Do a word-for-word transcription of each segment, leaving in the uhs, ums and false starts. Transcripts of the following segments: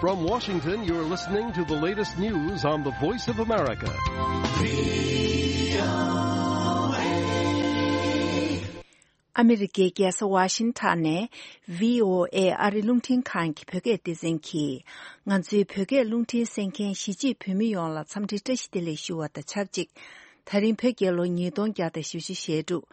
From Washington, you're listening to the latest news on the Voice of America. ཨ་མི་རི་ཀའི་རྒྱལ་ས་ཝ་ཤིང་ཊོན་ནས་བྷི་ཨོ་ཨེ་ཨ་རི་རླུང་འཕྲིན་ཁང་གི་བོད་སྐད་སྡེ་ཚན་གྱིས། ང་ཚོའི་བོད་སྐད་རླུང་འཕྲིན་གསན་མཁན་གཞིས་བྱེས་བོད་མི་ཡོངས་ལ་འཚམས་འདྲི་བཀྲ་ཤིས་བདེ་ལེགས་ཞུ་བ་དང་ཆབས་ཅིག་ད་རིང་བོད་རྒྱལ་ལོ་ཉིས་སྟོང་བརྒྱ་དང་བཞི་བཅུ་ཞེ་དྲུག་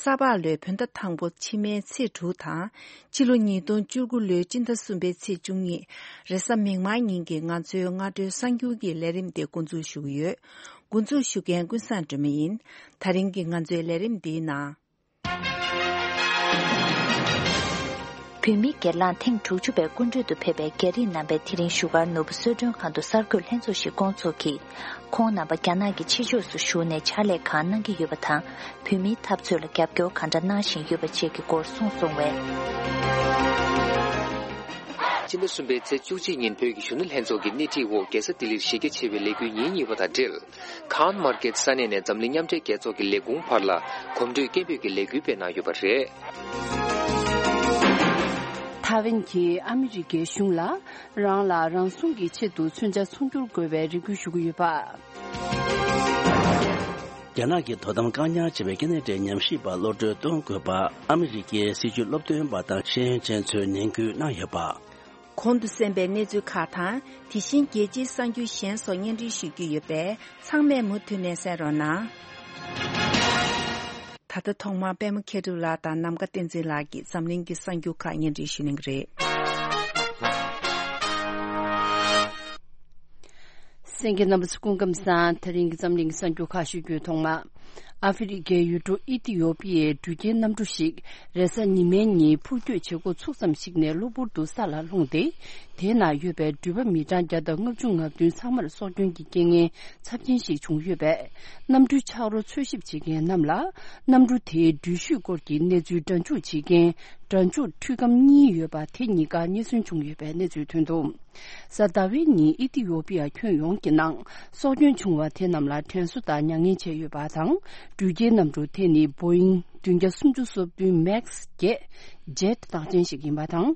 ས་ཕག་ལོའི་བོད་ཟླ་དང་པོ་ཕྱི་མའི་ཚེས་དྲུག་དང་། ཕྱི་ལོ་ཉིས་སྟོང་བཅུ་དགུ་ལོའི་སྤྱི་ཟླ་གསུམ་པའི་ཚེས་བཅུ་གཉིས། རེས་གཟའ་མིག་དམར་ཉིན་གྱི་ང་ཚོའི་སྔ་དྲོའི་གསར་འགྱུར་གྱི་ལས་རིམ་དེ་འགོ་འཛུགས་ཞུ་གི་ཡོད། འགོ་འཛུགས་ཞུ་མཁན་ཀུན་བཟང་སྒྲོལ་མ་ཡིན། ད་རིང་གི་ང་ཚོའི་ལས་རིམ་འདིའི་ནང་། བོད་མི་སྒེར་ལངས་ཐེངས་དྲུག་ཅུ་པའི་སྐུ་མགྲོན་དུ་ཕེབས་པའི་རྒྱ་རིགས་རྣམ་པས་དེ་རིང་བཞུགས་སྒར་ནོར་བུ་གསོལ་མགྲོན་ཁང་དུ་གསར་འགོད་ལྷན་ཚོགས་ཤིག་བསྐོང་ཚོགས་ཀྱིས། ཁོང་རྣམ་པ་རྒྱ་ནག་གི་ཕྱི་ཕྱོགས་སུ་བཞུགས་ནས་ཕྱག་ལས་གང་གནང་གི་ཡོད་པ་དང་། བོད་མིའི་འཐབ་རྩོད་ལ་རྒྱབ་སྐྱོར་གང་འདྲ་གནང་བཞིན་ཡོད་པ་བཅས་ཀྱི་སྐོར་གསུངས་སོང་བས། སྤྱི་ཟླ་གསུམ་པའི་ཚེས་བཅུ་གཅིག་ཉིན་བོད་ཀྱི་གཞོན་ནུ་ལྷན་ཚོགས་ཀྱི་སྣེ་ཁྲིད་འོག་རྒྱལ་ས་ལྡི་ལིར་གཞི་རྒྱ་ཆེ་བའི་ལས་འགུལ་ཉིན་གཉིས་པ་དང་འབྲེལ། ཁཱན་མར་ཀེད་ས་གནས་ནས་འཛམ་གླིང་མཉམ་འབྲེལ་རྒྱལ་ཚོགས་ཀྱི་ལས་ཁུངས་བར་ལ་གོམ་བགྲོད་སྐད་འབོད་ཀྱི་ལས་འགུལ་སྤེལ་གནང་ཡོད་པ་རེད། ཐའེ་ཝན་གྱིས་ཨ་མི་རི་ཀའི་གཞུང་ལ་རང་ལ་རང་སྲུང་གི་ཆེད་དུ་མཚོན་ཆ་ཚོང་སྒྱུར་དགོས་པའི་རེ་སྐུལ་ཞུ་གི་ཡོད་པ། རྒྱ་ནག་གི་དོ་དམ་བཀག་ཉར་བྱས་པའི་སྐྱེ་གནས་འབྲེལ་ཉམས་ཞིབ་པར་གློད་གྲོལ་གཏོང་དགོས་པ་ཨ་མི་རི་ཀའི་སྲིད་བྱུས་སློབ་སྟོན་པ་དང་ཤེས་ཡོན་ཅན་ཚོས་ནན་སྐུལ་གནང་ཡོད་པ། གོང་དུ་གསན་པའི་གནས་ཚུལ་ཁག་དང་། དེ་བཞིན་རྒྱལ་སྤྱིའི་གསར་འགྱུར་གཞན་སོགས་སྙན་སྒྲོན་ཞུ་རྒྱུ་ཡོད་པས། ཚང་མས་མུ་མཐུད་ནས་གསན་རོགས་གནང་། ད་ལྟ་ཐོག་མར་པད་མ་མཁས་གྲུབ་ལགས་དང་ནམ་མཁའ་བསྟན་འཛིན་ལགས་ཀྱིས་འཛམ་གླིང་གི་གསར་འགྱུར་ཁག་སྙན་སྒྲོན་ཞུ་གནང་གི་རེད། གསན་མཁན་རྣམ་པ་ཚོ་སྐུ་ཁམས་བཟང་། དེ་རིང་གི་འཛམ་གླིང་གསར་འགྱུར་ཁག་ཞུ་རྒྱུའི་ཐོག་མ། ཨ་ཧྥེ་རི་ཁའི་ཡུལ་གྲུ་ཨི་ཐི་ཡོ་པི་ཡའི་འགྲུལ་སྐྱེལ་གནམ་གྲུ་ཞིག་རེས་གཟའ་ཉི་མའི་ཉིན་འཕུར་སྐྱོད་བྱེད་འགོ་ཚུགས་ཙམ་ཞིག་ནས་གློ་བུར་དུ་ས་ལ་ལྷུང་སྟེ། དེའི་ནང་ཡོད་པའི་འགྲུལ་པ་མི་གྲངས་བརྒྱ་དང་ལྔ་བཅུ་ང་བདུན་ཚང་མར་སྲོག་སྐྱོན་གྱི་རྐྱེན་ངན་ཚབས་ཆེན་ཞིག་བྱུང་ཡོད་པས། གནམ་གྲུའི་ཆག་རོ་འཚོལ་ཞིབ་བྱེད་མཁན་རྣམས་ལ་གནམ་གྲུ་དེའི་འགྲུལ་བཞུད་སྐོར་གྱི་གནས་ཚུལ་སྒྲ་འཇུག་བྱེད་མཁན་སྒྲ་འཇུག་འཕྲུལ་སྒམ་གཉིས་ཡོད་པ་དེ་གཉིས་ཀ་རྙེད་སོན་བྱུང་ཡོད་པའི་གནས་ཚུལ་ཐོན་འདུག་གཟའ་ཟླ་བའི་ཉིན་ཨི་ཐི་ཡོ་པི་ཡ་ཁྱོན་ཡོངས་ཀྱི་ནང་སྲོག་སྐྱོན་བྱུང་བ་དེ་རྣམས་ལ་དྲན་གསོ་དང་མྱ་ངན་བྱས་ཡོད་པ་དང་། འགྲུལ་སྐྱེལ་གནམ་གྲུ་དེ་ནི་Boeing་བདུན་བརྒྱ་སུམ་ཅུ་སོ་བདུན་Max་བརྒྱད་Jet་རྟགས་ཅན་ཞིག་ཡིན་པ་དང་།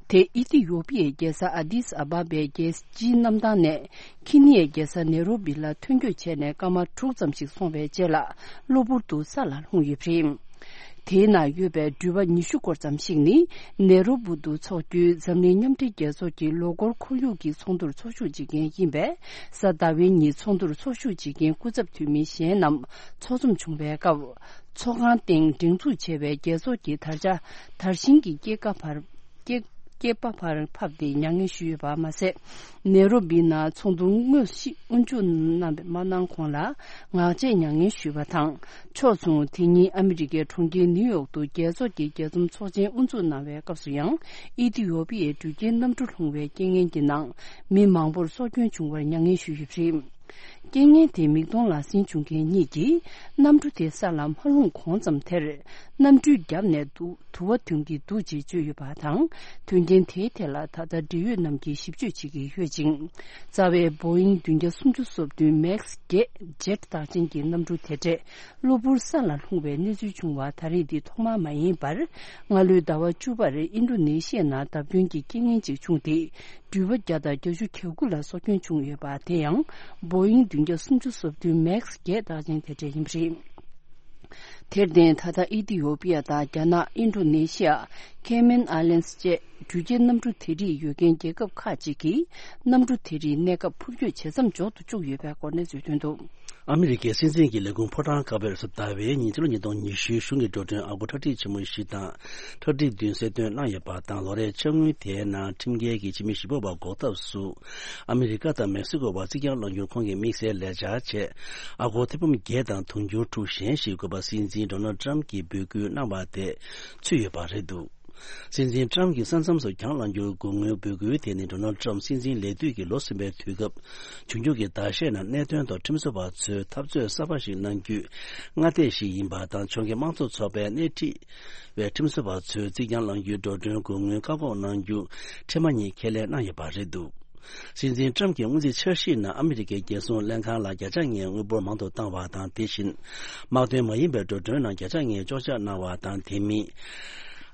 དེ་ཨི་ཐི་ཡོ་པི་ཡའི་རྒྱལ་ས་ཨ་དིས་ཨ་བ་བའི་རྒྱལ་སྤྱིའི་གནམ་ཐང་ནས་ཁི་ནི་ཡའི་རྒྱལ་ས་ནེ་རོ་བི་ལ་ཐོན་སྐྱོད་བྱས་ནས་སྐར་མ་དྲུག་ཙམ་ཞིག་སོང་བའི་རྗེས་ལ་གློ་བུར་དུ་ས་ལ་ལྷུང་ཡོད་པ་རེད། དེའི་ནང་ཡོད་པའི་འགྲུལ་པ་ཉི་ཤུ་སྐོར་ཙམ་ཞིག་ནི་ནེ་རོ་བུ་དུ་འཚོགས་རྒྱུའི་འཛམ་གླིང་མཉམ་འབྲེལ་རྒྱལ་ཚོགས་ཀྱི་ལོ་འཁོར་ཁོར་ཡུག་གི་ཚོགས་འདུར་ཚོགས་ཞུགས་བྱེད་མཁན་ཡིན་པས། གཟའ་ཟླ་བའི་ཉིན་ཚོགས་འདུར་ཚོགས་ཞུགས་བྱེད་མཁན་སྐུ་ཚབ་འཐུས་མི་གཞན་རྣམས་ཚོགས་འཛོམས་བྱུང་བའི་སྐབས། ཚོགས་ཁང་སྟེང་སྒྲེང་འཛུགས་བྱས་པའི་རྒྱལ་ཚོགས་ཀྱི་དར་ཆ་དར་ཤིང་གི་སྐེད་ཀ་བར་སྐེད་སྐེད་པ་བར་ཕབ་སྟེ་མྱ་ངན་ཞུས་ཡོད་པ་མ་ཟད། ནེ་རོ་བི་ནང་ཚོགས་འདུར་དངོས་གཞི་དབུ་འཇུག་གནང་མ་གནང་གོང་ལ་ངག་བཅད་མྱ་ངན་ཞུས་པ་དང་། ཕྱོགས་མཚུངས་དེ་ཉིན་ཨ་མི་རི་ཀའི་གྲོང་ཁྱེར་ནིའུ་ཡོག་ཏུ་རྒྱལ་ཚོགས་ཀྱི་རྒྱས་འཛོམས་ཚོགས་ཆེན་དབུ་འཛུགས་གནང་བའི་སྐབས་སུ་ཡང་ཨི་ཐི་ཡོ་པི་ཡའི་འགྲུལ་སྐྱེལ་གནམ་གྲུ་ལྷུང་བའི་རྐྱེན་ངན་གྱི་ནང་མི་མང་པོར་སྲོག་སྐྱོན་བྱུང་བར་མྱ་ངན་ཞུས་ཡོད་པ་རེད། རྐྱེན་ངན་དེ་མིག་མཐོང་ལག་ཟིན་བྱུང་མཁན་གཉིས་ཀྱིས་གནམ་གྲུ་དེ་ས་ལ་མ་ལྷུང་གོང་ཙམ་དེར་གནམ་གྲུའི་རྒྱབ་ནས་འདུག་དུ་བ་འཐེན་གྱི་འདུག་ཅེས་བརྗོད་ཡོད་པ་དང་། དོན་རྐྱེན་དེའི་ཐད་ལ་ད་ལྟ་འབྲེལ་ཡོད་རྣམས་ཀྱིས་ཞིབ་དཔྱོད་བྱེད་ཀྱི་ཡོད་ཅིང་། རྩ་བའི་Boeing་བདུན་བརྒྱ་སུམ་ཅུ་སོ་བདུན་Max་བརྒྱད་Jet་རྟགས་ཅན་གྱི་གནམ་གྲུ་དེ་གྲས་གློ་བུར་ས་ལ་ལྷུང་བའི་གནས་ཚུལ་བྱུང་བ་ད་རེས་འདི་ཐོག་མ་མ་ཡིན་པར། སྔ་ལོའི་ཟླ་བ་བཅུ་པར་ཨིན་ཌོ་ནེ་ཤི་ཡ་ནང་བརྡབ་སྐྱོན་གྱི་རྐྱེན་ངན་ཅིག་བྱུང་སྟེ། འགྲུལ་པ་བརྒྱ་དང་བརྒྱད་ཅུ་གྱ་དགུ་ལ་སྲོག་སྐྱོན་བྱུང་ཡོད་པ་དེ་ཡང་Boeing་བདུན་བརྒྱ་སུམ་ཅུ་སོ་བདུན་Max་བརྒྱད་རྟགས་ཅན་དེ་གྲས་ཡིན་པ་རེད། དེར་བརྟེན་ད་ལྟ་ཨི་ཐི་ཡོ་པི་ཡ་དང་རྒྱ་ནག་ཨིན་ཌོ་ནེ་ཤི་ཡ། Cayman Islands་བཅས་འགྲུལ་སྐྱེལ་གནམ་གྲུ་དེ་རིགས་ཡོད་མཁན་རྒྱལ་ཁབ་ཁག་ཅིག་གིས་གནམ་གྲུ་དེ་རིགས་གནས་སྐབས་འཕུར་སྐྱོད་ཇེ་མཚམས་འཇོག་ཏུ་བཅུག་ཡོད་པའི་སྐོར་གནས་ཚུལ་ཐོན་འདུག་ཨ་མི་རི་ཀའི་སྲིད་འཛིན་གྱི་ལས་ཁུངས་ཕོ་བྲང་དཀར་པོས་རེས་གཟའ་ཟླ་བའི་ཉིན་ཕྱི་ལོ་ཉིས་སྟོང་ཉི་ཤུའི་གཞུང་གི་འགྲོ་གྲོན་ཨ་སྒོར་ཁྲག་ཁྲིག་ཆེན་མོ་བཞི་དང་ཁྲག་ཁྲིག་བདུན་གསལ་སྟོན་གནང་ཡོད་པ་དང་། ལོ་རེའི་འཆར་དངུལ་དེའི་ནང་ཁྲིམས་འགལ་གྱི་ཕྱི་མི་བཞི་པོ་བ་འགོག་ཐབས་སུ་ཨ་མི་རི་ཀ་དང་མེག་སི་ཀོ་བར་རྩིག་གྱང་བསླང་རྒྱུར་ཁོང་གིས་དམིགས་བསལ་ལས་འཆར་བྱས། ཨ་སྒོར་ཐེར་འབུམ་བརྒྱད་དང་དུང་ཕྱུར་དྲུག་གཞན་ཞིག་དགོས་པ་སྲིད་འཛིན་ཌོ་ནལ་ཊམ་གྱིས་འབོད་སྐུལ་གནང་བ་དེ་ཚུད་ཡོད་པ་རེད་འདུག་སྲིད་འཛིན་ཊམ་གྱིས་ས་མཚམས་སུ་གྱང་བསླང་རྒྱུར་དགོས་དངུལ་འབོད་སྐུལ་དེ་ནི་ཌོ་ནལ་ཊམ་སྲིད་འཛིན་ལས་དུས་ཀྱི་ལོ་གསུམ་པའི་དུས་སྐབས་འབྱུང་འགྱུར་གྱི་ཟླ་ཤས་ནང་གནད་དོན་ཐོག་ཁྲིམས་བཟོ་བ་ཚོས་འཐབ་རྩོད་གསར་པ་ཞིག་གནང་རྒྱུའི་སྔ་ལྟས་ཤིག་ཡིན་པ་དང་། ཕྱོགས་འགལ་དམངས་གཙོ་ཚོགས་པས་སྣེ་ཁྲིད་པའི་ཁྲིམས་བཟོ་བ་ཚོས་རྩིག་གྱང་བསླང་རྒྱུའི་འགྲོ་གྲོན་དགོས་དངུལ་བཀག་འགོག་གནང་རྒྱུ་འཕྲལ་མ་ཉིད་ཁས་ལེན་གནང་ཡོད་པ་རེད་འདུག་སྲིད་འཛིན་ཊམ་གྱི་སྔོན་རྩིས་འཆར་གཞིའི་ནང་ཨ་མི་རི་ཀའི་རྒྱལ་སྲུང་ལྷན་ཁང་ལ་བརྒྱ་ཆ་ལྔའི་དངུལ་འབོར་མང་དུ་བཏང་བ་དང་། དེ་བཞིན་དམག་དོན་མ་ཡིན་པའི་འགྲོ་གྲོན་ནང་བརྒྱ་ཆ་ལྔའི་གཅོག་ཆ་གནང་བ་དང་། དེ་མིན།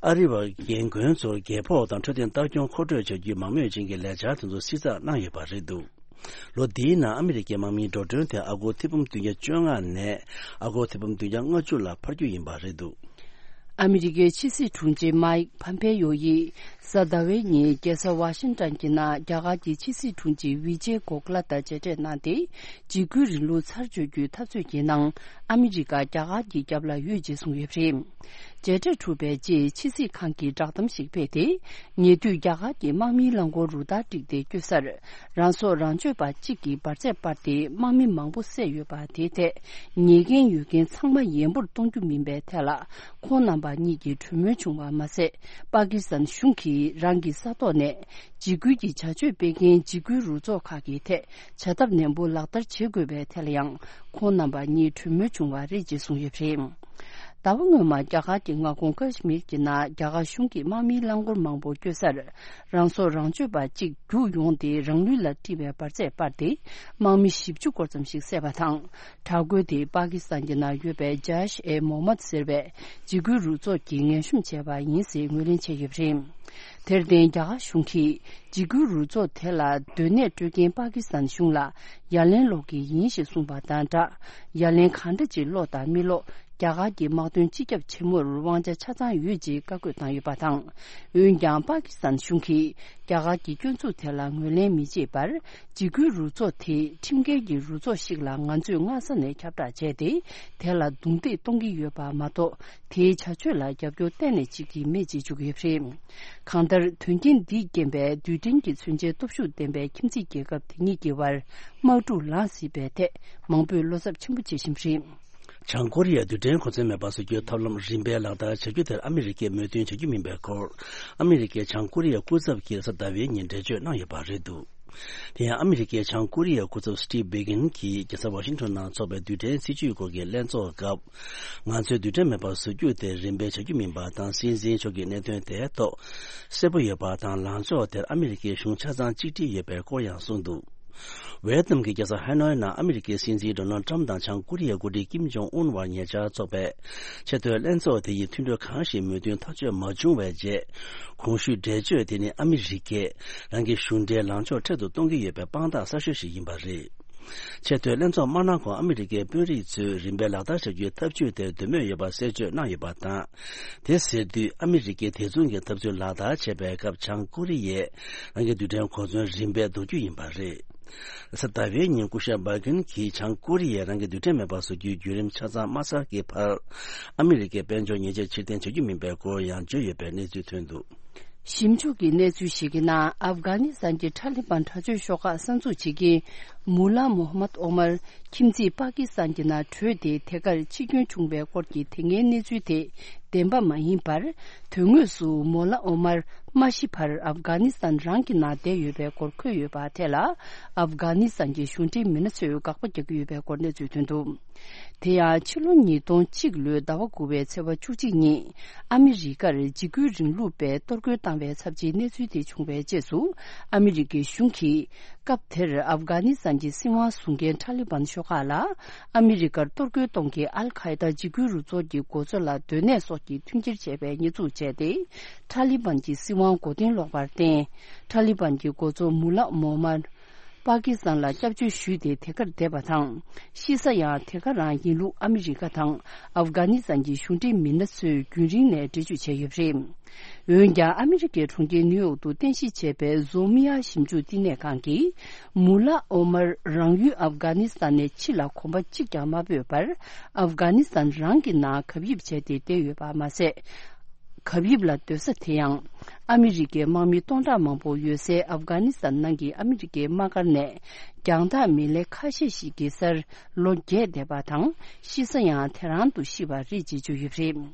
ཨ་རི་བ་རྒན་རྒོན་ཚོར་རྒས་ཕོགས་དང་འཕྲོད་བསྟེན་ལྟ་སྐྱོང་མཁོ་སྤྲོད་བྱ་རྒྱུའི་མང་མོས་ཅན་གྱི་ལས་འཆར་དེ་ཚོ་བསྲི་ཚགས་གནང་ཡོད་པ་རེད་འདུག་ལོ་འདིའི་ནང་ཨ་མི་རི་ཀའི་དམག་མིའི་འགྲོ་གྲོན་དེ་ཨ་སྒོར་ཐེར་འབུམ་བདུན་བརྒྱ་བཅོ་ལྔ་ནས་ཨ་སྒོར་ཐེར་འབུམ་བདུན་བརྒྱ་ལྔ་བཅུ་ལ་འཕར་རྒྱུ་ཡིན་པ་རེད་འདུག་ཨ་མི་རི་ཀའི་ཕྱི་སྲིད་དྲུང་ཆེ་མའིག་ཕམ་ཕེ་ཡོ་ཡིས་གཟའ་ཟླ་བའི་ཉིན་རྒྱལ་ས་ཝ་ཤིང་ཏོན་གྱི་ནང་རྒྱ་གར་གྱི་ཕྱི་སྲིད་དྲུང་ཆེ་ཝི་ཇེ་གོ་ཁ་ལ་དང་མཇལ་འཕྲད་གནང་སྟེ། འཇིགས་སྐུལ་རིང་ལུགས་ཚར་གཅོད་རྒྱུའི་འཐབ་རྩོད་ཀྱི་ནང་ཨ་མི་རི་ཀ་རྒྱ་གར་གྱི་རྒྱབ་ལ་ཡོད་ཅེས་གསུངས་ཡོད་པ་རེད། མཇལ་འཕྲད་གྲུབ་པའི་རྗེས་ཕྱི་སྲིད་ཁང་གིས་བསྒྲགས་གཏམ་ཞིག་སྤེལ་ཏེ། ཉེ་དུས་རྒྱ་གར་གྱི་དམག་མིའི་རླངས་འཁོར་རུ་སྟར་བསྒྲིགས་ཏེ་བསྐྱོད་སར། རང་སྲོག་རང་གཅོད་པ་གཅིག་གིས་འབར་རྫས་སྤར་ཏེ་དམག་མི་མང་པོ་བསད་ཡོད་པ་དེའི་ཐད། ཉེས་འགན་ཡོད་མཁན་ཚང་མ་ཡན་པོར་གཏོང་རྒྱུ་མིན་པའི་ཐད་ལ། ཁོང་རྣམ་པ་གཉིས་ཀྱིས་གྲོས་མོལ་བྱུང་བ་མ་ཟད། པ་ཀི་སི་ཐན་གཞུང་གིས་རང་གི་ས་ཐོག་ནས། འཇིགས་སྐུལ་གྱི་བྱ་སྤྱོད་སྤེལ་མཁན་འཇིགས་སྐུལ་རུ་ཚོགས་ཁག་གི་ཐད་བྱ་ཐབས་ནན་པོ་ལག་བསྟར་བྱེད་དགོས་པའི་ཐད་ལ་ཡང་ཁོང་རྣམ་པ་གཉིས་གྲོས་མོལ་བྱུང་བ་རེད་ཅེས་གསུངས་ཡོད་པ་རེད། ཟླ་བ་སྔོན་མ་རྒྱ་གར་གྱི་མངའ་ཁོངས་ཀ་ཤི་མིར་གྱི་ནང་རྒྱ་གར་གཞུང་གི་དམག་མིའི་རླངས་འཁོར་མང་པོ་བསྐྱོད་སར་རང་སྲོག་རང་གཅོད་པ་གཅིག་རྒྱུགས་ཡོང་སྟེ་རང་ལུས་ལ་དཀྲིས་པའི་འབར་རྫས་སྤར་ཏེ་དམག་མི་བཞི་བཅུ་སྐོར་ཙམ་ཞིག་བསད་པ་དང་། དྲག་རྒོལ་དེ་པ་ཀི་སི་ཐན་གྱི་ནང་ཡོད་པའི་ཇཱ་ཤ་ཨེ་མོ་མད་ཟེར་བའི་འཇིགས་སྐུལ་རུ་ཚོགས་ཀྱིས་ངན་གཤོམ་བྱས་པ་ཡིན་ཟེར་ངོས་ལེན་བྱས་ཡོད་པ་རེད། དེར་བརྟེན་རྒྱ་གར་གཞུང་གིས་འཇིགས་སྐུལ་རུ་ཚོགས་དེ་ལ་སྡོད་གནས་སྤྲོད་མཁན་པ་ཀི་སི་ཐན་གཞུང་ལ་ཡ་ལན་སློག་གི་ཡིན་ཞེས་གསུངས་པ་དང་སྦྲགས། ཡ་ལན་གང་འདྲ་ཅིག་སློག་དང་མི་སློག་རྒྱ་གར་གྱི་དམག་དོན་སྤྱི་ཁྱབ་ཆེན་མོར་དབང་ཆ་ཆ་ཚང་ཡོད་ཅེས་བཀའ་བཀོད་བཏང་ཡོད་པ་དང་། འོན་ཀྱང་པ་ཀི་སི་ཐན་གཞུང་གིས་རྒྱ་གར་གྱི་སྐྱོན་འཛུགས་དེ་ལ་ངོས་ལེན་མི་བྱེད་པར། འཇིགས་སྐུལ་རུ་ཚོགས་དེ་ཁྲིམས་འགལ་གྱི་རུ་ཚོགས་ཤིག་ལ་ང་ཚོས་སྔ་ས་ནས་ཁྱབ་བསྒྲགས་བྱས་ཏེ། དེ་ལ་རྡུང་རྡེག་གཏོང་གི་ཡོད་པ་མ་གཏོགས། དེའི་བྱ་སྤྱོད་ལ་རྒྱབ་སྐྱོར་གཏན་ནས་བྱེད་ཀྱི་མེད་ཅེས་བརྗོད་ཀྱི་ཡོད་པ་རེད། གང་ལྟར། དོན་རྐྱེན་འདིས་རྐྱེན་པས་རྡུལ་ཕྲན་གྱི་མཚོན་ཆའི་སྟོབས་ཤུགས་ལྡན་པའི་ཁྱིམ་མཚེས་རྒྱལ་ཁབ་དེ་གཉིས་ཀྱི་བར་དམག་འཁྲུག་ལངས་སྲིད་པའི་ཐད་མང་པོས་བློ་འཚབ་ཆེན་པོ་བྱེད་བཞིན་པ་རེད། བྱང་ཀོ་རི་ཡས་རྡུལ་ཕྲན་གོ་མཚོན་མེད་པ་བཟོ་རྒྱུའི་ཐབས་ལམ་རིམ་པས་ལག་བསྟར་བྱ་རྒྱུ་དེར་ཨ་མི་རི་ཀས་མོས་མཐུན་བྱ་རྒྱུ་མིན་པའི་སྐོར། ཨ་མི་རི་ཀས་བྱང་ཀོ་རི་ཡའི་སྐུ་ཚབ་ཀྱིས་གཟའ་ཟླ་བའི་ཉིན་འགྲེལ་བརྗོད་གནང་ཡོད་པ་རེད་འདུག་དེ་ཡང་ཨ་མི་རི་ཀའི་བྱང་ཀོ་རི་ཡའི་སྐུ་ཚབ་སི་ཊིབ་བྷི་གིན་གྱིས་རྒྱལ་ས་ཝ་ཤིང་ཊོན་ནང་འཚོགས་པའི་རྡུལ་ཕྲན་སྲིད་ཇུས་སྐོར་གྱི་ལྷན་ཚོགས་སྐབས། ང་ཚོས་རྡུལ་ཕྲན་མེད་པ་བཟོ་རྒྱུ་དེ་རིམ་པས་བྱ་རྒྱུ་མིན་པ་དང་། སྲིད་འཛིན་མཆོག་གིས་གནད་དོན་དེའི་ཐོག་གསལ་པོ་ཡོད་པ་དང་། ལངས་ཕྱོགས་དེར་ཨ་མི་རི་ཀའི་གཞུང་ཆ་ཚང་གཅིག་སྒྲིལ་ཡོད་པའི་སྐོར་ཡང་གསུངས་འདུག་ཝེ་ཏི་ནམ་གྱི་རྒྱལ་ས་ཧ་ནོའི་ནང་ཨ་མི་རི་ཀའི་སྲིད་འཛིན་ཌོ་ནལ་ཏྲམ་དང་བྱང་ཀོ་རི་ཡའི་འགོ་ཁྲིད་ཀིམ་ཇོང་ཨུན་བར་ཉེ་ཆར་འཚོགས་པའི་ཆེས་མཐོའི་ལྷན་ཚོགས་དེ་ཡིས་མཐུན་གྲོས་གང་ཞིག་མོས་མཐུན་ཐག་གཅོད་མ་བྱུང་བའི་རྗེས། གོང་ཞུས་འགྲེལ་བརྗོད་དེ་ནི་ཨ་མི་རི་ཀས་རང་གི་གཞུང་འབྲེལ་ལངས་ཕྱོགས་འཕྲལ་དུ་གཏོང་གི་ཡོད་པའི་དཔང་རྟགས་གསར་ཤོས་ཤིག་ཡིན་པ་རེད། ཆེས་མཐོའི་ལྷན་ཚོགས་མ་གནང་གོང་ཨ་མི་རི་ཀའི་དཔོན་རིགས་ཚོས་རིམ་པས་ལག་བསྟར་བྱ་རྒྱུའི་ཐབས་ཇུས་དེར་འདོད་མོས་ཡོད་པ་གསལ་བརྗོད་གནང་ཡོད་པ་དང་། དེ་ཟེར་དུས་ཨ་མི་རི་ཀས་དེ་མཚུངས་ཀྱི་ཐབས་ཚུལ་ལག་བསྟར་བྱས་པའི་སྐབས་བྱང་ཀོ་རི་ཡས་རང་གི་རྡུལ་ཕྲན་གོ་མཚོན་རིམ་པས་ལྡོག་རྒྱུ་ཡིན་པ་རེད། གཟའ་ཟླ་བའི་ཉིན་སྐུ་ཞབས་བྷ་གིན་གྱིས་བྱང་ཀོ་རི་ཡས་རང་གི་རྡུལ་ཕྲན་མེད་པ་བཟོ་རྒྱུའི་བརྒྱུད་རིམ་ཆ་ཚང་མ་ཚར་གྱི་བར། ཨ་མི་རི་ཀའི་དཔལ་འབྱོར་ཉེས་ཆད་ཕྱིར་འཐེན་བྱ་རྒྱུ་མིན་པའི་སྐོར་ཡང་བརྗོད་ཡོད་པའི་གནས་ཚུལ་ཐོན་འདུག་ཞིབ་འཇུག་གི་གནས་ཚུལ་ཞིག་གི་ནང་ཨབ་གྷ་ནི་སི་ཐན་གྱི་ཐ་ལི་བན་དྲག་སྤྱོད་ཤོག་ཁག་གསར་འཛུགས་བྱེད་མཁན་མུ་ལ་མོ་ཧ་མད་ཨོ་མར་ཁྱིམ་མཚེས་པ་ཀི་སི་ཐན་གྱི་ནང་བྲོས་ཏེ་དེ་གར་འཆི་སྐྱོན་བྱུང་བའི་སྐོར་གྱི་དེ་སྔའི་གནས་ཚུལ་དེ་བདེན་པ་མ་ཡིན་པར། དོན་དངོས་སུ་མོ་ལ་ཨོ་མར་མ་ཤི་བར་ཨབ་གྷ་ནི་སི་ཐན་རང་གི་ནང་བསྡད་ཡོད་པའི་སྐོར་འཁོད་ཡོད་པ་དེ་ལ་ཨབ་གྷ་ནི་སི་ཐན་གྱི་གཞུང་འབྲེལ་མི་སྣ་ཚོས་དགག་པ་རྒྱག་གི་ཡོད་པའི་སྐོར་གནས་ཚུལ་ཐོན་འདུག་དེ་ཡང་ཕྱི་ལོ་ཉིས་སྟོང་གཅིག་ལོའི་ཟླ་བ་དགུ་པའི་ཚེས་པ་བཅུ་གཅིག་ཉིན་ཨ་མི་རི་ཀར་འཇིགས་སྐུལ་རིང་ལུགས་པས་གཏོར་རྒོལ་བཏང་བའི་ཚབས་ཆེའི་གནས་ཚུལ་དེ་བྱུང་བའི་རྗེས་སུ་ཨ་མི་རི་ཀའི་གཞུང་གིས་སྐབས་དེར་ཨབ་གྷ་ནི་སི་ཐན་གྱི་སྲིད་དབང་བཟུང་མཁན་ཐ་ལི་བན་ཤོག་ཁག་ལ་ཨ་མི་རི་ཀར་གཏོར་རྒོལ་གཏོང་མཁན་ཨལ་ཁ་ཡེ་ད་འཇིགས་སྐུལ་རུ་ཚོགས་ཀྱི་འགོ་གཙོ་ལ་སྡོད་གནས་སོགས་ཀྱི་མཐུན་འགྱུར་བྱས་པའི་གནས་ཚུལ་བྱས་ཏེ། ཐ་ལི་བན་གྱི་སྲིད་དབང་མགོ་རྟིང་སློག་པར་བརྟེན། ཐ་ལི་བན་གྱི་འགོ་གཙོ་མུ་ལ་མོ་མར། པ་ཀི་སི་ཐན་ལ་སྐྱབས་བཅོལ་ཞུས་ཏེ་དེ་གར་བསྡད་པ་དང་། ཤི་ས་ཡང་དེ་ག་རང་ཡིན་ལུགས་ཨ་མི་རི་ཀ་དང་ཨབ་གྷ་ནི་སི་ཐན་གྱི་གཞུང་འབྲེལ་མི་སྣ་ཚོས་རྒྱུན་རིང་ནས་འགྲེལ་བརྗོད་བྱས་ཡོད་པ་རེད། འོན་ཀྱང་ཨ་མི་རི་ཀའི་གྲོང་ཁྱེར་ནིའུ་ཡོག་ཏུ་རྟེན་གཞི་བྱས་པའི་ཟོ་མི་ཡ་ཞིབ་འཇུག་བསྟི་གནས་ཁང་གིས། མུ་ལ་ཨོ་མར་རང་ཡུལ་ཨབ་གྷ་ནི་སི་ཐན་ནས་ཕྱི་ལ་གོམ་པ་གཅིག་ཀྱང་མ་སྤོས་པར། ཨབ་གྷ་ནི་སི་ཐན་རང་གི་ནང་གབ་ཡིབ་བྱས་ཏེ་བསྡད་ཡོད་པ་མ་ཟད། གབ་ཡིབ་ལ་སྡོད་ས་དེ་ཡང་ཨ་མི་རི་ཀའི་དམག་མི་སྟོང་ཕྲག་མང་པོ་ཡོད་སའི་ཨབ་གྷ་ནི་སི་ཐན་ནང་གི་ཨ་མི་རི་ཀའི་དམག་སྒར་ནས་རྒྱང་ཐག་མི་ལེ་ཁ་ཤས་ཤིག་གི་སར་ལོ་བརྒྱད་བསྡད་པ་དང་། ཤི་ས་ཡང་དེ་རང་དུ་ཤི་བ་རེད་ཅེས་བརྗོད་ཡོད་པ་རེད།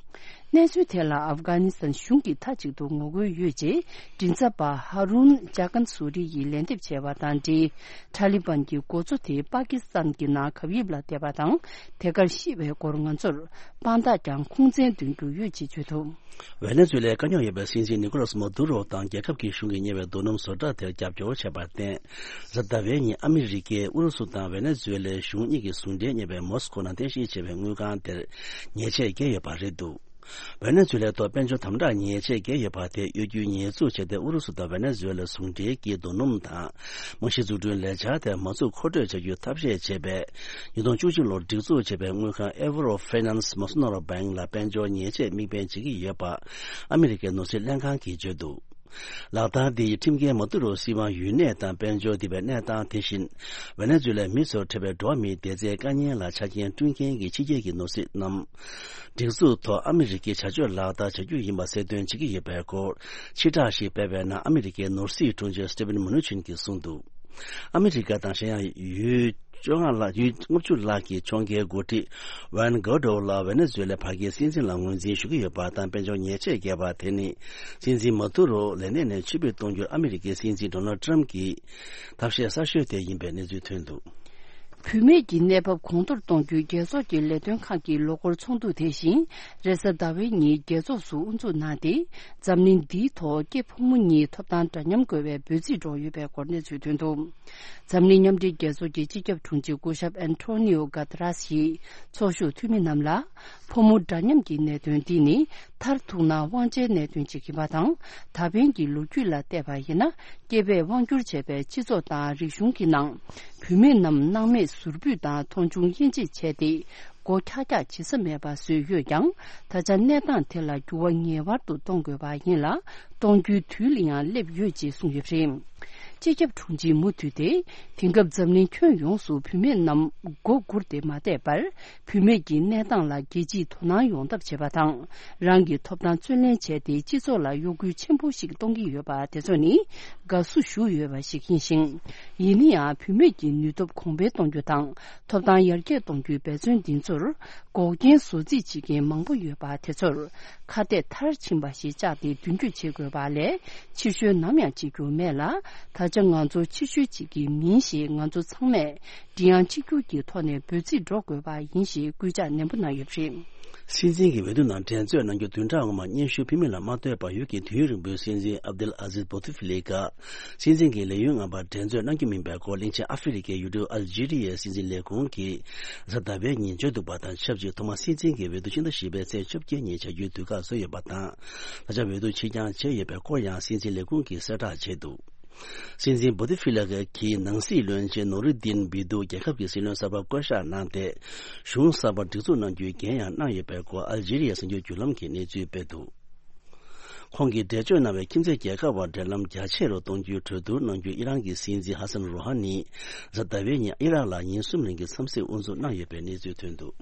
གནས་ཚུལ་དེ་ལ་ཨབ་གྷ་ནི་སི་ཐན་གཞུང་གིས་མཐའ་གཅིག་ཏུ་ངོ་རྒོལ་ཡོད་ཅེས་མགྲིན་ཚབ་པ་ཧ་རུན་ཇཱ་ཀན་སུ་རི་ཡིས་ལན་འདེབས་བྱས་པ་དང་འབྲེལ། ཐ་ལི་བན་གྱི་འགོ་གཙོ་དེ་པ་ཀི་སི་ཐན་གྱི་ནང་གབ་ཡིབ་ལ་བསྡད་པ་དང་། དེ་གར་ཤི་བའི་སྐོར་ང་ཚོར་དཔང་རྟགས་ཀྱང་ཁུངས་བཙན་འདོན་རྒྱུ་ཡོད་ཅེས་བརྗོད་འདུག་ཝེ་ནེ་ཛུ་ལའི་དཀའ་རྙོག་ཡོད་པའི་སྲིད་འཛིན་ནི་ཀོ་ལཱས་མ་དུ་རོ་དང་རྒྱལ་ཁབ་ཀྱི་གཞུང་གིས་གཉེར་བའི་རྡོ་སྣུམ་བཟོ་གྲྭ་དེར་རྒྱབ་སྐྱོར་བྱས་པར་བརྟེན། གཟའ་ཟླ་བའི་ཉིན་ཨ་མི་རི་ཀས་ཨུ་རུ་སུ་དང་ཝེ་ནེ་ཛུ་ལའི་གཞུང་གཉིས་ཀྱི་ཟུང་འབྲེལ་གཉེར་བའི་མོ་སི་ཀོ་ནང་རྟེན་གཞི་བྱས་པའི་དངུལ་ཁང་དེར་ཉེས་ཆད་བཀལ་ཡོད་པ་རེད་འདུག་ཝེ་ནེ་ཛུ་ལའི་ཐོག་དཔལ་འབྱོར་དམ་དྲག་ཉེས་ཆད་བཀལ་ཡོད་པ་དེ་གཡོ་སྒྱུའི་ཉེས་འཛུགས་བྱས་ཏེ། ཨུ་རུ་སུ་དང་ཝེ་ནེ་ཛུ་ལ་ཟུང་འབྲེལ་གྱིས་རྡོ་སྣུམ་དང་རྨང་གཞི་འཛུགས་སྐྲུན་ལས་འཆར་དེ་མ་འཛུགས་མཁོ་སྤྲོད་བྱ་རྒྱུའི་ཐབས་ཤེས་བྱས་པའི་ཉིས་སྟོང་བཅུ་གཅིག་ལོར་སྒྲིག་འཛུགས་བྱས་པའི་དངུལ་ཁང་Avro Finance Masonoro Bank ལ་དཔལ་འབྱོར་ཉེས་ཆད་དམིགས་འབེན་བྱེད་ཀྱི་ཡོད་པ་ཨ་མི་རི་ཀའི་ནོར་སྲིད་ལྷན་ཁང་གིས་བརྗོད་འདུག་ལག་བསྟར་འདི་ཡིས་ཁྲིམས་འགལ་མ་ཐུག་རུང་སྲིད་དབང་ཡུན་གནས་དང་དཔལ་འབྱོར་ལྡན་པའི་གནས་སྟངས། དེ་བཞིན་ཝེ་ནེ་ཛུ་ལའི་མི་ཚོར་འཕྲད་པའི་འགྲོ་བ་མིའི་བདེ་རྩའི་དཀའ་ངལ་ལ་ཆ་རྐྱེན་བསྐྲུན་མཁན་གྱི་ཕྱི་རྒྱལ་གྱི་ནོར་སྲིད་རྣམས་སྒྲིག་འཛུགས་ཐོག་ཨ་མི་རི་ཀའི་བྱ་སྤྱོད་ལག་བསྟར་བྱ་རྒྱུ་ཡིན་པ་གསལ་སྟོན་བྱེད་ཀྱི་ཡོད་པའི་སྐོར་ཕྱིར་བསྒྲགས་ཤིག་སྤེལ་བའི་ནང་ཨ་མི་རི་ཀའི་ནོར་སྲིད་དྲུང་ཆེ་Steven Mnuchin གྱིས་གསུངས་འདུག་ཨ་མི་རི་ཀ་དང་གཞན་ཡང་ཡུལ་བཅོ་ལྔ་ལྷག་ཡུལ་ལྔ་བཅུ་ལྷག་གི་ཕྱོགས་འགལ་འགོ་ཁྲིད་Juan Guaido ལ་ཝེ་ནེ་ཛུ་ལའི་བར་བརྒལ་སྲིད་འཛིན་ལ་ངོས་འཛིན་ཞུ་གི་ཡོད་པ་དང་། དཔལ་འབྱོར་ཉེས་ཆད་བཀལ་བ་དེ་ནི་སྲིད་འཛིན་མ་དུ་རོ་ལས་གནས་ནས་ཕྱིར་འབུད་གཏོང་རྒྱུར་ཨ་མི་རི་ཀའི་སྲིད་འཛིན་Donald Trump གྱི་ཐབས་ཤེས་གསར་ཤོས་དེ་ཡིན་པའི་གནས་ཚུལ་ཐོན་འདུག་བུད་མེད་ཀྱི་གནས་བབ་གོང་མཐོར་གཏོང་རྒྱུའི་རྒྱལ་ཚོགས་ཀྱི་ལས་དོན་ཁང་གི་ལོ་འཁོར་ཚོགས་འདུ་དེ་བཞིན་རེས་གཟའ་ཟླ་བའི་ཉིན་རྒྱལ་ཚོགས་སུ་དབུ་འཛུགས་གནང་སྟེ། འཛམ་གླིང་འདིའི་ཐོག་སྐྱེས་ཕོ་མོ་གཉིས་ཐོབ་ཐང་འདྲ་མཉམ་དགོས་པའི་འབོད་ཚིག་སྒྲོག་ཡོད་པའི་སྐོར་གནས་ཚུལ་ཐོན་འདུག་འཛམ་གླིང་མཉམ་འབྲེལ་རྒྱལ་ཚོགས་ཀྱི་སྤྱི་ཁྱབ་དྲུང་ཆེ་སྐུ་ཞབས་ཨན་ཐོ་ནིའོ་གྷ་ཏ་ར་སི་ཡིས་ཚོགས་ཞུགས་འཐུས་མི་རྣམས་ལ། ཕོ་མོ་འདྲ་མཉམ་གྱི་གནད་དོན་འདི་ནི་མཐར་ཐུག་ན་དབང་ཆའི་གནད་དོན་ཅིག་ཡིན་པ་དང་། ད་ཕན་གྱི་ལོ་རྒྱུས་ལ་བལྟས་པ་ཡིན་ན། སྐྱེས་པས་དབང་བསྒྱུར་བྱས་པའི་སྤྱི་ཚོགས་དང་རིག་གཞུང་གི་ནང་། བུད་མེད་རྣམས་སྣང་མེད་ཟུར་ཕུད་དང་མཐོང་ཆུང་དབྱེ་འབྱེད་བྱས་ཏེ། མགོ་འཁྱག་འཁྱག་བྱེད་ས་མེད་པ་བཟོས་ཡོད་ཀྱང་། ད་ཆ་གནས་སྟངས་དེ་ལ་འགྱུར་བ་ངེས་པར་དུ་གཏོང་དགོས་པ་ཡིན་ལ། གཏོང་རྒྱུའི་དུས་ལ་ཡང་སླེབས་ཡོད་ཅེས་གསུངས་ཡོད་པ་རེད། སྤྱི་ཁྱབ་དྲུང་ཆེའི་མུ་མཐུད་དེ། དེང་སྐབས་འཛམ་གླིང་ཁྱོན་ཡོངས་སུ་བུད་མེད་རྣམས་མགོ་སྒུར་ཏེ་མ་བསྡད་པར། བུད་མེད་ཀྱི་གནས་སྟངས་ལ་རྒྱལ་སྤྱིས་དོ་སྣང་ཡོང་ཐབས་བྱེད་པ་དང་། རང་གི་ཐོབ་ཐང་བརྩོན་ལེན་བྱས་ཏེ། སྤྱི་ཚོགས་ལ་གཡོ་འགུལ་ཆེན་པོ་ཞིག་གཏོང་གི་ཡོད་པ་དེ་ཚོ་ནི་དགའ་བསུ་ཞུ་འོས་པ་ཞིག་ཡིན་ཞིང་། ཡིན་ན་ཡང་། བུད་མེད་ཀྱི་ནུས་སྟོབས་གོང་འཕེལ་གཏོང་རྒྱུ་དང་། ཐོབ་ཐང་ཡར་རྒྱས་གཏོང་རྒྱུའི་འབད་བརྩོན་འདི་ཚོར། འགོག་རྐྱེན་བཟོ་རྩིས་བྱེད་མཁན་མང་པོ་ཡོད་པ་དེ་ཚོར། ཁ་གཏད་མཐར་ཕྱིན་པ་ཞིག་བཅག་སྟེ་མདུན་སྐྱོད་བྱེད་དགོས་པ་ལས། ཕྱིར་བཤོལ་ནམ་ཡང་བྱེད་རྒྱུ་མེད་ལ། ད་ཆ་ང་ཚོ་ཕྱིར་བཤོལ་བྱེད་ཀྱི་མིན་ཞེས་ང་ཚོ་ཚང་མས་མགྲིན་དབྱངས་གཅིག་གྱུར་གྱི་ཐོག་ནས་འབོད་ཚིག་སྒྲོག་དགོས་པ་ཡིན་ཞེས་སྐུལ་ལྕག་ནན་པོ་གནང་ཡོད་པ་རེད། སྲིད་འཛིན་གྱི་འོས་བསྡུ་ནང་འགྲན་རྩོད་གནང་རྒྱུ་བདུན་ཕྲག་སྔོན་མ་སྙན་ཞུ་ཕུལ་མིན་ལ་མ་ལྟོས་པར། ཡུལ་གྱི་དུས་ཡུན་རིང་པོའི་སྲིད་འཛིན་ཨབ་དུལ་ཨ་ཟིዝ་བོ་ཏི་ཧྥི་ལི་ཀ་སྲིད་འཛིན་གྱི་ལས་ཡུན་མངའ་བར་འགྲན་རྩོད་གནང་རྒྱུ་མིན་པའི་སྐོར། གླིང་ཆེན་ཨ་ཧྥེ་རི་ཁའི་ཡུལ་གྲུ་ཨལ་ཇི་རི་ཡའི་སྲིད་འཛིན་ལས་ཁུངས་ཀྱིས་གཟའ་ཟླ་བའི་ཉིན་བརྗོད་འདུག་པ་དང་ཆབས་ཅིག་ཐོག་མ་སྲིད་འཛིན་གྱི་འོས་བསྡུ་ཕྱི་ཟླ་བཞི་པའི་ཚེས་བཅོ་བརྒྱད་ཉིན་བྱ་རྒྱུའི་དུས་བཀག་བཟོས་ཡོད་པ་དང་། ད་ཆ་འོས་བསྡུ་ཕྱིར་འགྱངས་བྱས་ཡོད་པའི་སྐོར་ཡང་སྲིད་འཛིན་ལས་ཁུངས་ཀྱིས་གསལ་བསྒྲགས་བྱས་འདུག་སྲིད་འཛིན་བོ་ཏི་ཧྥི་ལ་གིས་ནང་སྲིད་བློན་ཆེན་ནོ་རུ་དིན་བི་དུ། རྒྱལ་ཁབ་ཀྱི་སྲིད་བློན་གསར་པ་བསྐོ་གཞག་གནང་སྟེ། གཞུང་གསར་པ་སྒྲིག་འཛུགས་གནང་རྒྱུའི་འགན་ཡང་གནང་ཡོད་པའི་སྐོར་ཨལ་ཇི་རི་ཡའི་གསར་འགྱུར་བརྒྱུད་ལམ་གྱིས་གནས་ཚུལ་སྤེལ་འདུག་ཁོང་གིས་འགྲེལ་བརྗོད་གནང་བའི་ཁྱིམ་མཚེས་རྒྱལ་ཁབ་བར་འབྲེལ་ལམ་རྒྱ་ཆེ་རུ་གཏོང་རྒྱུའི་གྲོས་བསྡུར་གནང་རྒྱུ། ཨི་རན་གྱི་སྲིད་འཛིན་ཧ་སན་རོ་ཧ་ནི་གཟའ་ཟླ་བའི་ཉིན་ཨི་རག་ལ་ཉིན་གསུམ་རིང་གི་འཚམས་གཟིགས་དབུ་འཛུགས་གནང་ཡོད་པའི་གནས་ཚུལ་ཐོན་འདུག་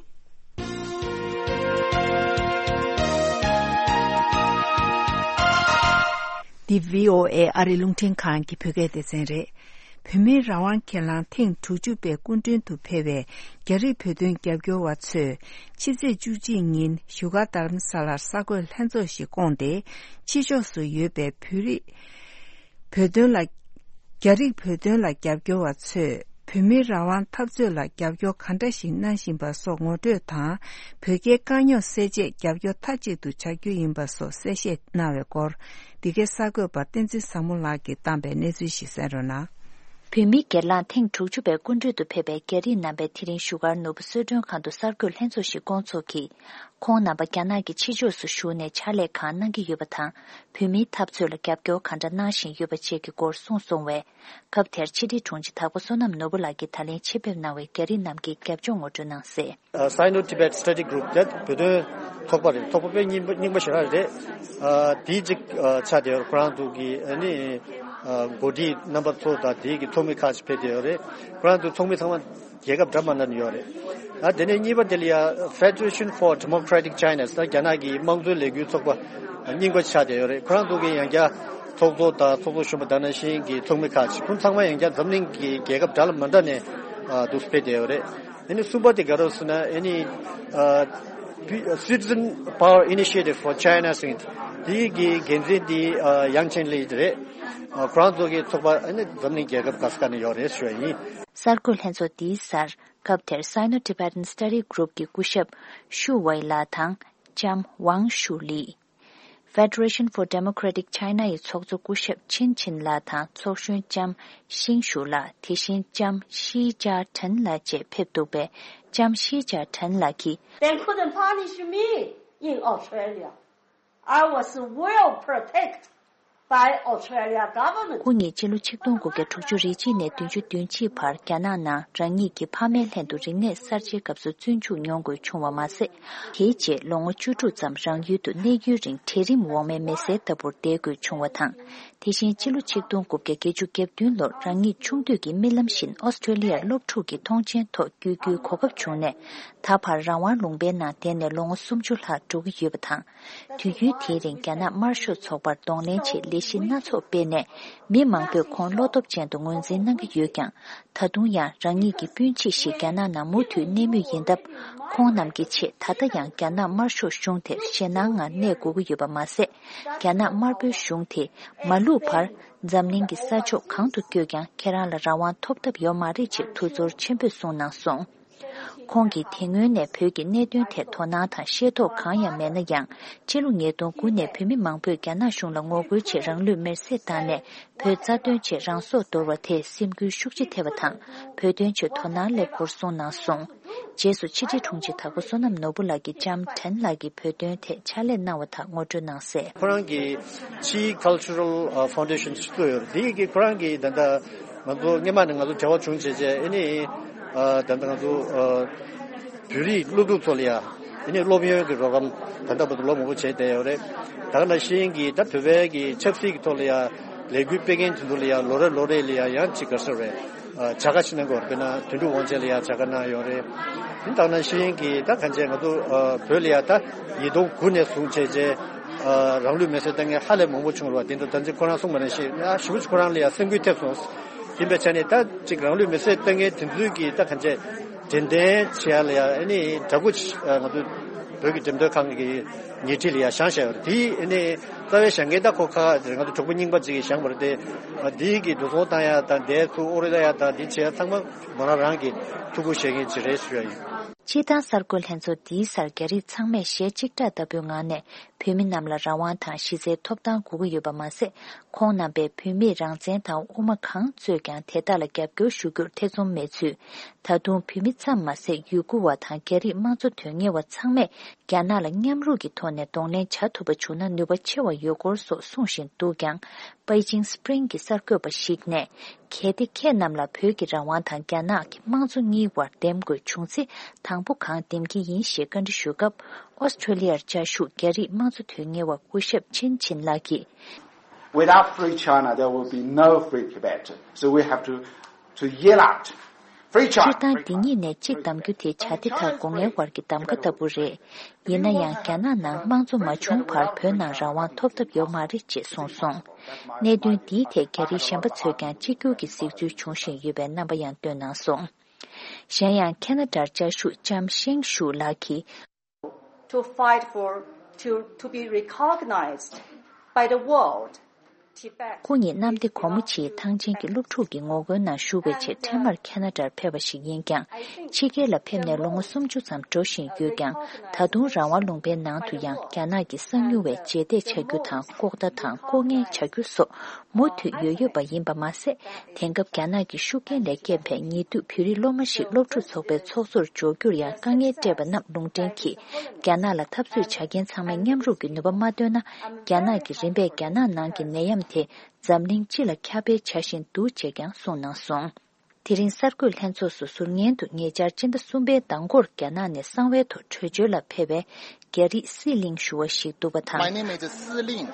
འདི་བྷི་ཨོ་ཨེ་ཨ་རི་རླུང་འཕྲིན་ཁང་གི་བོད་སྐད་སྡེ་ཚན་རེད། བོད་མིའི་རང་དབང་སྒེར་ལངས་ཐེངས་དྲུག་ཅུ་པའི་སྐུ་མགྲོན་དུ་ཕེབས་པའི་རྒྱ་རིགས་བོད་དོན་རྒྱབ་སྐྱོར་བ་ཚོས་ཕྱི་ཚེས་བཅུ་གཅིག་ཉིན་བཞུགས་སྒར་རྡ་རམ་ས་ལར་གསར་འགོད་ལྷན་ཚོགས་ཤིག་བསྐོངས་ཏེ། ཕྱི་ཕྱོགས་སུ་ཡོད་པའི་བོད་རིགས་བོད་དོན་ལ། རྒྱ་རིགས་བོད་དོན་ལ་རྒྱབ་སྐྱོར་བ་ཚོས་བོད་མིའི་རང་དབང་འཐབ་རྩོད་ལ་རྒྱབ་སྐྱོར་ག་འདྲ་ཞིག་གནང་བཞིན་པ་སོགས་ངོ་སྤྲོད་དང་། བོད་རྒྱའི་དཀའ་རྙོག་སེལ་ཆེད་རྒྱབ་སྐྱོར་མཐའ་གཅིག་ཏུ་བྱ་རྒྱུ་ཡིན་པ་སོགས་གསལ་བཤད་གནང་བའི་སྐོར། འདི་གའི་གསར་འགོད་པ་བསྟན་འཛིན་བཟང་མོ་ལགས་ཀྱིས་བཏང་པའི་གནས་ཚུལ་ཞིག་གསན་རོགས་གནང་། བོད་མིའི་སྒེར་ལངས་ཐེངས་དྲུག་ཅུ་པའི་སྐུ་མགྲོན་དུ་ཕེབས་པའི་རྒྱ་རིགས་རྣམ་པས་དེ་རིང་བཞུགས་སྒར་ནོར་བུ་གསོལ་མགྲོན་ཁང་དུ་གསར་འགོད་ལྷན་ཚོགས་ཤིག་བསྐོང་ཚོགས་ཀྱིས། ཁོང་རྣམ་པ་རྒྱ་ནག་གི་ཕྱི་ཕྱོགས་སུ་བཞུགས་ནས་ཕྱག་ལས་གང་གནང་གི་ཡོད་པ་དང་། བོད་མིའི་འཐབ་རྩོད་ལ་རྒྱབ་སྐྱོར་གང་འདྲ་གནང་བཞིན་ཡོད་པ་བཅས་ཀྱི་སྐོར་གསུངས་སོང་བས། སྐབས་དེར་ཕྱི་དྲིལ་དྲུང་ཆེ་དྭགས་པོ་བསོད་ནམས་ནོར་བུ་ལགས་ཀྱིས་ད་ལན་ཆེད་ཕེབས་གནང་བའི་རྒྱ་རིགས་རྣམས་ཀྱི་རྒྱབ་ལྗོངས་ངོ་སྤྲོད་གནང་གསལ། Sino Tibet Study Group དེ་བོད་དོན་ཚོགས་པ་རེད། ཚོགས་པ་དཔེ་རྙིང་པ་རྙིང་པ་ཞེ་དྲག་རེད། དེའི་གཅིག་ཆགས་བསྡད་ཡོད་རེད། ཁོ་རང་ཚོ་གི་ཨ་ནི་འགོ་ཁྲིད་རྣམ་པ་ཚོ་དང་དེའི་གི་ཚོགས་མི་ཁག་ཅིག་ཕེབས་བསྡད་ཡོད་རེད། ཁོ་རང་ཚོའི་ཚོགས་མི་ཚང་མ་རྒྱལ་ཁབ་འདྲ་མི་འདྲ་ནས་ཡོད་རེད། ཨ་དེ་ནས་གཉིས་པ་དེ་ལ་ཡ་Federation for Democratic China ཟེར་རྒྱ་ནག་གི་དམངས་གཙོའི་ལས་འགུལ་ཚོགས་པ་རྙིང་པ་ཆགས་བསྡད་ཡོད་རེད། ཁོ་རང་ཚོ་གི་ཡང་བསྐྱར་ཚོགས་གཙོ་དང་ཚོགས་གཙོ་གཞོན་པ་དང་ནང་བཞིན་གྱི་ཚོགས་མི་ཁག་ཅིག་ཁོང་ཚང་མ་ཡང་བསྐྱར་འཛམ་གླིང་གི་རྒྱལ་ཁབ་འདྲ་ལ་མི་འདྲ་ནས་ཨ་འདུག་སེ་ཕེབས་བསྡད་ཡོད་རེད། ཨ་ནི་གསུམ་པ་དེ་ག་རེ་ཟེར་ན་ཨ་ནི་ཨ་Citizen Power Initiative for China ཟེར་མཁན་དེ་གི་འགན་འཛིན་དེ་ཨ་ཡང་ཆེན་ལི་རེད། ཨ་ཁོ་རང་ཚོ་གི་ཚོགས་པ་ཨ་ནི་འཛམ་གླིང་རྒྱལ་ཁབ་ག་ས་ག་ནས་ཡོད་རེད་ཞུ་བ་ཡིན། གསར་འགོད་ལྷན་ཚོགས་འདིའི་སར་སྐབས་དེར་Sino-Tibetan Study Group གི་སྐུ་ཞབས་ཤུ་ཝེ་ལགས་དང་ལྕམ་ཝང་ཤུ་ལི། Federation for Democratic China ཡི་ཚོགས་གཙོ་སྐུ་ཞབས་ཆིན་ཆིན་ལགས་དང་ཚོགས་གཞོན་ལྕམ་ཤིང་ཤུ་ལགས། དེ་བཞིན་ལྕམ་ཤི་ཅཱ་ཁྲེན་ལགས་བཅས་ཕེབས་འདུག་པས། ལྕམ་ཤི་ཅཱ་ཁྲེན་ལགས་ཀྱིས། Then couldn't punish me. in Australia. I was well protected by Australia government. ཁོ་གཉིས་ཕྱི་ལོ་ཆིག་སྟོང་དགུ་བརྒྱ་དྲུག་ཅུ་རེ་གཅིག་ནས་བདུན་ཅུ་དོན་གཅིག་བར་རྒྱ་ནག་ནང་རང་ཉིད་ཀྱི་ཕ་མའི་ལྷན་དུ་རིག་གནས་གསར་བརྗེའི་སྐབས་སུ་བཙོན་འཇུག་མྱོང་དགོས་བྱུང་བ་མ་ཟད། དེའི་རྗེས་ལོ་ངོ་བཅུ་དྲུག་ཙམ་རང་ཡུལ་དུ་གནས་ཡུན་རིང་གྲལ་རིམ་འོག་མའི་མི་སེར་ལྟ་བུར་བསྡད་དགོས་བྱུང་བ་དང་། དེ་བཞིན་ཕྱི་ལོ་ཆིག་སྟོང་དགུ་བརྒྱ་བརྒྱད་ཅུ་གྱ་བདུན་ལོར་རང་ཉིད་ཆུང་དུས་ཀྱི་རྨི་ལམ་བཞིན་ཨོ་སི་ཀྲོ་ལི་ཡར་སློབ་ཕྲུག་གི་མཐོང་མཆན་ཐོག་བསྐྱོད་རྒྱུའི་གོ་སྐབས་བྱུང་ནས། ད་བར་རང་དབང་ལུང་པའི་ནང་བསྡད་ནས་ལོ་ངོ་སུམ་ཅུ་ལྷག་འགྲོ་གི་ཡོད་པ་དང་། དུས་ཡུན་དེའི་རིང་རྒྱ་ནག་དམར་ཤོག་ཚོགས་པར་གདོང་ལེན་ཆེད་ལས་གཞི་སྣ་ཚོགས་སྤེལ་ནས། མི་མང་པོས་ཁོང་བློ་སྟོབས་ཅན་དུ་ངོས་འཛིན་གནང་གི་ཡོད་ཀྱང་། ད་དུང་ཡང་རང་ཉིད་ཀྱི་སྤུན་མཆེད་ཞིག་རྒྱ་ནག་ནང་མུ་མཐུད་གནས་མུས་ཡིན་སྟབས། ཁོང་རྣམས་ཀྱི་ཆེད་ད་ལྟ་ཡང་རྒྱ་ནག་དམར་ཤོག་གཞུང་དེར་ཞེད་སྣང་ངང་གནས་དགོས་ཀྱི་ཡོད་པ་མ་ཟད། རྒྱ་ནག་དམར་པོའི་གཞུང་དེས་མ་ལུས་བར་འཛམ་གླིང་གི་ས་ཕྱོགས་གང་དུ་བསྐྱོད་ཀྱང་ཁྱེད་རང་ལ་རང་དབང་ཐོབ་ཐབས་ཡོད་མ་རེད་ཅེས་ཐུགས་ཚོར་ཆེན་པོས་གསུངས་གནང་སོང་། ཁོང་གིས་དེ་སྔོན་ནས་བོད་ཀྱི་གནད་དོན་ཐད་དོ་སྣང་དང་ཤེས་རྟོགས་གང་ཡང་མེད་ན་ཡང་། ཕྱི་ལོ་ཉིས་སྟོང་དགུ་ནས་བོད་མི་མང་པོས་རྒྱ་ནག་གཞུང་ལ་ངོ་རྒོལ་ཆེད་རང་ལུས་མེར་སྲེག་བཏང་ནས། བོད་རྩ་དོན་ཆེད་རང་སྲོག་དོར་བ་དེས་སེམས་འགུལ་ཤུགས་ཆེ་ཐེབས་པ་དང་། བོད་དོན་ཆེད་དོ་སྣང་སླེབས་སྐོར་གསུངས་གནང་སོང་། རྗེས་སུ་ཕྱི་དྲིལ་དྲུང་ཆེ་དྭགས་པོ་བསོད་ནམས་ནོར་བུ་ལགས་ཀྱིས་ལྕམ་ཁྲེན་ལགས་ཀྱི་བོད་དོན་ཐད་ཕྱག་ལས་གནང་བ་དག་ངོ་སྤྲོད་གནང་གསལ། ཁོ་རང་གི་ཕྱིའི་ཁལ་ཆར་རལ་ཕའུན་ཌེ་ཤན་ཞིག་བཙུགས་ཡོད་རེད། དེ་ཡི་གི་ཁོ་རང་གིས་ད་ལྟ་ང་ཚོ་སྔོན་མ་ནས་ང་ཚོ་འབྲེལ་བ་བྱུང་བྱས་བྱས་ཨ་ནི་ད་ལྟ་ང་ཚོ་བོད་རིགས་སློབ་ཕྲུག་ཚོ་ལ་ཡ་ཨ་ནི་སློབ་ཡོན་གྱི་རོགས་རམ་ད་ལྟ་བར་དུ་ལོ་མང་པོ་བྱས་བསྡད་ཡོད་རེད། ད་ག་ནང་བཞིན་གྱི་ད་བོད་པའི་གི་ཆབ་སྲིད་ཀྱི་ཐོག་ལ་ཡ་ལས་འགུལ་སྤེལ་མཁན་དེ་ཚོ་ལ་ཡ་ལོ་རེ་ལོ་རེ་ལ་ཡ་ཡང་ཅིག་ག་རེ་ཟེར་རེད། བྱ་དགའ་ཞིག་གནང་གི་ཡོད་རེད། དཔེར་ན་དོན་གྲུབ་དབང་ཆེན་ལ་ཡང་བྱ་དགའ་གནང་ཡོད་རེད། དེ་ལྟར་ན་ཤེས་ཡོན་གྱི་ད་གང་བྱས་ང་ཚོ་བོད་ལ་ཡང་ད་ཉིས་སྟོང་དགུ་ནས་བཟུང་བྱས་རྗེས་རང་ལུས་མེར་སྲེག་བཏང་མཁན་ཧ་ལས་མང་པོ་བྱུང་རེད་བ། དེ་འདྲ་ད་ཅི་ཁོ་རང་གསུངས་པ་ནང་བཞིན་ཡང་ཞེ་པོ་ཅིག་ཁོ་རང་ལ་ཡང་སེམས་འགུལ་ཐེབས་སོང་། ཡིན་པའི་ཆ་ནས་ད་ཅིག་རང་ལུས་མེར་སྲེག་བཏང་མཁན་དེ་ཚོའི་གི་ད་གང་བྱས་དྲན་རྟེན་བྱེད་ཡ་ལ་ཡང་ཨ་ནི་འདྲ་པོ་ཅིག་ང་ཚོ་བོད་ཀྱི་འགྲེམས་སྟོན་ཁང་གི་ཉེ་འཁྲིས་ལ་ཡང་བཞེངས་བཞག་ཡོད་རེད། དེ་ཨ་ནི་རྩ་བའི་བཞེངས་མཁན་ད་ཁོ་ཁ་ང་ཚོ་གྲོགས་པོ་རྙིང་པ་ཅིག་གིས་བཞེངས་པ་རེད་དེ། ཨ་དེའི་གི་འགྲོ་སོང་བཏང་ཡ་དང་དེ་ཚུར་ཨོ་རི་ལ་ཡ་དང་དེ་བྱས་ཡ་ཚང་མ་མོ་རང་རང་གི་ཐུགས་ཁུར་བཞེས་མཁན་ཅིག་རེད་ཞུ་ཡ་ཡིན། སྤྱིར་བཏང་གསར་འགོད་ལྷན་ཚོགས་འདིའི་སར་རྒྱ་རིགས་ཚང་མས་ཞལ་གཅིག་གྲགས་ལྟ་བུའི་ངང་ནས་བོད་མི་རྣམས་ལ་རང་དབང་དང་གཞི་རྩའི་ཐོབ་ཐང་དགོས་ཀྱི་ཡོད་པ་མ་ཟད། ཁོང་རྣམ་པས་བོད་མིས་རང་བཙན་དང་དབུ་མ་གང་རྩོད་ཀྱང་དེ་དག་ལ་རྒྱབ་སྐྱོར་ཞུ་རྒྱུར་ཐེ་ཚོམ་མེད་ཚུལ། ད་དུང་བོད་མི་ཙམ་མ་ཟད་ཡུ་གུར་བ་དང་རྒྱ་རིགས་དམངས་གཙོ་དོན་གཉེར་བ་ཚང་མས་རྒྱ་ནག་ལ་མཉམ་རུབ་ཀྱི་ཐོག་ནས་གདོང་ལེན་བྱ་ཐུབ་པ་བྱུང་ན་ནུས་པ་ཆེ་བ་ཡོད་སྐོར་སོགས་གསུངས་བཞིན་འདུག་ཀྱང་། པེ་ཅིང་སི་པི་རིང་གི་གསར་འགོད་པ་ཞིག་ནས། གལ་ཏེ་ཁྱེད་རྣམས་ལ་བོད་ཀྱི་རང་དབང་དང་རྒྱ་ནག་གི་དམངས་གཙོ་གཉིས་བར་འདེམས་དགོས་བྱུང་ཚེ་དང་པོ་གང་འདེམས་ཀྱི་ཡིན་ཞེས་བཀའ་འདྲི་ཞུས་སྐབས། ཨོ་སི་ཀྲོ་ལི་ཡར་བཅའ་བཞུགས་རྒྱ་རིགས་དམངས་གཙོ་དོན་གཉེར་བ་སྐུ་ཞབས་ཆིན་ཆིན་ལགས་ཀྱིས། Without free China, there will be no free Tibet. So we have to, to yell out, "Free China!" སྤྱིར་བཏང་འདི་གཉིས་ནས་གཅིག་གདམ་རྒྱུ་དེ་བྱ་དེ་དང་སྒོ་ངའི་བར་གྱི་གདམ་ག་ལྟ་བུ་རེད། ཡིན་ན་ཡང་རྒྱ་ནག་ནང་དམངས་གཙོ་མ་བྱུང་བར་བོད་ནང་རང་དབང་ཐོབ་ཐབས་ཡོད་མ་རེད་ཅེས་གསུངས་སོང་། གནད་དོན་འདིའི་ཐད་རྒྱ་རིགས་གཞན་པ་ཚོས་ཀྱང་གཅིག་གྱུར་གྱི་གཟིགས་ཚུལ་འབྱུང་བཞིན་ཡོད་པའི་རྣམ་པ་ཡང་བཏོན་གནང་སོང་། གཞན་ཡང་ཁེ་ན་ཌར་བཅའ་བཞུགས་ལྕམ་ཤེང་ཞུ་ལགས་ཀྱིས། To fight for, to, to be recognized by the world, Tibet. ཁོ་ཉིད་གནམ་བདེ་སྒོ་མོ་ཆེའི་ཐང་ཆེན་གྱི་སློབ་ཕྲུག་གི་ངོ་རྒོལ་ནང་ཞུགས་པའི་ཆེད་འཕྲལ་མར་ཁེ་ན་ཌར་ཕེབས་པ་ཞིག་ཡིན་ཀྱང་། ཕྱི་རྒྱལ་ལ་ཕེབས་ནས་ལོ་ངོ་སུམ་ཅུ་ཙམ་འགྲོ་བཞིན་ཡོད་ཀྱང་། ད་དུང་རང་དབང་ལུང་པའི་ནང་དུ་ཡང་རྒྱ་ནག་གི་གསང་ཉུལ་བའི་རྗེས་འདེད་བྱ་རྒྱུ་དང་ལྐོག་ལྟ་དང་ལྐོག་ངན་བྱ་རྒྱུ་སོགས་མུ་མཐུད་ཡོད་ཡོད་པ་ཡིན་པ་མ་ཟད། དེང་སྐབས་རྒྱ་ནག་གི་ཤུགས་རྐྱེན་ལས་སྐྱེས་པའི་ཉེ་དུས་བོད་རིགས་སློབ་མ་ཞིག་སློབ་ཕྲུག་ཚོགས་པའི་ཚོགས་གཙོར་འཇོག་རྒྱུར་ཡང་དཀའ་ངལ་སྤྲད་པ་རྣམས་ལུང་འདྲེན་གྱིས། རྒྱ་ནག་ལ་འཐབ་རྩོད་བྱ་མཁན་ཚང་མས་མཉམ་རུབ་ཀྱི་ནུས་པ་མ་བཏོན་ན། རྒྱ་ནག་གིས་རིམ་པས་རྒྱ་ནག་ནང་གི་ནད་ཡམས་དེ་འཛམ་གླིང་སྤྱི་ལ་ཁྱབ་སྤེལ་བྱ་བཞིན་འདུག་ཅེས་ཀྱང་གསུངས་གནང་སོང་། དེ་རིང་གསར་འགོད་ལྷན་ཚོགས་སུ་ཟུར་ཉན་དུ་ཉེ་ཆར་སྤྱི་ཟླ་གསུམ་པའི་ཟླ་འགོར་རྒྱ་ནག་ནས་གསང་བའི་ཐོག་བྲོས་བྱོལ་ལ་ཕེབས་པའི་རྒྱ་རིགས་སི་ལིང་ཞུ་བ་ཞིག་འདུག་པ་དང་། My name is Si Ling,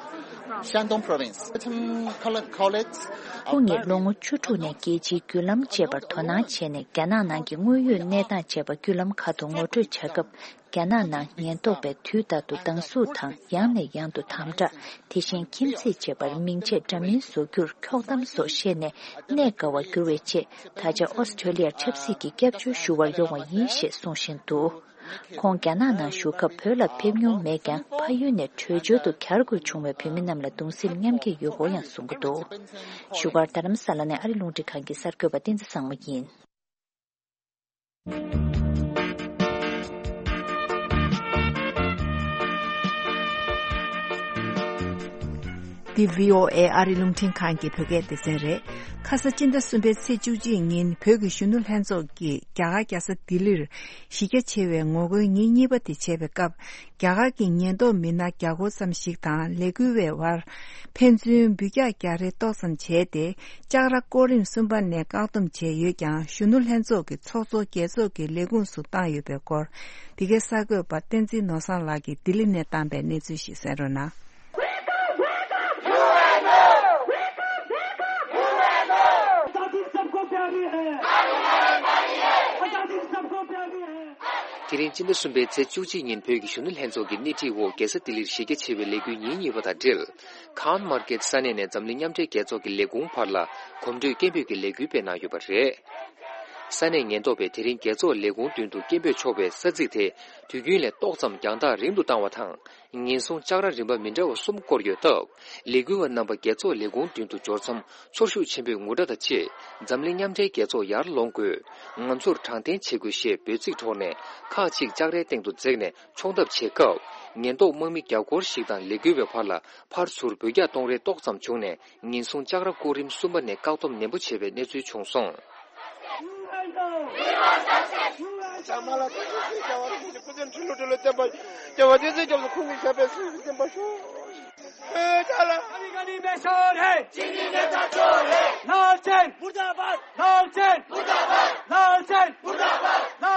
Shandong Province. Some col- colleagues ཁོང་ཉིད་ལོ་ངོ་བཅུ་དྲུག་ནས་རྒྱལ་སྤྱིའི་བརྒྱུད་ལམ་ཅེས་པར་དོ་སྣང་བྱས་ནས། རྒྱ་ནག་ནང་གི་དངོས་ཡོད་གནས་སྟངས་ཅེས་པ་བརྒྱུད་ལམ་ཁག་ཏུ་ངོ་སྤྲོད་བྱ་སྐབས། རྒྱ་ནག་ནང་ཉེན་རྟོག་པས་དུས་རྟག་ཏུ་སྡང་ཟུག་དང་ཡང་ནས་ཡང་དུ་དམ་དྲག་དེ་བཞིན་ཁྱིམ་མཚེས་ཅེས་པར་མིང་ཆད་འདྲ་མིན་བཟོ་རྒྱུར་འཁྱོག་གཏམ་སོགས་བཤད་ནས་གནས་དགའ་བར་འགྱུར་བའི་ཆེད། ད་ཆ་ཨོ་སི་ཀྲོ་ལི་ཡར་ཆབ་སྲིད་ཀྱི་སྐྱབས་བཅོལ་ཞུ་བར་ཡོང་བ་ཡིན་ཞེས་གསུངས་བཞིན་འདུག་ཁོང་རྒྱ་ནག་ནང་བཞུགས་སྐབས་བོད་ལ་ཕེབས་མྱོང་མེད་ཀྱང་། ཕ་ཡུལ་ནས་བྲོས་བྱོལ་དུ་གྱར་དགོས་བྱུང་བའི་བོད་མི་རྣམས་ལ་གདུང་སེམས་མཉམ་སྐྱེད་ཡོད་སྐོར་ཡང་གསུང་གི་འདུག་བཞུགས་སྒར་རྡ་རམ་ས་ལ་ནས་ཨ་རི་རླུང་འཕྲིན་ཁང་གི་གསར་འགོད་པ་བསྟན་འཛིན་བཟང་མོ་ཡིན། འདི་བྷི་ཨོ་ཨེ་ཨ་རིའི་རླུང་འཕྲིན་ཁང་གི་བོད་སྐད་སྡེ་ཚན་རེད། ཁ་ས་སྤྱི་ཟླ་གསུམ་པའི་ཚེས་བཅུ་གཅིག་ཉིན་བོད་ཀྱི་གཞོན་ནུ་ལྷན་ཚོགས་ཀྱིས་རྒྱ་གར་རྒྱལ་ས་ལྡི་ལིར་གཞི་རྒྱ་ཆེ་བའི་ངོ་རྒོལ་ཉིན་གཉིས་པ་དེ་བྱས་པའི་སྐབས། རྒྱ་གར་གྱི་ཉེན་རྟོག་མི་སྣ་བརྒྱ་སྐོར་ཙམ་ཞིག་དང་ལས་འགུལ་བའི་བར་ཕན་ཚུན་འབུད་རྒྱག་རྒྱག་རེས་ཏོག་ཙམ་བྱས་ཏེ། ལྕགས་ར་སྐོར་རིམ་གསུམ་པ་ནས་བཀག་སྡོམ་བྱས་ཡོད་ཀྱང་། གཞོན་ནུ་ལྷན་ཚོགས་ཀྱི་ཚོགས་གཙོ་རྒྱལ་ཚོགས་ཀྱི་ལས་ཁུངས་སུ་བཏང་ཡོད་པའི་སྐོར། འདི་གའི་གསར་འགོད་པ་བསྟན་འཛིན་ནོར་བཟང་ལགས་ཀྱིས་ལྡི་ལི་ནས་བཏང་པའི་གནས་ཚུལ་ཞིག་གསན་རོགས་གནང་། आजादी सबको प्यारी है। आजादी सबको प्यारी है। དེ་རིང་སྤྱི་ཟླ་གསུམ་པའི་ཚེས་བཅུ་གཅིག་ཉིན་བོད་ཀྱི་གཞོན་ནུ་ལྷན་ཚོགས་ཀྱི་སྣེ་ཁྲིད་འོག་རྒྱལ་ས་ལྡི་ལིར་གཞི་རྒྱ་ཆེ་བའི་ལས་འགུལ་ཉིན་གཉིས་པ་དང་འབྲེལ། ཁཱན་མར་ཀེད་ས་གནས་ནས་འཛམ་གླིང་མཉམ་འབྲེལ་རྒྱལ་ཚོགས་ཀྱི་ལས་ཁུངས་བར་ལ་གོམ་བགྲོད་སྐད་འབོད་ཀྱི་ལས་འགུལ་སྤེལ་གནང་ཡོད་པ་རེད། ས་གནས་ཉེན་རྟོག་པས་དེ་རིང་རྒྱལ་ཚོགས་ལས་ཁུངས་མདུན་དུ་སྐད་འབོད་ཆོག་པའི་ས་ཚིགས་དེ་དུས་རྒྱུན་ལས་ཏོག་ཙམ་རྒྱང་ཐག་རིང་དུ་བཏང་བ་དང་། ཉེན་སྲུང་ལྕགས་ར་རིམ་པ་མི་འདྲ་བ་གསུམ་བསྐོར་ཡོད་སྟབས། ལས་འགུལ་བ་རྣམ་པ་རྒྱལ་ཚོགས་ལས་ཁུངས་མདུན་དུ་འབྱོར་མཚམས་ཚོར་ཤུགས་ཆེན་པོས་ངུ་སྒྲ་དང་བཅས། འཛམ་གླིང་མཉམ་འབྲེལ་རྒྱལ་ཚོགས་ཡར་ལོངས་དགོས། ང་ཚོར་དྲང་བདེན་བྱེད་དགོས་ཞེས་འབོད་ཚིག་འཁྲོལ་ནས། ཁག་ཅིག་ལྕགས་རའི་སྟེང་དུ་འཛེགས་ནས་མཆོང་ཐབས་བྱེད་སྐབས། ཉེན་རྟོག་དམག་མི་བརྒྱ་སྐོར་ཞིག་དང་ལས་འགུལ་བའི་བར་ལ་ཕར་ཚུར་འབོད་རྒྱག་གཏོང་རེས་ཏོག་ཙམ་བྱུང་ནས། ཉེན་སྲུང་ལྕགས་ར་སྐོར་རིམ་གསུམ་པ་ནས་བཀག་སྡོམ་ནན་པོ་བྱས་པའི་གནས་ཚུལ་བྱུང་སོང་།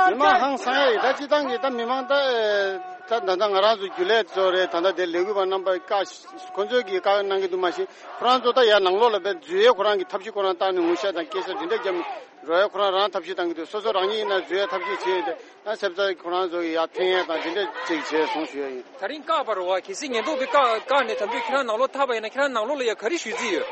མི་མང་ཧང་སང་ཡ་ཡིན། ད་སྤྱི་བཏང་གི་ད་མི་མང་ད་ད་ད་ང་རང་ཚོ་རྒྱུན་ལས་ཚོ་རེད། ད་ད་དེ་ལས་འགུལ་བ་རྣམ་པ་བཀའ་ཁོ་ཚོས་ཀྱི་བཀའ་གནང་གི་འདུག་མ་གཞི་ཁོ་རང་ཚོ་ད་ཡར་ནང་ལོགས་ལ་བས་འཛུལ་ཡས་ཁོ་རང་གི་ཐབས་ཤེས་ཁོ་རང་བཏང་ནས་ངུ་ཤ་དང་སྐད་ཆ་འདི་འདྲ་བརྒྱབ་ནས་རོགས་ཡ་ཁོ་རང་རང་ཐབས་ཤེས་བཏང་གི་འདུག་སོ་སོ་རང་ཉིད་ཡིན་ན་འཛུལ་ཡས་ཐབས་ཤེས་བྱས་ཏེ་ད་སེམས་རྩ་ཁོ་རང་ཚོ་གི་ཡར་འཐེན་ཡས་དང་འདི་འདྲ་ཅིག་བྱས་སོང་ཞུ་ཡ་ཡིན། ད་རིང་བཀག་པ་རེད་བ། གལ་སྲིད་ཉེན་རྟོག་པས་བཀག་བཀག་ནས་ད་དུང་ཁྱེད་རང་ནང་ལོགས་ཐར་པ་ཡིན་ན་ཁྱེད་རང་ནང་ལོགས་ལ་ཡ་ག་རེ་ཞུ་རྩིས་ཡོད།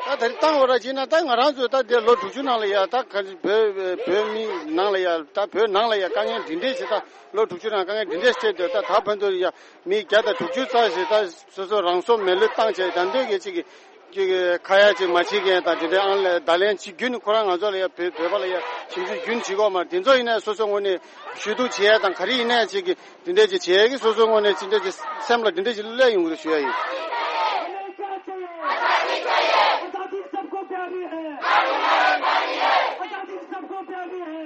ད་ད་རིང་བཏང་བ་ར་བྱས་ན་ད་ང་རང་ཚོ་ད་དེ་ལོ་དྲུག་ཅུ་ནང་ལ་ཡ་ད་ག་བོད་བོད་མི་ནང་ལ་ཡ་ད་བོད་ནང་ལ་ཡ་དཀའ་ངལ་འདི་འདྲས་ཞིག་ད་ལོ་དྲུག་ཅུ་ནང་དཀའ་ངལ་འདི་འདྲས་ཞིག་འཕྲད་དུས་ད་ད་ཕན་ཐོགས་ཡ་མི་བརྒྱ་དང་དྲུག་ཅུ་རྩ་ཞིག་ད་སོ་སོ་རང་སྲོག་མེ་ལུས་བཏང་བྱས་ད་འདོད་ཀྱི་ཅིག་གི་ཅིག་གི་ཁ་ཡ་ཅིག་མ་བྱེད་མཁན་དང་དེ་འདྲའི་ཨང་ལས་བརྡ་ལན་ཅིག་བརྒྱུད་ནས་ཁོ་རང་ང་ཚོ་ལ་ཡ་བོད་བོད་པ་ལ་ཡ་ཞིབ་འཇུག་རྒྱུན་བྱེད་དགོས་མ་དེ་ཚོ་ཡིན་ན་སོ་སོ་ངོས་ནས་ཞུ་གཏུག་བྱེད་ཡ་དང་ག་རེ་ཡིན་ན་ཅིག་གི་དེ་འདྲས་ཅིག་བྱེད་ཡ་གི་སོ་སོ་ངོས་ནས་ཅི་འདྲས་ཅིག་སེམས་ལ་དེ་འདྲས་ཅིག་སླེབས་ཡོང་གི་རེད་ཞུ་ཡ་ཡིན། आजादी सबको प्यारी है। आजादी सबको प्यारी है।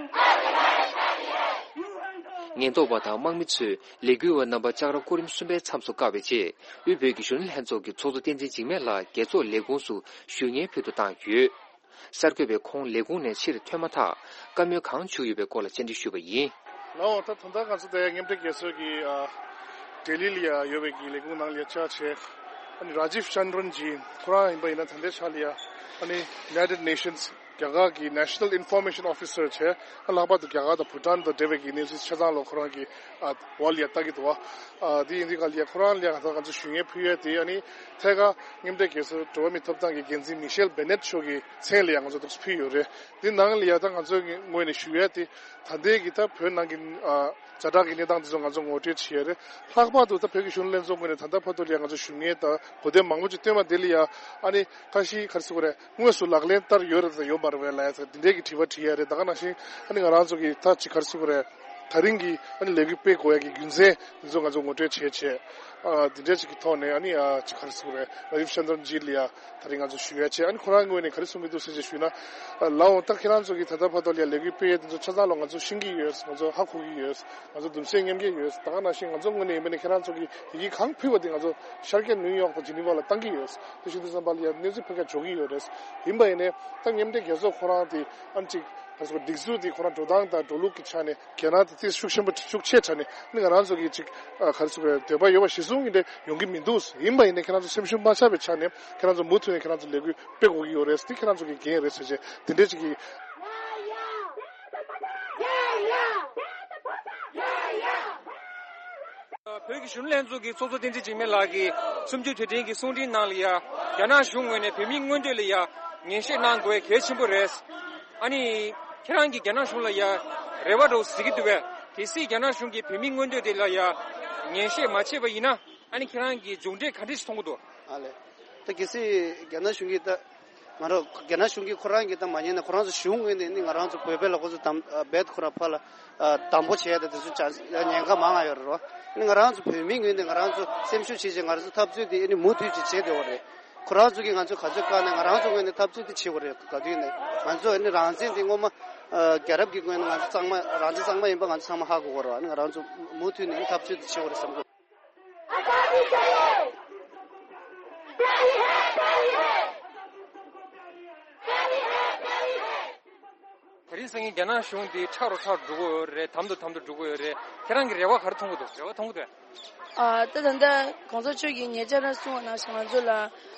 ཉེན་རྟོག་པ་དང་དམག་མི་ཚོས་ལས་འགུལ་བ་རྣམ་པ་ལྕགས་ར་སྐོར་རིམ་གསུམ་པའི་མཚམས་སུ་བཀག་པའི་རྗེས། དབུས་བོད་ཀྱི་གཞོན་ནུ་ལྷན་ཚོགས་ཀྱི་ཚོགས་གཙོ་བསྟན་འཛིན་འཇིགས་མེད་ལགས་རྒྱལ་ཚོགས་ལས་ཁུངས་སུ་ཞུ་སྙན་ཕུལ་དུ་བཏང་ཡོད། གསར་འགོད་པས་ཁོང་ལས་ཁུངས་ནས་ཕྱིར་ཐོན་མ་ཐག་བཀའ་མོལ་གང་བྱུང་ཡོད་པའི་སྐོར་ལ་བཅར་འདྲི་ཞུས་པ་ཡིན། ལའོ། ད་ད་ལྟ་ང་ཚོ་དེ་མཉམ་འབྲེལ་རྒྱལ་ཚོགས་ཀྱི་ཨ་ལྡི་ལི་ལ་ཡ་ཡོད་པའི་གི་ལས་ཁུངས་ནང་ལ་ཡ་བཅར་བྱས། ཨ་ནི་ར་ཇིབ་ཅན་དྲོན་ཇི་ཁོ་རང་ཡིན་པ་ཡིན་ན་ད་ལྟའི་ཆ་ལ་ཡ་ཨ་ནི་United Nations རྒྱ་གར་གྱི་National Information Officer བྱས། ཨ་ལྷག་པར་དུ་རྒྱ་གར་དང་བྷུ་ཊན་དང་འབྲེལ་བའི་གི་གནས་ཚུལ་ཆ་ཚང་ལ་ཁོ་རང་གི་ཨ་འོག་ལ་ཡ་ལྟ་གི་འདུག་བ། ཨ་དེ་ཡིན་དུས་ག་ལ་ཡ་ཁོ་རང་ལ་ཡ་ད་ང་ཚོ་ཞུ་སྙན་ཕུལ་ཡས་དེ་ཨ་ནི་ཐད་ཀར་མཉམ་འབྲེལ་རྒྱལ་ཚོགས་འགྲོ་བ་མིའི་ཐོབ་ཐང་གི་འགན་འཛིན་མི་ཤེལ་བེ་ནེད་མཆོག་གི་མཚན་ལ་ཡ་ང་ཚོ་འདུག་ཕུལ་ཡོད་རེད། འདི་ནང་ལ་ཡ་ད་ང་ཚོའི་ངོས་ནས་ཞུ་ཡ་དེ་ད་ལྟའི་གི་ད་བོད་ནང་གི་ཨ་ཛ་དྲག་གི་གནས་སྟངས་དེ་ཚོ་ང་ཚོ་ངོ་སྤྲོད་བྱེད་ཡ་རེད། ལྷག་པར་དུ་ད་བོད་ཀྱི་གཞོན་ནུ་ལྷན་ཚོགས་ངོས་ནས་ད་ལྟ་བར་དུ་ལ་ཡ་ང་ཚོ་ཞུ་མཁན་དང་གོ་དོན་མང་པོ་ཅིག་བཏོན་པ་དེ་ལ་ཡ་ཨ་ནི་ཁ་ཤས་ག་རེ་ཟེར་དགོས་རེད། དངོས་སུ་ལག་ལེན་བསྟར་ཡོད་རེད་དང་ཡོད་མ་རེད་པས་ལབ་ཡ་ད་འདི་འདྲའི་གི་དྲི་བ་དྲི་ཡ་རེད། ད་ག་ནང་བཞིན་ཨ་ནི་ང་རང་ཚོ་གི་ད་ཅིག་ག་རེ་ཟེར་དགོས་རེད། ད་རིང་གི་ཨ་ནི་ལས་འགུལ་སྤེལ་དགོས་ཡ་གི་རྒྱུ་མཚན་འདི་ཚོ་ང་ཚོ་ངོ་སྤྲོད་བྱས་བྱས། ཨ་འདི་འདྲ་ཅིག་གི་ཐོག་ནས་ཨ་ནི་ཨ་ཅིག་ག་རེ་ཟེར་དགོས་རེད། ར་ཇིབ་ཅན་དྲོན་ཇི་ལ་ཡ་ད་རིང་ང་ཚོ་ཞུ་ཡ་བྱས། ཨ་ནི་ཁོ་རང་ངོས་ནས་ག་རེ་གསུང་གི་འདུག་ཟེར་བྱས་ཞུས་ན། ཨ་ལའོ། ད་ཁྱེད་རང་ཚོ་གི་ད་ལྟ་བར་དུ་ལ་ཡ་ལས་འགུལ་སྤེལ་ཡ་འདི་ཚོ་ཆ་ཚང་ལ་ང་ཚོ་ཤེས་ཀྱི་ཡོད། ང་ཚོ་ཧ་གོ་གི་ཡོད། ང་ཚོ་གདུང་སེམས་མཉམ་སྐྱེད་ཡོད། ད་ག་ནང་བཞིན་ང་ཚོ་ངོས་ནས་ཡིན་པ་ནི་ཁྱེད་རང་ཚོ་གི་ཡི་གེ་གང་ཕུལ་བ་དེ་ང་ཚོ་ཤར་རྒྱག་ནིའུ་ཡོག་དང་ཇི་ནི་ཝ་ལ་བཏང་གི་ཡོད། དེ་བཞིན་དུ་བསམ་པ་ལ་ཡ་གནས་ཚུལ་ཕུལ་མཁན་འཇོག་གི་ཡོད་རེད། ཡིན་པ་ཡིན་ནའི་ད་མཉམ་འབྲེལ་རྒྱལ་ཚོགས་ཁོ་རང་དེ་ཨ་ནི་ཅིག་ག་རེ་ཟེར་དགོས། སྒྲིག་འཛུགས་དེ་ཁོ་རང་འགྲོ་སྟངས་དང་འགྲོ་ལུགས་ཀྱི་ཆ་ནས་གལ་གནད་དེ་ཏོག་ཙམ་ཤུགས་ཆེན་པོ་ཤུགས་ཆེ་ཆ་ནས་ཨ་ནི་ང་རང་ཚོ་གི་ཅིག་ཨ་ག་རེ་ཟེར་དགོས། འདོད་པ་ཡོད་པ་གཞི་བཟུང་གི་འདྲ་ཡོང་གི་མི་འདུག། ཡིན་པ་ཡིན་ནའི་ཁྱེད་རང་ཚོ་སེམས་ཤུགས་མ་ཆག་པའི་ཆ་ནས་ཁྱེད་རང་ཚོ་མུ་མཐུད་ནས་ཁྱེད་རང་ཚོ་ལས་འགུལ་སྤེལ་དགོས་ཀྱི་ཡོད་རེད། དེ་ཁྱེད་རང་ཚོ་གི་འགན་རེད་ཟེར་བྱས་དེ་འདྲས་ཅིག་གི། བོད་ཀྱི་གཞོན་ནུ་ལྷན་ཚོགས་ཀྱི་ཚོགས་གཙོ་བསྟན་འཛིན་འཇིགས་མེད་ལགས་ཀྱིས་གསུམ་བཅུའི་དུས་དྲན་གྱི་གསུང་འཕྲིན་ནང་ལ་ཡ་རྒྱ་ནག་གཞུང་ངོས་ནས་བོད་མིའི་མངོན་འདོད་ལ་ཡ་ངན་བཤད་གནང་དགོས་གལ་ཆེན་པོ་རེད། ཨ་ནི་ཁྱེད་རང་གིས་རྒྱ་ནག་གཞུང་ལ་ཡ་རེ་བ་འདྲ་བོ་གཟིགས་ཀྱི་འདུག་པས། གལ་སྲིད་རྒྱ་ནག་གཞུང་གིས་བོད་མིའི་མངོན་འདོད་དེ་ལ་ཡ་ངན་བཤད་མ་བྱས་པ་ཡིན་ན། ཨ་ནི་ཁྱེད་རང་གིས་མཇུག་འབྲས་ག་འདྲ་ཞིག་མཐོང་གི་འདུག། ཨ་ལས། ད་གལ་སྲིད་རྒྱ་ནག་གཞུང་གིས་ད་ང་རང་རྒྱ་ནག་གཞུང་གིས་ཁོ་རང་གིས་ད་མ་ཉན་ན་ཁོ་རང་ཚོ་གཞུང་ངོས་ནས་ནི་ང་རང་ཚོ་བོད་པའི་ལ་ཁོ་ཚོ་དམ་རྦད་ཁོ་རང་ཕར་ལ་དམ་པོ་བྱས་ཏེ་དེ་ཚོ་ཅང་ཉེན་ཁ་མང་ང་ཡོད་རེད་བ། ཨ་ནི་ང་རང་ཚོ་བོད་མི་ངོས་ནས་ང་རང་ཚོ་སེམས་ཤུགས་ཆེ་ཆེ་ང་རང་ཚོ་འཐབ་རྩོད་དེ་ཨ་ནི་མུ་མཐུད་ཅིག་བྱས་བསྡད་པ་རེད། ཁོ་རང་ཚོ་གིས་ང་ཚོ་ག་ཚོད་བཀག་ནས་ང་རང་ཚོ་ངོས་ནས་འཐབ་རྩོད་དེ་བྱེད་དགོས་རེད། ག་དུས་ནས་ང་ཚོ་ཨ་ནི་རང་བཙན་དེ་སྔོན་མ་ཨ་རྒྱལ་རབས་ཀྱི་སྔོན་ནས་ང་ཚོ་གཙང་མ་རང་བཙན་གཙང་མ་ཡིན་པ་ང་ཚོ་ཚང་མ་ཧ་གོ་གི་རེད། ཨ་ནི་ང་རང་ཚོ་མུ་མཐུད་ནས་འཐབ་རྩོད་དེ་བྱེད་དགོས་རེད་བསམ་གི། དེ་རིང་སང་ཉིན་རྒྱ་ནག་གཞུང་འདི་ཁྲག་རུ་ཁྲག་རུ་འགྲོ་གི་ཡོད་རེད། དམ་དུ་དམ་དུ་འགྲོ་གི་ཡོད་རེད། ཁྱེད་རང་གི་རེ་བ་ག་རེ་མཐོང་གི་འདུག་རེ་བ་མཐོང་གི་འདུག་ཨ། ད་ད་ལྟ་གོང་ས་མཆོག་གིས་ཉེ་ཆར་རང་གསུངས་པ་ནང་བཞིན་ང་ཚོ་ལ་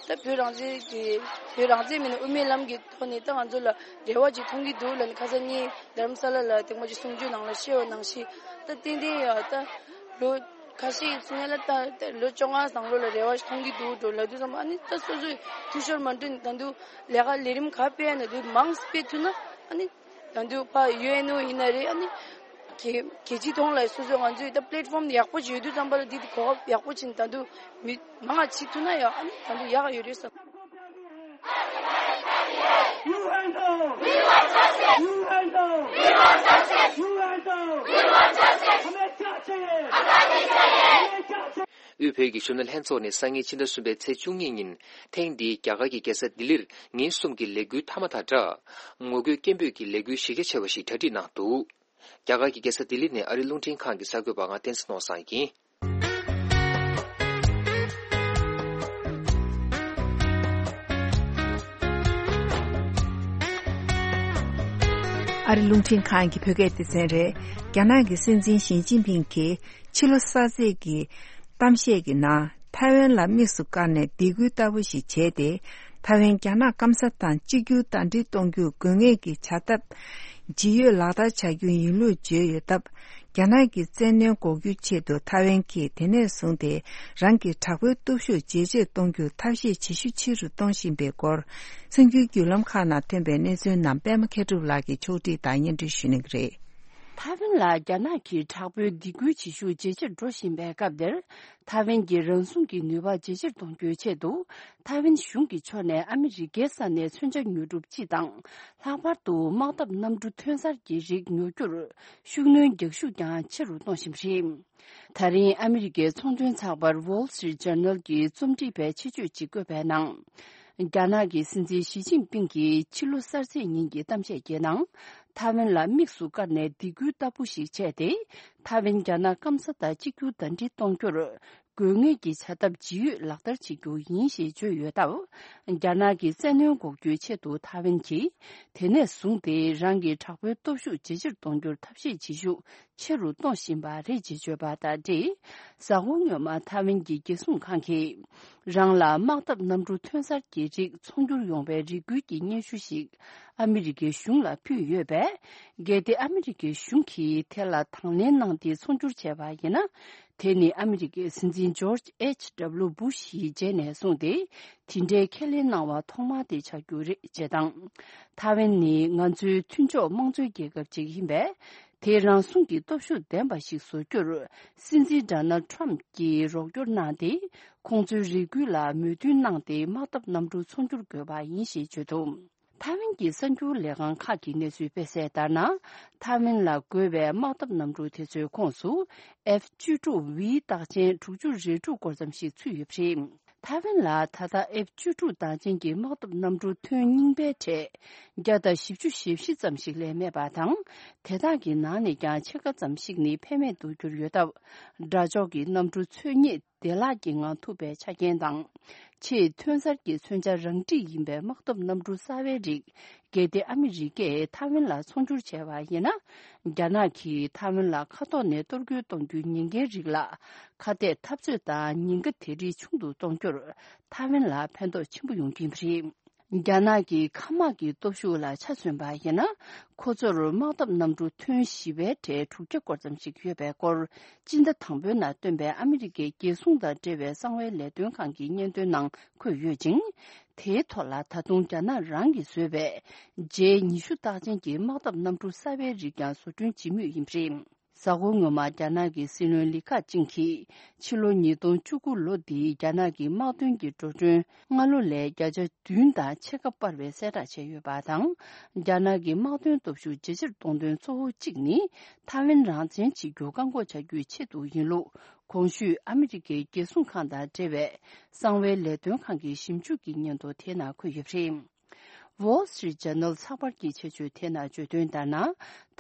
ད་བོད་རང་བཙན་གྱི་བོད་རང་བཙན་མིན་ན་དབུ་མའི་ལམ་གྱི་ཐོག་ནས་ད་ང་ཚོ་ལ་རེ་བ་ཅིག་མཐོང་གི་འདུག་ལབ་ནས་ཁ་སང་ཉིན་རྡ་རམ་ས་ལ་ལ་ཐེངས་མ་ཅིག་གསུང་ཆོས་ནང་ལ་བཤད་པ་ནང་བཞིན་ད་ཏན་ཏན་ཡ་ད་ལོ་ཁ་ཤས་ཀྱི་ཚུན་ལ་ད་ད་ལོ་བཅོ་ལྔ་ནང་ལོགས་ལ་རེ་བ་ཞིག་མཐོང་གི་འདུག་འགྲོ་ལབ་དུས་ཙམ་ཨ་ནི་ད་སོ་སོས་འཐུས་ཤོར་མ་འགྲོ་ནས་ད་དུང་ལས་ཀ་ལས་རིམ་ག་སྤེལ་ཡ་ན་དུས་མང་སྤེལ་ཐུབ་ན་ཨ་ནི། ད་དུང་ཕ་ཡུ་ཨེན་ཨོ་ཡིན་ན་རེད། ཨ་ནི་གལ་གལ་ཆེའི་ཐོག་ལ་སོ་སོའི་ང་ཚོའི་ད་པི་ལེ་ཊི་ཕོམ་ཡག་པོ་ཅིག་ཡོད་དུས་ཙམ་པ་ལ་འདི་དེ་གོ་སྐབས་ཡག་པོ་ཅིག་ད་དུང་མི་མང་བ་བྱེད་ཐུབ་ན་ཡང་ཨ་ནི་ད་དུང་ཡག་ག་ཡོད་རེད་བསམ། You handle! We want justice! You handle! We want justice! You handle! We want justice! དབུས་བོད་ཀྱི་གཞོན་ནུ་ལྷན་ཚོགས་ནས་སང་ཉིན་ཕྱི་ཟླ་གསུམ་པའི་ཚེས་བཅུ་གཉིས་ཉིན་ཐེངས་འདིའི་རྒྱ་གར་གྱི་རྒྱལ་ས་ལྡི་ལིར་ཉིན་གསུམ་གྱི་ལས་འགུལ་མཐའ་མ་དང་སྦྲགས། ངོ་རྒོལ་སྐད་འབོད་ཀྱི་ལས་འགུལ་གཞི་རྒྱ་ཆེ་བ་ཞིག་གྲ་སྒྲིག་གནང་འདུག་རྒྱ་གར་གྱི་རྒྱལ་ས་ལྡི་ལི་ནས་ཨ་རིའི་རླུང་འཕྲིན་ཁང་གི་གསར་འགོད་པ་ང་བསྟན་འཛིན་ནོར་བཟང་ཡིན། ཨ་རི་རླུང་འཕྲིན་ཁང་གི་བོད་སྐད་སྡེ་ཚན་རེད། རྒྱ་ནག་གི་སྲིད་འཛིན་ཞི་ཅིན་ཕིང་གིས་ཕྱི་ལོ་གསར་ཚེས་ཀྱི་གཏམ་བཤད་ཀྱི་ནང་ཐའེ་ཝན་ལ་དམིགས་སུ་བཀར་ནས་སྡིགས་སྐུལ་ལྟ་བུ་ཞིག་བྱས་ཏེ། ཐའེ་ཝན་རྒྱ་ནག་སྐམ་ས་དང་གཅིག་གྱུར་ཟླ་སྒྲིལ་གཏོང་རྒྱུར་དགོས་ངེས་ཀྱི་བྱ་ཐབས་ཇི་ཡོད་ལག་བསྟར་བྱ་རྒྱུ་ཡིན་ལུགས་བརྗོད་ཡོད་སྟབས། རྒྱ་ནག་གི་བཙན་གནོན་འགོག་རྒྱུའི་ཆེད་དུ་ཐའེ་ཝན་གྱིས་དེ་ནས་བཟུང་སྟེ་རང་གི་དྲག་པོའི་སྟོབས་ཤུགས་ཇེ་ཆེར་གཏོང་རྒྱུར་ཐབས་ཤེས་ཇེ་ཤུགས་ཆེ་རུ་གཏོང་བཞིན་པའི་སྐོར། གསར་འགྱུར་བརྒྱུད་ལམ་ཁག་ནང་ཐོན་པའི་གནས་ཚུལ་རྣམས་པད་མ་མཁས་གྲུབ་ལགས་ཀྱིས་ཕྱོགས་སྒྲིག་དང་སྙན་སྒྲོན་ཞུ་གནང་གི་རེད། ཐའེ་ཝན་ལ་རྒྱ་ནག་གིས་དྲག་པོའི་སྡིགས་སྐུལ་བྱེད་ཤུགས་ཇེ་ཆེར་འགྲོ་བཞིན་པའི་སྐབས་འདིར། ཐའེ་ཝན་གྱི་རང་སྲུང་གི་ནུས་པ་ཇེ་ཆེར་གཏོང་རྒྱུའི་ཆེད་དུ། ཐའེ་ཝན་གཞུང་གི་ཕྱོགས་ནས་ཨ་མི་རི་ཀའི་ས་ནས་མཚོན་ཆ་ཉོ་སྒྲུབ་སྤྱི་དང་། ལྷག་པར་དུ་དམག་འཐབ་གནམ་གྲུ་ཐོན་གསར་གྱི་རིགས་ཉོ་རྒྱུར་ཤུགས་སྣོན་རྒྱག་ཤུགས་ཀྱང་ཆེ་རུ་གཏོང་བཞིན་པ་རེད། ད་རིང་ཨ་མི་རི་ཀའི་ཚོང་དོན་ཚགས་པར་Wall Street Journal་གྱི་རྩོམ་སྒྲིག་པས་ཆེད་བརྗོད་ཅིག་བཀོད་པའི་ནང་། རྒྱ་ནག་གི་སྲིད་འཛིན་ཞི་ཅིན་ཕིང་གིས་ཕྱི་ལོ་གསར་ཚེས་ཉིན་གྱི་གཏམ་བཤད་ཀྱི་ནང་། ཐའེ་ཝན་ལ་དམིགས་སུ་བཀར་ནས་སྡིགས་སྐུལ་ལྟ་བུ་ཞིག་བྱས་ཏེ། ཐའེ་ཝན་རྒྱ་ནག་སྐམ་ས་དང་གཅིག་གྱུར་ཟླ་སྒྲིལ་གཏོང་རྒྱུར། དགོས་ངེས་ཀྱི་བྱ་ཐབས་ཇི་ཡོད་ལག་བསྟར་བྱེད་རྒྱུ་ཡིན་ཞེས་བརྗོད་ཡོད་སྟབས། རྒྱ་ནག་གི་བཙན་གནོན་འགོག་རྒྱུའི་ཆེད་དུ་ཐའེ་ཝན་གྱིས་དེ་ནས་བཟུང་སྟེ་རང་གི་དྲག་པོའི་སྟོབས་ཤུགས་ཇེ་ཆེར་གཏོང་རྒྱུར་ཐབས་ཤེས་བྱེད་ཤུགས་ཆེ་རུ་གཏོང་བཞིན་པ་རེད་ཅེས་བརྗོད་པ་དང་འབྲེལ། གཟའ་འཁོར་སྔོན་མ་ཐའེ་ཝན་གྱི་རྒྱལ་སྲུང་ཁང་གིས་རང་ལ་དམག་འཐབ་གནམ་གྲུ་ཐོན་གསར་གྱི་རིགས་ཚོང་སྒྱུར་ཡོང་བའི་རེ་སྐུལ་གྱི་སྙན་ཞུ་ཞིག་ཨ་མི་རི་ཀའི་གཞུང་ལ་ཕུལ་ཡོད་པས། གལ་ཏེ་ཨ་མི་རི་ཀའི་གཞུང་གིས་དེ་ལ་དང་ལེན་གནང་སྟེ་ཚོང་སྒྱུར་བྱས་པ་ཡིན་ན། དེ་ནི་ཨ་མི་རི་ཀའི་སྲིད་འཛིན་ཇོརྗ་ཨེཆ་ཌབ་ལུ་བུ་ཤ་ཡི་རྗེས་ནས་བཟུང་སྟེ་དེ་འདྲའི་ཁས་ལེན་གནང་བ་ཐོག་མ་དེ་ཆགས་རྒྱུ་རེད་ཅེས་དང་། ཐའེ་ཝན་ནི་ང་ཚོའི་མཐུན་ཕྱོགས་དམངས་གཙོའི་རྒྱལ་ཁབ་ཅིག་ཡིན་པས། དེ་རང་སྲུང་གི་སྟོབས་ཤུགས་ལྡན་པ་ཞིག་བཟོ་རྒྱུར་སྲིད་འཛིན་ཌོ་ནལ་ཌི་ཊརམ་གྱིས་རོགས་སྐྱོར་གནང་སྟེ། ཁོང་ཚོའི་རེ་སྐུལ་ལ་མོས་མཐུན་གནང་སྟེ་དམག་འཐབ་གནམ་གྲུ་ཚོང་སྒྱུར་དགོས་པ་ཡིན་ཞེས་བརྗོད་འདུག་ཐའེ་ཝན་གྱི་གསར་འགྱུར་ལས་ཁང་ཁག་གིས་གནས་ཚུལ་སྤེལ་གསལ་ལྟར་ན། ཐའེ་ཝན་ལ་དགོས་པའི་དམག་འཐབ་གནམ་གྲུ་དེ་ཚོའི་ཁོངས་སུ་ཨེཕ་བཅུ་དྲུག་ཝི་རྟགས་ཅན་དྲུག་ཅུ་རེ་དྲུག་སྐོར་ཙམ་ཞིག་ཚུད་ཡོད་པ་རེད། ཐའེ་ཝན་ལ་ད་ལྟ་ཨེཕ་བཅུ་དྲུག་རྟགས་ཅན་གྱི་དམག་འཐབ་གནམ་གྲུ་ཐོན་རྙིང་པའི་གྲས་བརྒྱ་དང་བཞི་བཅུ་ཞེ་བཞི་ཙམ་ཞིག་ལས་མེད་པ་དང་། དེ་དག་གི་ནང་ནས་ཀྱང་ཕྱེད་ཀ་ཙམ་ཞིག་ནི་ཕན་མེད་དུ་གྱུར་ཡོད་སྟབས། དགྲ་ཕྱོགས་ཀྱི་གནམ་གྲུ་འཚོལ་སྙེག་བདེ་བླག་གི་ངང་ཐུབ་པའི་ཆ་རྐྱེན་དང་། ཆེས་ཐོན་གསར་གྱི་མཚོན་ཆ་རང་འགྲིག་ཡིན་པའི་དམག་འཐབ་གནམ་གྲུ་གསར་བའི་རིགས། གལ་ཏེ་ཨ་མི་རི་ཀས་ཐའེ་ཝན་ལ་ཚོང་སྒྱུར་བྱས་པ་ཡིན་ན། རྒྱ་ནག་གིས་ཐའེ་ཝན་ལ་མཁའ་ཐོག་ནས་གཏོར་རྒོལ་གཏོང་རྒྱུའི་ཉེན་ཁའི་རིགས་ལ། ཁ་གཏད་འཐབ་རྩོད་དང་ཉེན་ཁ་དེ་རིགས་ཆུང་དུ་གཏོང་རྒྱུར། ཐའེ་ཝན་ལ་ཕན་ཐོགས་ཆེན་པོ་ཡོང་གི་ཡིན་པ་རེད། རྒྱ་ནག་གི་མཁའ་དམག་གི་སྟོབས་ཤུགས་ལ་ཆ་མཚོན་པ་ཡིན་ན། ཁོ་ཚོར་དམག་འཐབ་གནམ་གྲུ་ཐོན་བཞི་པའི་གྲས་དྲུག་བརྒྱ་སྐོར་ཙམ་ཞིག་ཡོད་པའི་སྐོར། སྤྱི་ཟླ་དང་པོའི་ནང་བཏོན་པའི་ཨ་མི་རི་ཀའི་རྒྱལ་སྲུང་དང་འབྲེལ་བའི་གསང་བའི་ལས་དོན་ཁང་གི་སྙན་ཐོའི་ནང་འཁོད་ཡོད་ཅིང་། དེའི་ཐོག་ལ་ད་དུང་རྒྱ་ནག་རང་གིས་བཟོས་པའི་ཇེ་ཉི་ཤུ་རྟགས་ཅན་གྱི་དམག་འཐབ་གནམ་གྲུ་གསར་བའི་རིགས་ཀྱང་བཟོ་སྐྲུན་བྱེད་མུས་ཡིན་པ་རེད། གཟའ་འཁོར་སྔོན་མ་རྒྱ་ནག་གི་སྲིད་བློན་ལི་ཁ་ཅིང་གིས་ཕྱི་ལོ་ཉིས་སྟོང་བཅུ་དགུ་ལོ་འདིའི་རྒྱ་ནག་གི་དམག་དོན་གྱི་འགྲོ་གྲོན་སྔ་ལོ་ལས་བརྒྱ་ཆ་བདུན་དང་ཕྱེད་ཀ་སྤར་བའི་གསལ་བསྒྲགས་བྱས་ཡོད་པ་དང་། རྒྱ་ནག་གི་དམག་དོན་སྟོབས་ཤུགས་ཇེ་ཆེར་གཏོང་དོན་གཙོ་བོ་གཅིག་ནི། ཐའེ་ཝན་རང་བཙན་བྱེད་རྒྱུ་བཀག་འགོག་བྱ་རྒྱུའི་ཆེད་དུ་ཡིན་ལུགས། གོང་ཞུས་ཨ་མི་རི་ཀའི་རྒྱལ་སྲུང་ཁང་དང་འབྲེལ་བའི་གསང་བའི་ལས་དོན་ཁང་གི་ཞིབ་འཇུག་གི་སྙན་ཐོ་དེ་ནང་འཁོད་ཡོད་པ་རེད། Wall Street Journal་ཚགས་པར་གྱི་ཆེད་བརྗོད་དེ་ནང་བརྗོད་དོན་ལྟར་ན།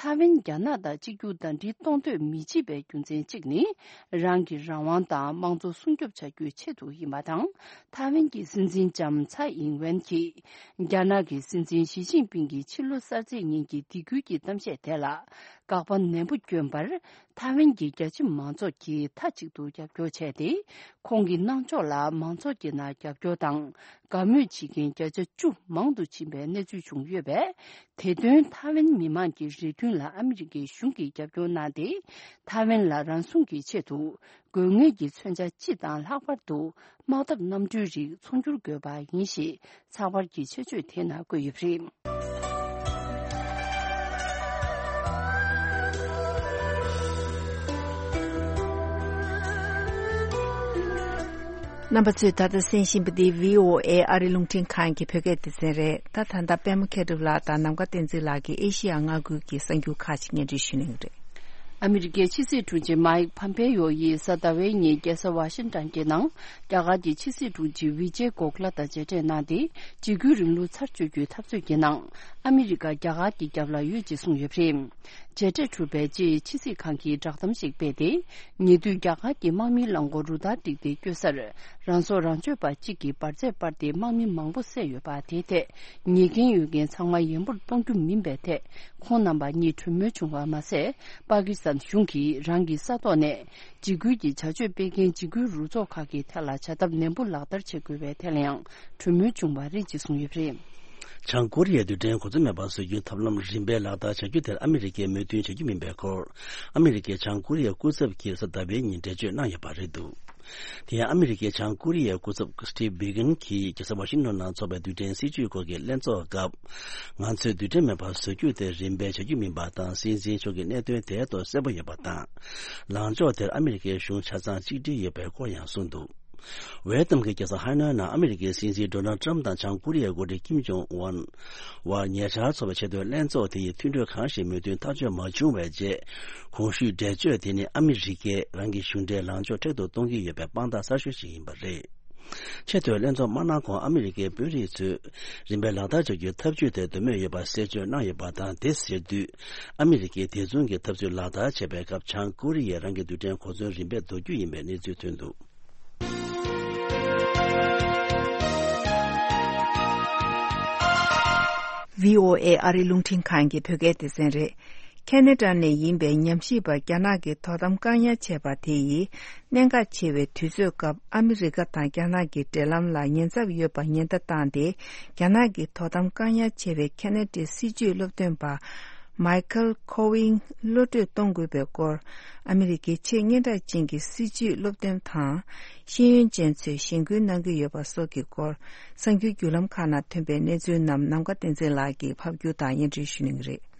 ཐའེ་ཝན་རྒྱ་ནག་དང་གཅིག་གྱུར་ཟླ་སྒྲིལ་གཏོང་འདོད་མི་བྱེད་པའི་རྒྱུ་མཚན་གཅིག་ནི། རང་གི་རང་དབང་དང་དམངས་གཙོ་སྲུང་སྐྱོབ་བྱ་རྒྱུའི་ཆེད་དུ་ཡིན་པ་དང་། ཐའེ་ཝན་གྱི་སྲིད་འཛིན་ལྕམ་ཚའེ་ཨིང་ཝེན་གྱིས། རྒྱ་ནག་གི་སྲིད་འཛིན་ཞི་ཅིན་ཕིང་གི་ཕྱི་ལོ་གསར་ཚེས་ཉིན་གྱི་སྡིགས་སྐུལ་གྱི་གཏམ་བཤད་དེ་ལ། དགག་པ་ནན་པོ་བསྐྱོན་པར། ཐའེ་ཝན་གྱི་རྒྱ་ཆེ་མང་ཚོགས་ཀྱིས་མཐའ་གཅིག་ཏུ་རྒྱབ་སྐྱོར་བྱས་ཏེ། ཁོང་གི་གནང་ཕྱོགས་ལ་མང་ཚོགས་ཀྱི་ནང་རྒྱབ་སྐྱོར་དང་། དགའ་མོས་བྱེད་མཁན་བརྒྱ་ཆ་བཅུ་མང་དུ་ཕྱིན་པའི་གནས་ཚུལ་བྱུང་ཡོད་པས། དེ་དོན་ཐའེ་ཝན་མི་མང་གི་རེ་འདུན་ལ་ཨ་མི་རི་ཀའི་གཞུང་གིས་རྒྱབ་སྐྱོར་གནང་སྟེ། ཐའེ་ཝན་ལ་རང་སྲུང་གི་ཆེད་དུ། དགོས་ངེས་ཀྱི་མཚོན་ཆ་སྤྱི་དང་ལྷག་པར་དུ། དམག་འཐབ་གནམ་གྲུའི་རིགས་ཚོང་སྒྱུར་དགོས་པ་ཡིན་ཞེས། ཚགས་པར་གྱི་ཆེད་བརྗོད་དེ་ནང་བཀོད་ཡོད་པ་རེད། རྣམ་པ་ཚོས་ད་ལྟ་གསན་བཞིན་པ་འདི་བྷི་ཨོ་ཨེ་ཨ་རི་རླུང་འཕྲིན་ཁང་གི་བོད་སྐད་སྡེ་ཚན་རེད། ད་ད་ལྟ་པད་མ་མཁས་གྲུབ་ལགས་དང་ནམ་མཁའ་བསྟན་འཛིན་ལགས་ཀྱིས་ཨེ་ཤི་ཡ་མངའ་ཁུལ་གྱི་གསར་འགྱུར་ཁག་ཅིག་སྙན་སྒྲོན་ཞུ་གནང་གི་རེད། ཨ་མི་རི་ཀའི་ཕྱི་སྲིད་དྲུང་ཆེ་མཱིག་ཕམ་པེ་ཡོ་ཡིས་གཟའ་ཟླ་བའི་ཉིན་རྒྱལ་ས་ཝ་ཤིང་ཊོན་གྱི་ནང་རྒྱ་གར་གྱི་ཕྱི་སྲིད་དྲུང་ཆེ་ཝི་ཇེ་གོ་ཁླ་དང་མཇལ་འཕྲད་གནང་སྟེ། འཇིགས་སྐུལ་རིང་ལུགས་ཚར་གཅོད་རྒྱུའི་འཐབ་རྩོད་ཀྱི་ནང་ཨ་མི་རི་ཀ་རྒྱ་གར་གྱི་རྒྱབ་ལ་ཡོད་ཅེས་གསུངས་ཡོད་པ་རེད། མཇལ་འཕྲད་གྲུབ་པའི་རྗེས་ཕྱི་སྲིད་ཁང་གིས་བསྒྲགས་གཏམ་ཞིག་སྤེལ་ཏེ། ཉེ་དུས་རྒྱ་གར་གྱི་དམག་མིའི་རླངས་འཁོར་རུ་སྟར་བསྒྲིགས་ཏེ་བསྐྱོད་སར། རང་སྲོག་རང་གཅོད་པ་གཅིག་གིས་འབར་རྫས་སྤར་ཏེ་དམག་མི་མང་པོ་བསད་ཡོད་པ་དེའི་ཐད། ཉེས་འགན་ཡོད་མཁན་ཚང་མ་ཡན་པོར་གཏོང་རྒྱུ་མིན་པའི་ཐད། ཁོང་རྣམ་པ་གཉིས་གྲོས་མོལ་བྱུང་བ་མ་ཟད། པ་ཀི་སི་ཐན་གཞུང་གིས་རང་གི་ས་ཐོག་ནས། འཇིགས་སྐུལ་གྱི་བྱ་སྤྱོད་སྤེལ་མཁན་འཇིགས་སྐུལ་རུ་ཚོགས་ཁག་གི་ཐད་ལ་བྱ་ཐབས་ནན་པོ་ལག་བསྟར་བྱེད་དགོས་པའི་ཐད་ལ་ཡང་གྲོས་མོལ་བྱུང་བ་རེད་ཅེས་གསུངས་ཡོད་པ་རེད། བྱང་ཀོ་རི་ཡའི་རྡུལ་ཕྲན་གོ་མཚོན་མེད་པར་བཟོ་རྒྱུའི་ཐབས་ལམ་རིམ་པས་ལག་བསྟར་བྱ་རྒྱུ་དེར་ཨ་མི་རི་ཀས་མོས་མཐུན་བྱ་རྒྱུ་མིན་པའི་སྐོར། ཨ་མི་རི་ཀའི་བྱང་ཀོ་རི་ཡའི་སྐུ་ཚབ་ཀྱིས་གཟའ་ཟླ་བའི་ཉིན་འགྲེལ་བརྗོད་གནང་ཡོད་པ་རེད་འདུག་དེ་ཡང་ཨ་མི་རི་ཀའི་བྱང་ཀོ་རི་ཡའི་སྐུ་ཚབ་སི་ཊིབ་བྷི་གན་གྱིས་རྒྱལ་ས་ཝ་ཤིང་ཊོན་ནང་འཚོགས་པའི་རྡུལ་ཕྲན་སྲིད་ཇུས་སྐོར་གྱི་ལྷན་ཚོགས་སྐབས། ང་ཚོས་རྡུལ་ཕྲན་མེད་པར་བཟོ་རྒྱུ་དེ་རིམ་པས་བྱ་རྒྱུ་མིན་པ་དང་། སྲིད་འཛིན་མཆོག་གི་གནད་དོན་དེའི་ཐོག་གསལ་པོ་ཡོད་པ་དང་། ལངས་ཕྱོགས་དེར་ཨ་མི་རི་ཀའི་གཞུང་ཆ་ཚང་གཅིག་སྒྲིལ་ཡོད་པའི་སྐོར་ཡང་གསུངས་འདུག་ཝེ་ཏམ་གྱི་རྒྱལ་ས་ཧ་ནོའི་ནང་ཨ་མི་རི་ཀའི་སྲིད་འཛིན་ཌོ་ནལ་ཏྲམ་དང་བྱང་ཀོ་རི་ཡའི་འགོ་ཁྲིད་ཀིམ་ཇོང་ཨུན་བར་ཉེ་ཆར་འཚོགས་པའི་ཆེས་མཐོའི་ལྷན་ཚོགས་དེ་ཡི་མཐུན་གྲོས་གང་ཞིག་མོས་མཐུན་ཐག་གཅོད་མ་བྱུང་བའི་རྗེས། གོང་ཞུས་འགྲེལ་བརྗོད་དེ་ནི་ཨ་མི་རི་ཀས་རང་གི་གཞུང་འབྲེལ་ལངས་ཕྱོགས་མཁྲེགས་པོ་གཏོང་གི་ཡོད་པའི་དཔང་རྟགས་གསར་ཤོས་ཤིག་ཡིན་པ་རེད། ཆེས་མཐོའི་ལྷན་ཚོགས་མ་གནང་གོང་ཨ་མི་རི་ཀའི་དཔོན་རིགས་ཚོས་རིམ་པས་ལག་བསྟར་བྱ་རྒྱུའི་ཐབས་ཇུས་དེར་འདོད་མོས་ཡོད་པ་གསལ་བརྗོད་གནང་ཡོད་པ་དང་། དེ་ཟེར་དུས་ཨ་མི་རི་ཀས་དེ་མཚུངས་ཀྱི་ཐབས་ཇུས་ལག་བསྟར་བྱེད་པའི་སྐབས་བྱང་ཀོ་རི་ཡས་རང་གི་རྡུལ་ཕྲན་གོ་མཚོན་རིམ་པས་འདོར་རྒྱུ་ཡིན་པའི་གནས་ཚུལ་ཐོན་འདུག་བྷི་ཨོ་ཨེ་ཨ་རི་རླུང་འཕྲིན་ཁང་གི་བོད་སྐད་སྡེ་ཚན་རེད། ཁེ་ན་ཌ་ནས་ཡིན་པའི་ཉམས་ཞིབ་པ་རྒྱ་ནག་གི་དོ་དམ་བཀག་ཉར་བྱས་པ་དེ་ཡིས། གནད་འགག་ཆེ་བའི་དུས་ཚོད་སྐབས་ཨ་མི་རི་ཀ་དང་རྒྱ་ནག་གི་འབྲེལ་ལམ་ལ་ཉེན་ཚབས་ཡོད་པ་ཉེན་བརྡ་བཏང་སྟེ། རྒྱ་ནག་གི་དོ་དམ་བཀག་ཉར་བྱས་པའི་ཁེ་ན་ཌའི་སྲིད་བྱུས་སློབ་སྟོན་པ། མའི་ཁལ་ཁོ་ཝིང་གློད་གྲོལ་གཏོང་དགོས་པའི་སྐོར། ཨ་མི་རི་ཀའི་ཆེས་སྙན་གྲགས་ཅན་གྱི་སྲིད་བྱུས་སློབ་སྟོན་དང་། ཤེས་ཡོན་ཅན་ཚོས་གཞེན་སྐུལ་གནང་གི་ཡོད་པ་སོགས་ཀྱི་སྐོར། གསར་འགྱུར་བརྒྱུད་ལམ་ཁག་ནང་ཐོན་པའི་གནས་ཚུལ་རྣམས་ནམ་མཁའ་བསྟན་འཛིན་ལགས་ཀྱིས་ཕབ་སྒྱུར་དང་སྙན་སྒྲོན་ཞུ་གནང་གི་རེད།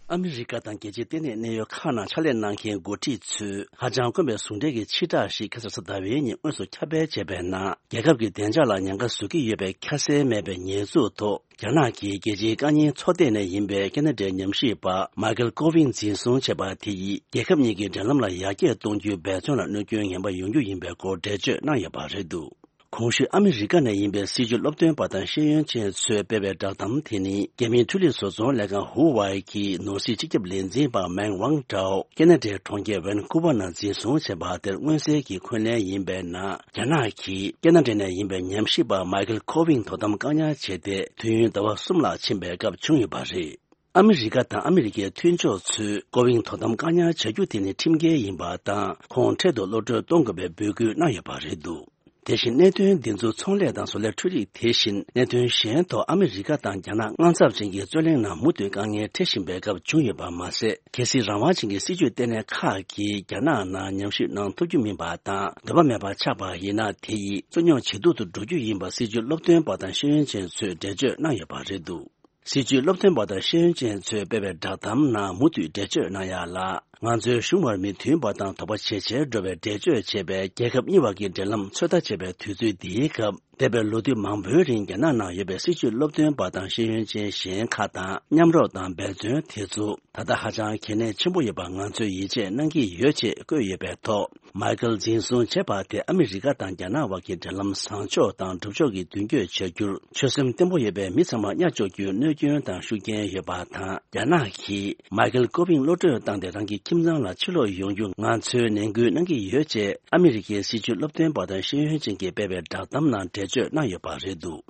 ཨ་མི་རི་ཀ་དང་རྒྱལ་སྤྱིའི་ལྟེ་གནས་གནད་ཡོད་ཁག་ནང་ཕྱག་ལས་གནང་མཁན་འགོ་ཁྲིད་ཚོས་ཧ་ཅང་དཀོན་པའི་ཟུང་འབྲེལ་གྱི་ཕྱིར་བསྒྲགས་ཤིག་ཁ་སང་གཟའ་ཟླ་བའི་ཉིན་དངོས་སུ་ཁྱབ་སྤེལ་བྱས་པའི་ནང་། རྒྱལ་ཁབ་ཀྱི་བདེ་འཇགས་ལ་ཉེན་ཁ་བཟོ་གི་ཡོད་པའི་ཁ་གསལ་མེད་པའི་ཉེས་འཛུགས་ཐོག་རྒྱ་ནག་གིས་རྒྱལ་སྤྱིའི་བཀའ་རྙིང་ཚོགས་སྡེ་ནས་ཡིན་པའི་ཁེ་ན་ཌའི་ཉམས་ཞིབ་པ་མའི་ཁལ་ཀོ་ཝིན་འཛིན་བཟུང་བྱས་པ་དེ་ཡིས་རྒྱལ་ཁབ་གཉིས་ཀྱི་འབྲེལ་ལམ་ལ་ཡར་རྒྱས་གཏོང་རྒྱུའི་འབད་བརྩོན་ལ་གནོད་སྐྱོན་ངན་པ་ཡོང་རྒྱུ་ཡིན་པའི་སྐོར་འགྲེལ་བརྗོད་གནང་ཡོད་པ་རེད་འདུག་གོང་ཞུས་ཨ་མི་རི་ཀ་ནས་ཡིན་པའི་སྲིད་བྱུས་སློབ་སྟོན་པ་དང་ཤེས་ཡོན་ཅན་ཚོས་སྤེལ་བའི་བསྒྲགས་གཏམ་དེ་ནི། རྒྱ་མིའི་འཕྲུལ་རིག་བཟོ་ཚོང་ལས་ཁང་ཧུ་ཝའེ་གི་ནོར་སྲིད་སྤྱི་ཁྱབ་ལས་འཛིན་པ་མེང་ཝང་ཀྲའོ་ཁེ་ན་ཌའི་གྲོང་ཁྱེར་ཝན་ཀུ་ཝར་ནང་འཛིན་བཟུང་བྱས་པ་དེར་མངོན་གསལ་གྱིས་འཁོན་ལན་ཡིན་པའི་ནང་། རྒྱ་ནག་གིས་ཁེ་ན་ཌ་ནས་ཡིན་པའི་ཉམས་ཞིབ་པ་མའི་ཁལ་ཁོ་ཝིང་དོ་དམ་བཀག་ཉར་བྱས་ཏེ། དུས་ཡུན་ཟླ་བ་གསུམ་ལྷག་ཕྱིན་པའི་སྐབས་བྱུང་ཡོད་པ་རེད། ཨ་མི་རི་ཀ་དང་ཨ་མི་རི་ཀའི་མཐུན་ཕྱོགས་ཚོས་ཀོ་ཝིང་དོ་དམ་བཀག་ཉར་བྱ་རྒྱུ་དེ་ནི་ཁྲིམས་འགལ་ཡིན་པ་དང་། ཁོང་འཕྲལ་དུ་གློད་གྲོལ་གཏོང་དགོས་པའི་འབོད་སྐུལ་གནང་ཡོད་པ་རེད་འདུག་དེ་བཞིན་གནད་དོན་འདི་ཚོ་ཚོང་ལས་དང་བཟོ་ལས་འཕྲུལ་རིག་དེ་བཞིན་གནད་དོན་གཞན་ཐོག་ཨ་མི་རི་ཀ་དང་རྒྱ་ནག་དངངས་འཚབ་ཅན་གྱི་རྩོད་གླེང་ནང་མུ་མཐུད་དཀའ་ངལ་འཕྲད་བཞིན་པའི་སྐབས་བྱུང་ཡོད་པ་མ་ཟད། གལ་སྲིད་རང་དབང་ཅན་གྱི་སྲིད་བྱུས་ལྟེ་གནས་ཁག་གིས་རྒྱ་ནག་ནང་ཉམས་ཞིབ་གནང་ཐུབ་རྒྱུ་མིན་པ་དང་། འདོད་པ་མེད་པར་ཆགས་པ་ཡིན་ན། དེ་ཡིས་རྩོད་རྙོག་ཇེ་སྡུག་ཏུ་འགྲོ་རྒྱུ་ཡིན་པ་སྲིད་བྱུས་སློབ་སྟོན་པ་དང་ཤེས་ཡོན་ཅན་ཚོས་འགྲེལ་བརྗོད་གནང་ཡོད་པ་རེད་འདུག་སྲིད་བྱུས་སློབ་སྟོན་པ་དང་ཤེས་ཡོན་ཅན་ཚོས་སྤེལ་བའི་བསྒྲགས་གཏམ་ནང་མུ་མཐུད་འགྲེལ་བརྗོད་གནང་ཡག་ལ། ང་ཚོའི་གཞུང་བར་མི་མཐུན་པ་དང་དོགས་པ་ཇེ་ཆེར་འགྲོ་བའི་འགྲེལ་བརྗོད་བྱེད་པའི་རྒྱལ་ཁབ་གཉིས་བར་གྱི་འབྲེལ་ལམ་ཚོད་ལྟ་བྱེད་པའི་དུས་ཚོད་འདིའི་སྐབས། འདས་པའི་ལོ་དུས་མང་པོའི་རིང་རྒྱ་ནག་ནང་ཡོད་པའི་སྲིད་བྱུས་སློབ་སྟོན་པ་དང་ཤེས་ཡོན་ཅན་གཞན་ཁག་དང་མཉམ་རོགས་དང་འབད་བརྩོན་དེ་ཚོ་ད་ལྟ་ཧ་ཅང་གལ་གནད་ཆེན་པོ་ཡོད་པ་ང་ཚོས་ཡིད་ཆེས་གནང་གི་ཡོད་ཅེས་བཀོད་ཡོད་པའི་ཐོག་མའི་ཁལ་འཛིན་བཟུང་བྱས་པ་དེ་ཨ་མི་རི་ཀ་དང་རྒྱ་ནག་བར་གྱི་འབྲེལ་ལམ་བཟང་ཕྱོགས་དང་སྒྲུབ་ཕྱོགས་ཀྱི་མདུན་སྐྱོད་བྱ་རྒྱུར་ཆོད་སེམས་བརྟན་པོ་ཡོད་པའི་མི་ཚང་མ་གཉའ་གཅོག་རྒྱུའི་གནོད་སྐྱོན་དང་ཤུགས་རྐྱེན་ཡོད་པ་དང་། རྒྱ་ནག་གིས་མའི་ཁལ་ཀོ་ཝིང་གློད་གྲོལ་བཏང་སྟེ་རང་གི་ཁྱིམ་ཚང་ལ་ཕྱིར་ལོག་ཡོང་རྒྱུ་ང་ཚོས་ནན་སྐུལ་གནང་གི་ཡོད་ཅེས་ཨ་མི་རི་ཀའི་སྲིད་བྱུས་སློབ་སྟོན་པ་དང་ཤེས་ཡོན་ཅན་གྱིས་སྤེལ་བའི་བསྒྲགས་གཏམ་ནང་འགྲེལ་བརྗོད་གནང་ཡོད་པ་རེད་འདུག་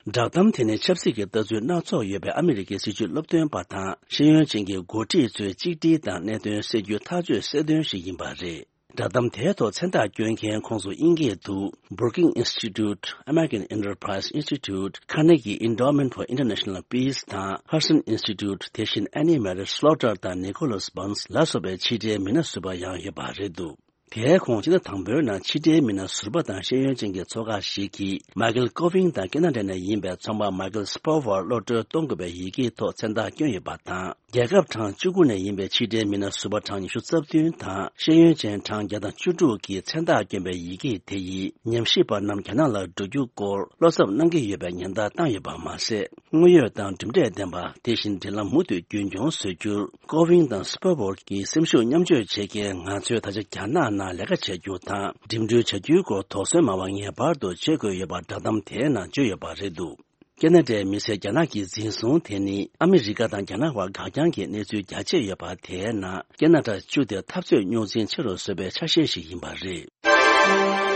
བསྒྲགས་གཏམ་དེ་ནི་ཆབ་སྲིད་ཀྱི་ལྟ་ཚུལ་སྣ་ཚོགས་ཡོད་པའི་ཨ་མི་རི་ཀའི་སྲིད་བྱུས་སློབ་སྟོན་པ་དང་ཤེས་ཡོན་ཅན་གྱི་འགོ་ཁྲིད་ཚོའི་གཅིག་སྒྲིལ་དང་གནད་དོན་སེལ་རྒྱུའི་ཐག་གཅོད་གསལ་སྟོན་ཞིག་ཡིན་པ་རེད། བསྒྲགས་གཏམ་དེའི་ཐོག་མཚན་རྟགས་བསྐྱོན་མཁན་ཁོངས་སུ་དབྱིན་སྐད་དུ་Brookings Institute, American Enterprise Institute, Carnegie Endowment for International Peace དང་Hudson Institute དེ་བཞིན་Annie Mary Slaughter དང་Nicholas Burns ལ་སོགས་པའི་ཕྱི་དྲིལ་མི་སྣ་ཟུར་པ་ཡང་ཡོད་པ་རེད་འདུག་དེའི་ཁོངས་ཕྱི་ཟླ་དང་པོའི་ནང་ཕྱི་དྲིལ་མི་སྣ་ཟུར་པ་དང་ཤེས་ཡོན་ཅན་གྱི་ཚོགས་ཁག་ཞིག་གིས་མའི་ཁལ་ཀོ་ཝིང་དང་ཁེ་ན་ཌ་ནས་ཡིན་པའི་ཚོང་པ་མའི་ཁལ་སྤོ་ཝར་གློད་གྲོལ་གཏོང་དགོས་པའི་ཡི་གེའི་ཐོག་མཚན་རྟགས་བསྐྱོན་ཡོད་པ་དང་། རྒྱལ་ཁབ་གྲངས་བཅུ་དགུ་ནས་ཡིན་པའི་ཕྱི་དྲིལ་མི་སྣ་ཟུར་པ་གྲངས་ཉི་ཤུ་རྩ་བདུན་དང་ཤེས་ཡོན་ཅན་གྲངས་བརྒྱ་དང་བཅུ་དྲུག་གིས་མཚན་རྟགས་བསྐྱོན་པའི་ཡི་གེ་དེ་ཡིས་ཉམས་ཞིབ་པ་རྣམས་རྒྱ་ནག་ལ་འགྲོ་རྒྱུ་སྐོར་བློ་འཚབ་གནང་གི་ཡོད་པའི་ཉེན་བརྡ་བཏང་ཡོད་པ་མ་ཟད། དངོས་ཡོད་དང་གྲུབ་འབྲས་ལྡན་པ་དེ་བཞིན་འབྲེལ་ལམ་མུ་མཐུད་རྒྱུན་འཁྱོངས་བཟོ་རྒྱུར་ཀོ་ཝིང་དང་སྤོ་ཝར་གྱི་སེམས་ཤུགས་མཉམ་སྤྱོད་བྱེད་མཁན་ང་ཚོས་ད་ཆ་རྒྱ་ནག་ནང་ལས་ཀ་བྱ་རྒྱུ་དང་འགྲིམ་འགྲུལ་བྱ་རྒྱུའི་སྐོར་དོགས་ཟོན་མ་བ་ངེས་པར་དུ་བྱེད་དགོས་ཡོད་པ་བསྒྲགས་གཏམ་དེའི་ནང་བརྗོད་ཡོད་པ་རེད་འདུག་ཁེ་ན་ཌའི་མི་སེར་རྒྱ་ནག་གིས་འཛིན་བཟུང་དེ་ནི་ཨ་མི་རི་ཀ་དང་རྒྱ་ནག་བར་འགག་རྐྱང་གི་གནས་ཚུལ་རྒྱ་ཆེ་ཡོད་པ་དེའི་ནང་ཁེ་ན་ཌ་བཅུ་དེ་འཐབ་རྩོད་རྙོག་འཛིང་ཆེ་རུ་བཟོས་པའི་ཆ་ཤས་ཤིག་ཡིན་པ་རེད།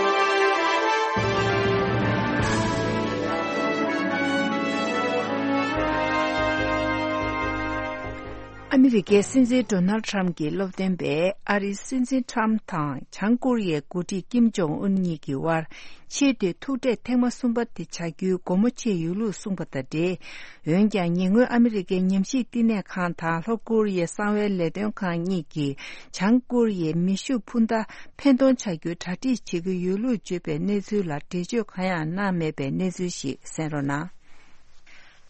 ཨ་མི་རི་ཀའི་སྲིད་འཛིན་ཌོ་ནལ་ཁྲམ་གྱི་སློབ་སྟོན་པས་ཨ་རིའི་སྲིད་འཛིན་ཁྲམ་དང་བྱང་ཀོ་རི་ཡའི་འགོ་ཁྲིད་ཀིམ་ཇོང་ཨུན་གཉིས་ཀྱི་དབར་ཆེས་མཐོའི་ཐུག་འཕྲད་ཐེངས་མ་གསུམ་པ་དེ་བྱ་རྒྱུའི་སྒོ་མོ་ཕྱེ་ཡོད་ལུགས་གསུངས་པ་དང་འབྲེལ། འོན་ཀྱང་ཉེ་སྔོན་ཨ་མི་རི་ཀའི་ཉམས་ཞིབ་བསྟི་གནས་ཁང་དང་ལྷོ་ཀོ་རི་ཡའི་གསང་བའི་ལས་དོན་ཁང་གཉིས་ཀྱིས་བྱང་ཀོ་རི་ཡའི་མེ་ཤུགས་འཕུར་མདའ་ཕན་ཐོགས་ཆགས་རྒྱུའི་གྲ་སྒྲིག་བྱེད་ཀྱི་ཡོད་ལུགས་བརྗོད་པའི་གནས་ཚུལ་ལ་འགྲེལ་བརྗོད་གང་ཡང་གནང་མེད་པའི་གནས་ཚུལ་ཞིག་གསན་རོགས་གནང་།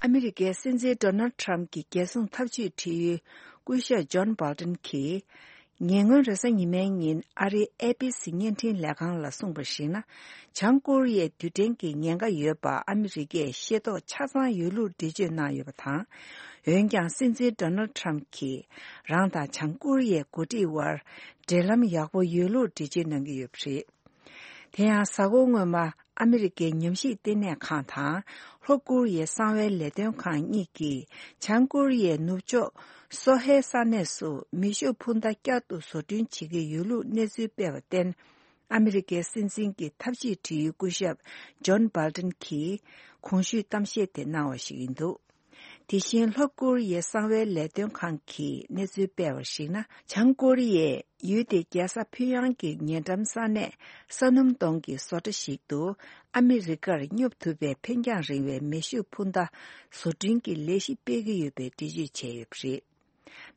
ཨ་མི་རི་ཀའི་སྲིད་འཛིན་ཌོ་ནལ་ཁྲམ་གྱི་རྒྱལ་སྲུང་ཐབས་ཇུས་དྲི་ཡུལ་སྐུ་ཞབས་ཇོན་སྦལ་ཏན་གྱིས། ཉེ་སྔོན་རེས་གཟའ་ཉི་མའི་ཉིན་ཨ་རིའི་ཨེ་པི་སི་བརྙན་འཕྲིན་ལས་ཁང་ལ་གསུངས་པར་གཞིགས་ན། བྱང་ཀོ་རི་ཡའི་རྡུལ་ཕྲན་གྱི་ཉེན་ཁ་ཡོད་པ་ཨ་མི་རི་ཀས་ཤེས་རྟོགས་ཆ་ཚང་ཡོད་ལུགས་འགྲེལ་བརྗོད་གནང་ཡོད་པ་དང་། འོན་ཀྱང་སྲིད་འཛིན་ཌོ་ནལ་ཁྲམ་གྱིས་རང་དང་བྱང་ཀོ་རི་ཡའི་འགོ་ཁྲིད་དབར་འབྲེལ་ལམ་ཡག་པོ་ཡོད་ལུགས་འགྲེལ་བརྗོད་གནང་གི་ཡོད་པ་རེད། དེ་ཡང་གཟའ་འཁོར་སྔོན་མ་ཨ་མི་རི་ཀའི་ཉམས་ཞིབ་ལྟེ་གནས་ཁང་དང་ལྷོ་ཀོ་རི་ཡའི་གསང་བའི་ལས་དོན་ཁང་གཉིས་ཀྱིས་བྱང་ཀོ་རི་ཡའི་ནུབ་ཕྱོགས་སོ་ཧེ་ས་གནས་སུ་མེ་ཤུགས་འཕུར་མདའ་བསྐྱར་དུ་བཟོ་སྐྲུན་བྱེད་ཀྱི་ཡོད་ལུགས་གནས་ཚུལ་སྤེལ་བར་བརྟེན། ཨ་མི་རི་ཀའི་སྲིད་འཛིན་གྱི་ཐབས་ཇུས་དྲི་ཡུལ་སྐུ་ཞབས་ཇོན་སྦལ་ཏན་གྱིས་གོང་ཞུས་གཏམ་བཤད་དེ་གནང་བ་ཞིག་ཡིན་འདུག་དེ་བཞིན་ལྷོ་ཀོ་རི་ཡའི་གསང་བའི་ལས་དོན་ཁང་གིས་གནས་ཚུལ་སྤེལ་བར་གཞིགས་ན། བྱང་ཀོ་རི་ཡས་ཡུལ་དེའི་རྒྱལ་ས་ཕིང་ཡང་གི་ཉེ་འགྲམ་ས་གནས་ས་སྣུམ་དོང་གི་བཟོ་གྲྭ་ཞིག་ཏུ་ཨ་མི་རི་ཀར་སྙོབ་ཐུབ་པའི་འཕེན་རྒྱང་རིང་བའི་མེ་ཤུགས་འཕུར་མདའ་བཟོ་སྐྲུན་གྱི་ལས་གཞི་སྤེལ་གྱི་ཡོད་པའི་འགྲེལ་བརྗོད་བྱས་ཡོད་པ་རེད།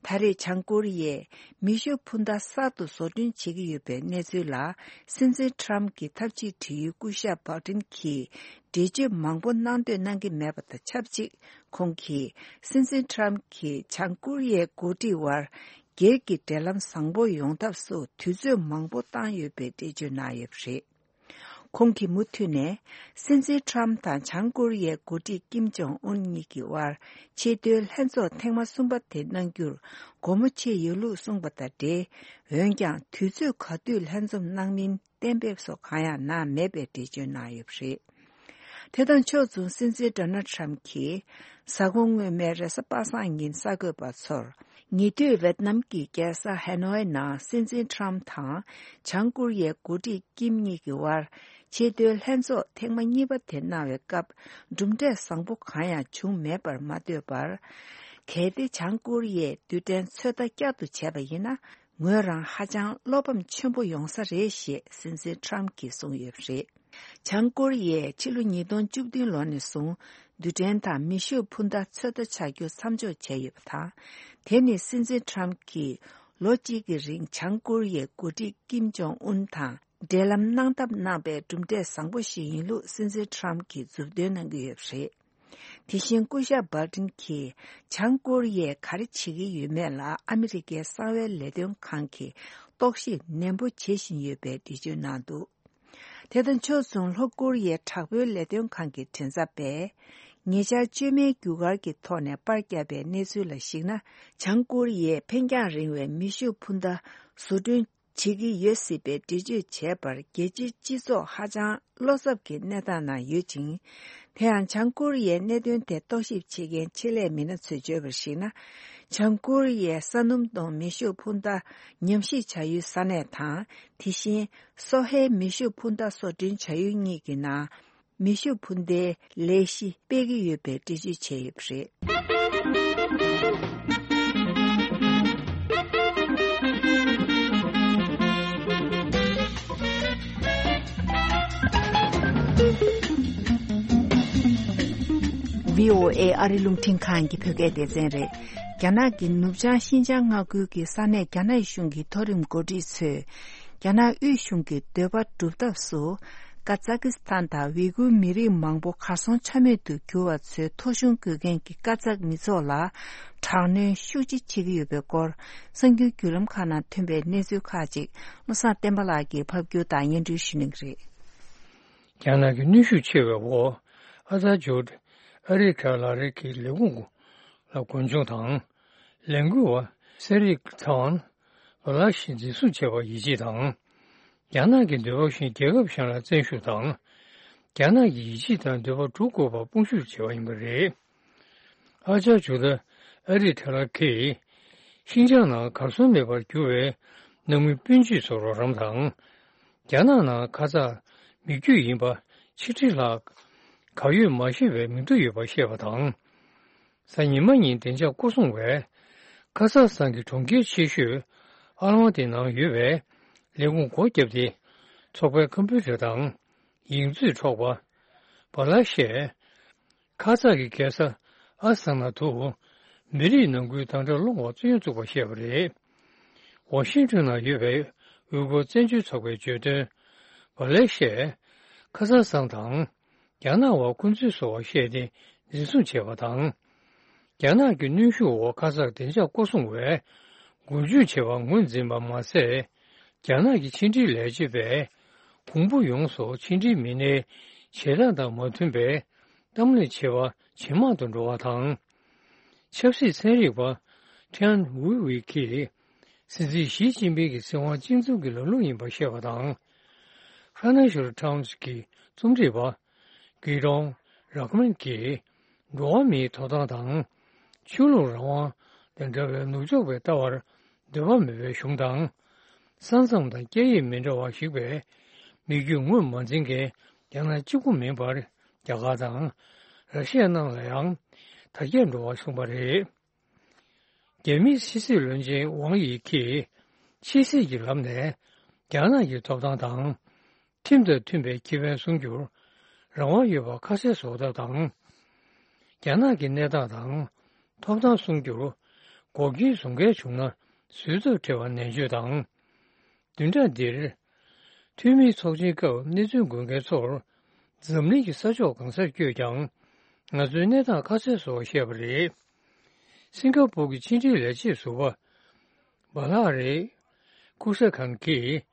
ད་རེས་བྱང་ཀོ་རི་ཡས་མེ་ཤུགས་འཕུར་མདའ་གསར་དུ་བཟོ་སྐྲུན་བྱེད་ཀྱི་ཡོད་པའི་གནས་ཚུལ་ལ། སྲིད་འཛིན་ཁྲམ་གྱི་ཐབས་ཇུས་དྲི་ཡུལ་སྐུ་ཞབས་སྦལ་ཏན་གྱིས་འགྲེལ་བརྗོད་མང་པོ་གནང་འདོད་གནང་གི་མེད་པ་དང་ཆབས་ཅིག་ཁོང་གིས་སྲིད་འཛིན་ཁྲམ་གྱིས་བྱང་ཀོ་རི་ཡའི་འགོ་ཁྲིད་དབར་སྒེར་གྱི་འབྲེལ་ལམ་བཟང་པོ་ཡོང་ཐབས་སུ་དུས་ཚོད་མང་པོ་བཏང་ཡོད་པའི་འགྲེལ་བརྗོད་གནང་ཡོད་པ་རེད། ཁོང་གིས་མུ་མཐུད་ནས། སྲིད་འཛིན་ཁྲམ་དང་བྱང་ཀོ་རི་ཡའི་འགོ་ཁྲིད་ཀིམ་ཇོང་ཨུན་གཉིས་ཀྱི་དབར་ཆེས་མཐོའི་ལྷན་ཚོགས་ཐེངས་མ་གསུམ་པ་དེ་གནང་རྒྱུར་སྒོ་མོ་ཕྱེ་ཡོད་ལུགས་གསུངས་པ་དང་འབྲེལ། འོན་ཀྱང་དུས་ཚོད་ག་དུས་ལྷན་འཛོམས་གནང་མིན་གཏན་འབེབས་སོགས་གང་ཡང་གནང་མེད་པའི་འགྲེལ་བརྗོད་གནང་ཡོད་པ་རེད། དེ་དང་ཕྱོགས་མཚུངས་སྲིད་འཛིན་ཌོ་ནལ་ཁྲམ་གྱིས་གཟའ་འཁོར་སྔོན་མའི་རེས་གཟའ་པ་སངས་ཉིན་གསར་འགོད་པ་ཚོར། ཉེ་དུས་ཝེད་ནམ་གྱི་རྒྱལ་ས་ཧ་ནོའི་ནང་སྲིད་འཛིན་ཁྲམ་དང་བྱང་ཀོ་རི་ཡའི་འགོ་ཁྲིད་ཀིམ་གཉིས་ཀྱི་དབར་ཆེས་མཐོའི་ལྷན་ཚོགས་ཐེངས་མ་གཉིས་པ་དེ་གནང་བའི་སྐབས་གྲུབ་འབྲས་བཟང་པོ་གང་ཡང་བྱུང་མེད་པར་མ་ལྟོས་པར། གལ་ཏེ་བྱང་ཀོ་རི་ཡས་རྡུལ་ཕྲན་ཚོད་ལྟ་བསྐྱར་དུ་བྱས་པ་ཡིན་ན། ངོས་རང་ཧ་ཅང་བློ་ཕམ་ཆེན་པོ་ཡོང་ས་རེད་ཞེས་སྲིད་འཛིན་ཁྲམ་གྱིས་གསུངས་ཡོད་པ་རེད། བྱང་ཀོ་རི་ཡས་ཕྱི་ལོ་ཉིས་སྟོང་བཅུ་བདུན་ལོ་ནས་བཟུང་རྡུལ་ཕྲན་དང་མེ་ཤུགས་འཕུར་མདའ་ཚོད་ལྟ་བྱ་རྒྱུ་མཚམས་འཇོག་བྱས་ཡོད་པ་དང་། དེ་ནི་སྲིད་འཛིན་ཁྲམ་གྱིས་ལོ་གཅིག་གི་རིང་བྱང་ཀོ་རི་ཡའི་འགོ་ཁྲིད་ཀིམ་ཇོང་ཨུན་དང་འབྲེལ་ལམ་གནང་ཐབས་གནང་པའི་གྲུབ་འབྲས་བཟང་པོ་ཞིག་ཡིན་ལུགས་སྲིད་འཛིན་ཁྲམ་གྱིས་མཛུབ་སྟོན་གནང་གི་ཡོད་པ་རེད། དེ་བཞིན་སྐུ་ཞབས་སྦལ་ཏིན་གྱིས་བྱང་ཀོ་རི་ཡས་ག་རེ་བྱེད་ཀྱི་ཡོད་མེད་ལ་ཨ་མི་རི་ཀའི་གསང་བའི་ལས་དོན་ཁང་གིས་རྟོག་ཞིབ་ནན་པོ་བྱེད་བཞིན་ཡོད་པའི་འགྲེལ་བརྗོད་གནང་འདུག་དེ་དང་ཕྱོགས་མཚུངས་ལྷོ་ཀོ་རི་ཡའི་དྲག་པོའི་ལས་དོན་ཁང་གི་མགྲིན་ཚབ་པས། ཉེ་ཆར་བཅོས་མའི་རྒྱུ་སྐར་གྱི་ཐོག་ནས་པར་བརྒྱབ་པའི་གནས་ཚུལ་ལ་གཞིགས་ན། བྱང་ཀོ་རི་ཡས་འཕེན་རྒྱང་རིང་བའི་མེ་ཤུགས་འཕུར་མདའ་བཟོ་སྐྲུན་བྱེད་ཀྱི་ཡོད་སྲིད་པའི་འགྲེལ་བརྗོད་བྱས་པར་རྒྱལ་སྤྱིའི་སྤྱི་ཚོགས་ཧ་ཅང་བློ་འཚབ་ཀྱི་གནས་སྟངས་ནང་ཡོད་ཅིང་། དེ་ཡང་བྱང་ཀོ་རི་ཡའི་གནད་དོན་དེ་རྟོག་ཞིབ་བྱེད་མཁན་ཆེད་ལས་མི་སྣ་ཚོས་བརྗོད་པར་གཞིགས་ན། བྱང་ཀོ་རི་ཡའི་ས་སྣུམ་གཏོང་མེ་ཤུགས་འཕུར་མདའ་ཉམས་ཞིབ་བྱ་ཡུལ་ས་གནས་དང་། དེ་བཞིན། སོ་ཧའི་མེ་ཤུགས་འཕུར་མདའ་བཟོ་སྐྲུན་བྱ་ཡུལ་གཉིས་ཀྱི་ནང་། མེ་ཤུགས་འཕུར་མདའི་ལས་གཞི་སྤེལ་གྱི་ཡོད་པའི་འགྲེལ་བརྗོད་བྱས་ཡོད་པ་རེད། བྷི་ཨོ་ཨེ་ཨ་རི་རླུང་འཕྲིན་ཁང་གི་བོད་སྐད་སྡེ་ཚན་རེད། རྒྱ་ནག་གི་ནུབ་བྱང་ཤིན་ཅང་མངའ་ཁུལ་གྱི་ས་གནས་རྒྱ་ནག་གཞུང་གི་མཐོ་རིམ་འགོ་ཁྲིད་ཚོས། རྒྱ་ནག་དབུས་གཞུང་གི་འདོད་པ་སྒྲུབ་ཐབས་སུ། ཀ་ཛ་ཀི་སི་ཐན་དང་ཝི་གུར་མི་རིགས་མང་པོ་གར་སོང་ཆ་མེད་དུ་གྱུར་བ་ཚོའི་ཐོ་གཞུང་དགོས་མཁན་གྱི་ཀ་ཛག་མི་ཚོགས་ལ་དྲག་གནོན་ཤུགས་ཆེ་བྱེད་ཀྱི་ཡོད་པའི་སྐོར། གསར་འགྱུར་བརྒྱུད་ལམ་ཁག་ནང་ཐོན་པའི་གནས་ཚུལ་ཁག་ཅིག་བློ་བཟང་བསྟན་པ་ལགས་ཀྱིས་ཕབ་སྒྱུར་དང་སྙན་སྒྲོན་ཞུ་གནང་གི་རེད། རྒྱ་ནག་གི་གནོན་ཤུགས་ཆེ་བའི་འོག་ཨ་ཐར་ཇོར་ཨ་རི་ཁ་ལ་རི་གི་ལས་ཁུངས་ལ་རྒུན་འབྱུང་དང་། ལས་འགུལ་བ་སེ་རིག་ཐང་ལ་ལ་ཞིག་འཛིན་བཟུང་བྱས་པར་ཡིད་ཆེས་དང་། རྒྱ་ནག་གི་འདོད་པ་བཞིན་རྒྱལ་ཁབ་གཞན་ལ་བཙན་ཤུགས་དང་། རྒྱ་ནག་གི་ཡིད་ཆེས་དང་འདོད་པ་སྒྲུབ་དགོས་པར་དཔུང་ཤུགས་བྱས་པ་ཡིན་པ་རེད། ཨ་ཅག་ཇུ་ལ་ཨ་རི་ཐ་ལ་ཁེ། ཤིན་ཅང་ནང་གར་སོང་མེད་པར་གྱུར་བའི་ནང་མི་སྤུན་མཆེད་ཚོར་རོགས་རམ་དང་། རྒྱ་ནག་ནང་ཁ་ཚ་མི་རྒྱུད་ཡིན་པ་ཆིག་ཁྲི་ལྷག་གར་ཡོད་མ་ཤེས་པའི་མི་འདུ་ཡོད་པ་བཤད་པ་དང་། གཟའ་ཉི་མ་ཉིན་བདེ་འཇགས་སྐོར་སྲུང་བས་ཁ་ས་སང་གི་གྲོང་ཁྱེར་ཆེ་ཤོས་ཨ་ལ་མ་ཏི་ནང་ཡོད་པའི་ལས་ཁུངས་སྒོ་བརྒྱབ་སྟེ་ཚོགས་པའི་ཁམ་པུ་ཊར་དང་ཡིག་མཛོད་འཕྲོག་པ། བ་ལ་ཤས། ཁ་ཙ་གི་རྒྱལ་ས་ཨ་སི་ཐ་ན་དུ་མི་རིགས་ནང་ཁུལ་དམ་དྲག་སློང་བར་བཙན་གཡེམ་བཙུགས་པ་བཤད་པ་རེད། ཝ་ཤིང་ཊོན་ནང་ཡོད་པའི་ཝུ་གུར་བཙན་བྱོལ་ཚོགས་པས་བརྗོད་དོན། བ་ལེ་ཤས། ཁ་ས་སང་དང་རྒྱ་ནག་བར་འཁོན་འཛིན་བཟོ་བར་བཤད་དེ་འཛིན་བཟུང་བྱས་པ་དང་། རྒྱ་ནག་གི་གནོན་ཤུགས་འོག་ཁ་ས་བདེ་འཇགས་སྐོར་སྲུང་བས་འགུལ་སྐྱོད་བྱས་པར་ངོས་འཛིན་པ་མ་ཟད། རྒྱ་ནག་གི་ཕྱི་འབྲེལ་ལས་བྱེད་པས་གོང་བུ་ཡོངས་སུ་ཕྱི་འབྲེལ་མི་སྣའི་བྱེད་སྟངས་དང་མ་མཐུན་པའི་གཏམ་གླེང་བྱེད་པ་ཇེ་མང་དུ་འགྲོ་བ་དང་། ཆབ་སྲིད་ཚན་རིག་པ་ཁྲེན་ཝུའུ་ཝེ་གིས་སྲིད་འཛིན་ཞི་ཅིན་ཕིང་གི་སྲིད་དབང་གཅིག་མཚུངས་ཀྱི་ལམ་ལུགས་ཡིན་པར་བཤད་པ་དང་། ཕ་ནན་ཤལ་ཊའིམ་སི་གི་རྩོམ་སྒྲིག་པ་གི་རོང་རག་མན་གྱིས་འགྲོ་བ་མིའི་ཐོབ་ཐང་དང་ཆོས་ལུགས་རང་དབང་དང་འདྲ་བའི་ནུབ་ཕྱོགས་པའི་ལྟ་བར་འདོད་པ་མེད་པའི་གཞུང་དང་། ས་མཚམས་དང་སྐད་ཡིག་མི་འདྲ་བ་ཞིག་པའི་མི་རྒྱུད་ངོས་མ་འཛིན་མཁན་རྒྱ་ནག་གཅིག་པུ་མིན་པར་རྒྱ་གར་དང་ར་ཤི་ཡ་ནང་ལ་ཡང་དར་རྒྱས་འགྲོ་བར་གསུངས་པ་རེད། རྒྱ་མིའི་ཕྱི་སྲིད་བློན་ཆེན་ཝང་ཡི་གིས་ཕྱི་སྲིད་ཀྱི་ལམ་ནས་རྒྱ་ནག་གི་ཐོབ་ཐང་དང་། ཁྲིམས་དང་མཐུན་པའི་ཁེ་ཕན་སྲུང་རྒྱུར་རང་དབང་ཡོད་པ་ཁ་གསལ་བཟོ་ཐབས་དང་། རྒྱ་ནག་གི་གནས་སྟངས་དང་ཐོབ་ཐང་སྲུང་རྒྱུར་འགོག་རྐྱེན་བཟོ་མཁན་བྱུང་ན་བཟོད་ཐབས་བྲལ་བ་ནན་བརྗོད་དང་། བདུན་ཕྲག་འདིར་འཐུས་མིའི་ཚོགས་ཆེན་སྐབས་གནས་ཚུལ་འགོད་མཁན་ཚོར་འཛམ་གླིང་གི་ས་ཕྱོགས་གང་སར་བསྐྱོད་ཀྱང་ང་ཚོའི་གནས་སྟངས་ཁ་གསལ་བཟོ་བར་བཤད་པ་རེད། སིང་ག་པུར་གྱི་ཕྱི་འབྲེལ་ལས་བྱེད་ཟུར་པ་བྷ་ལ་རི་ཀུ་ས་ཁན་གྱིས།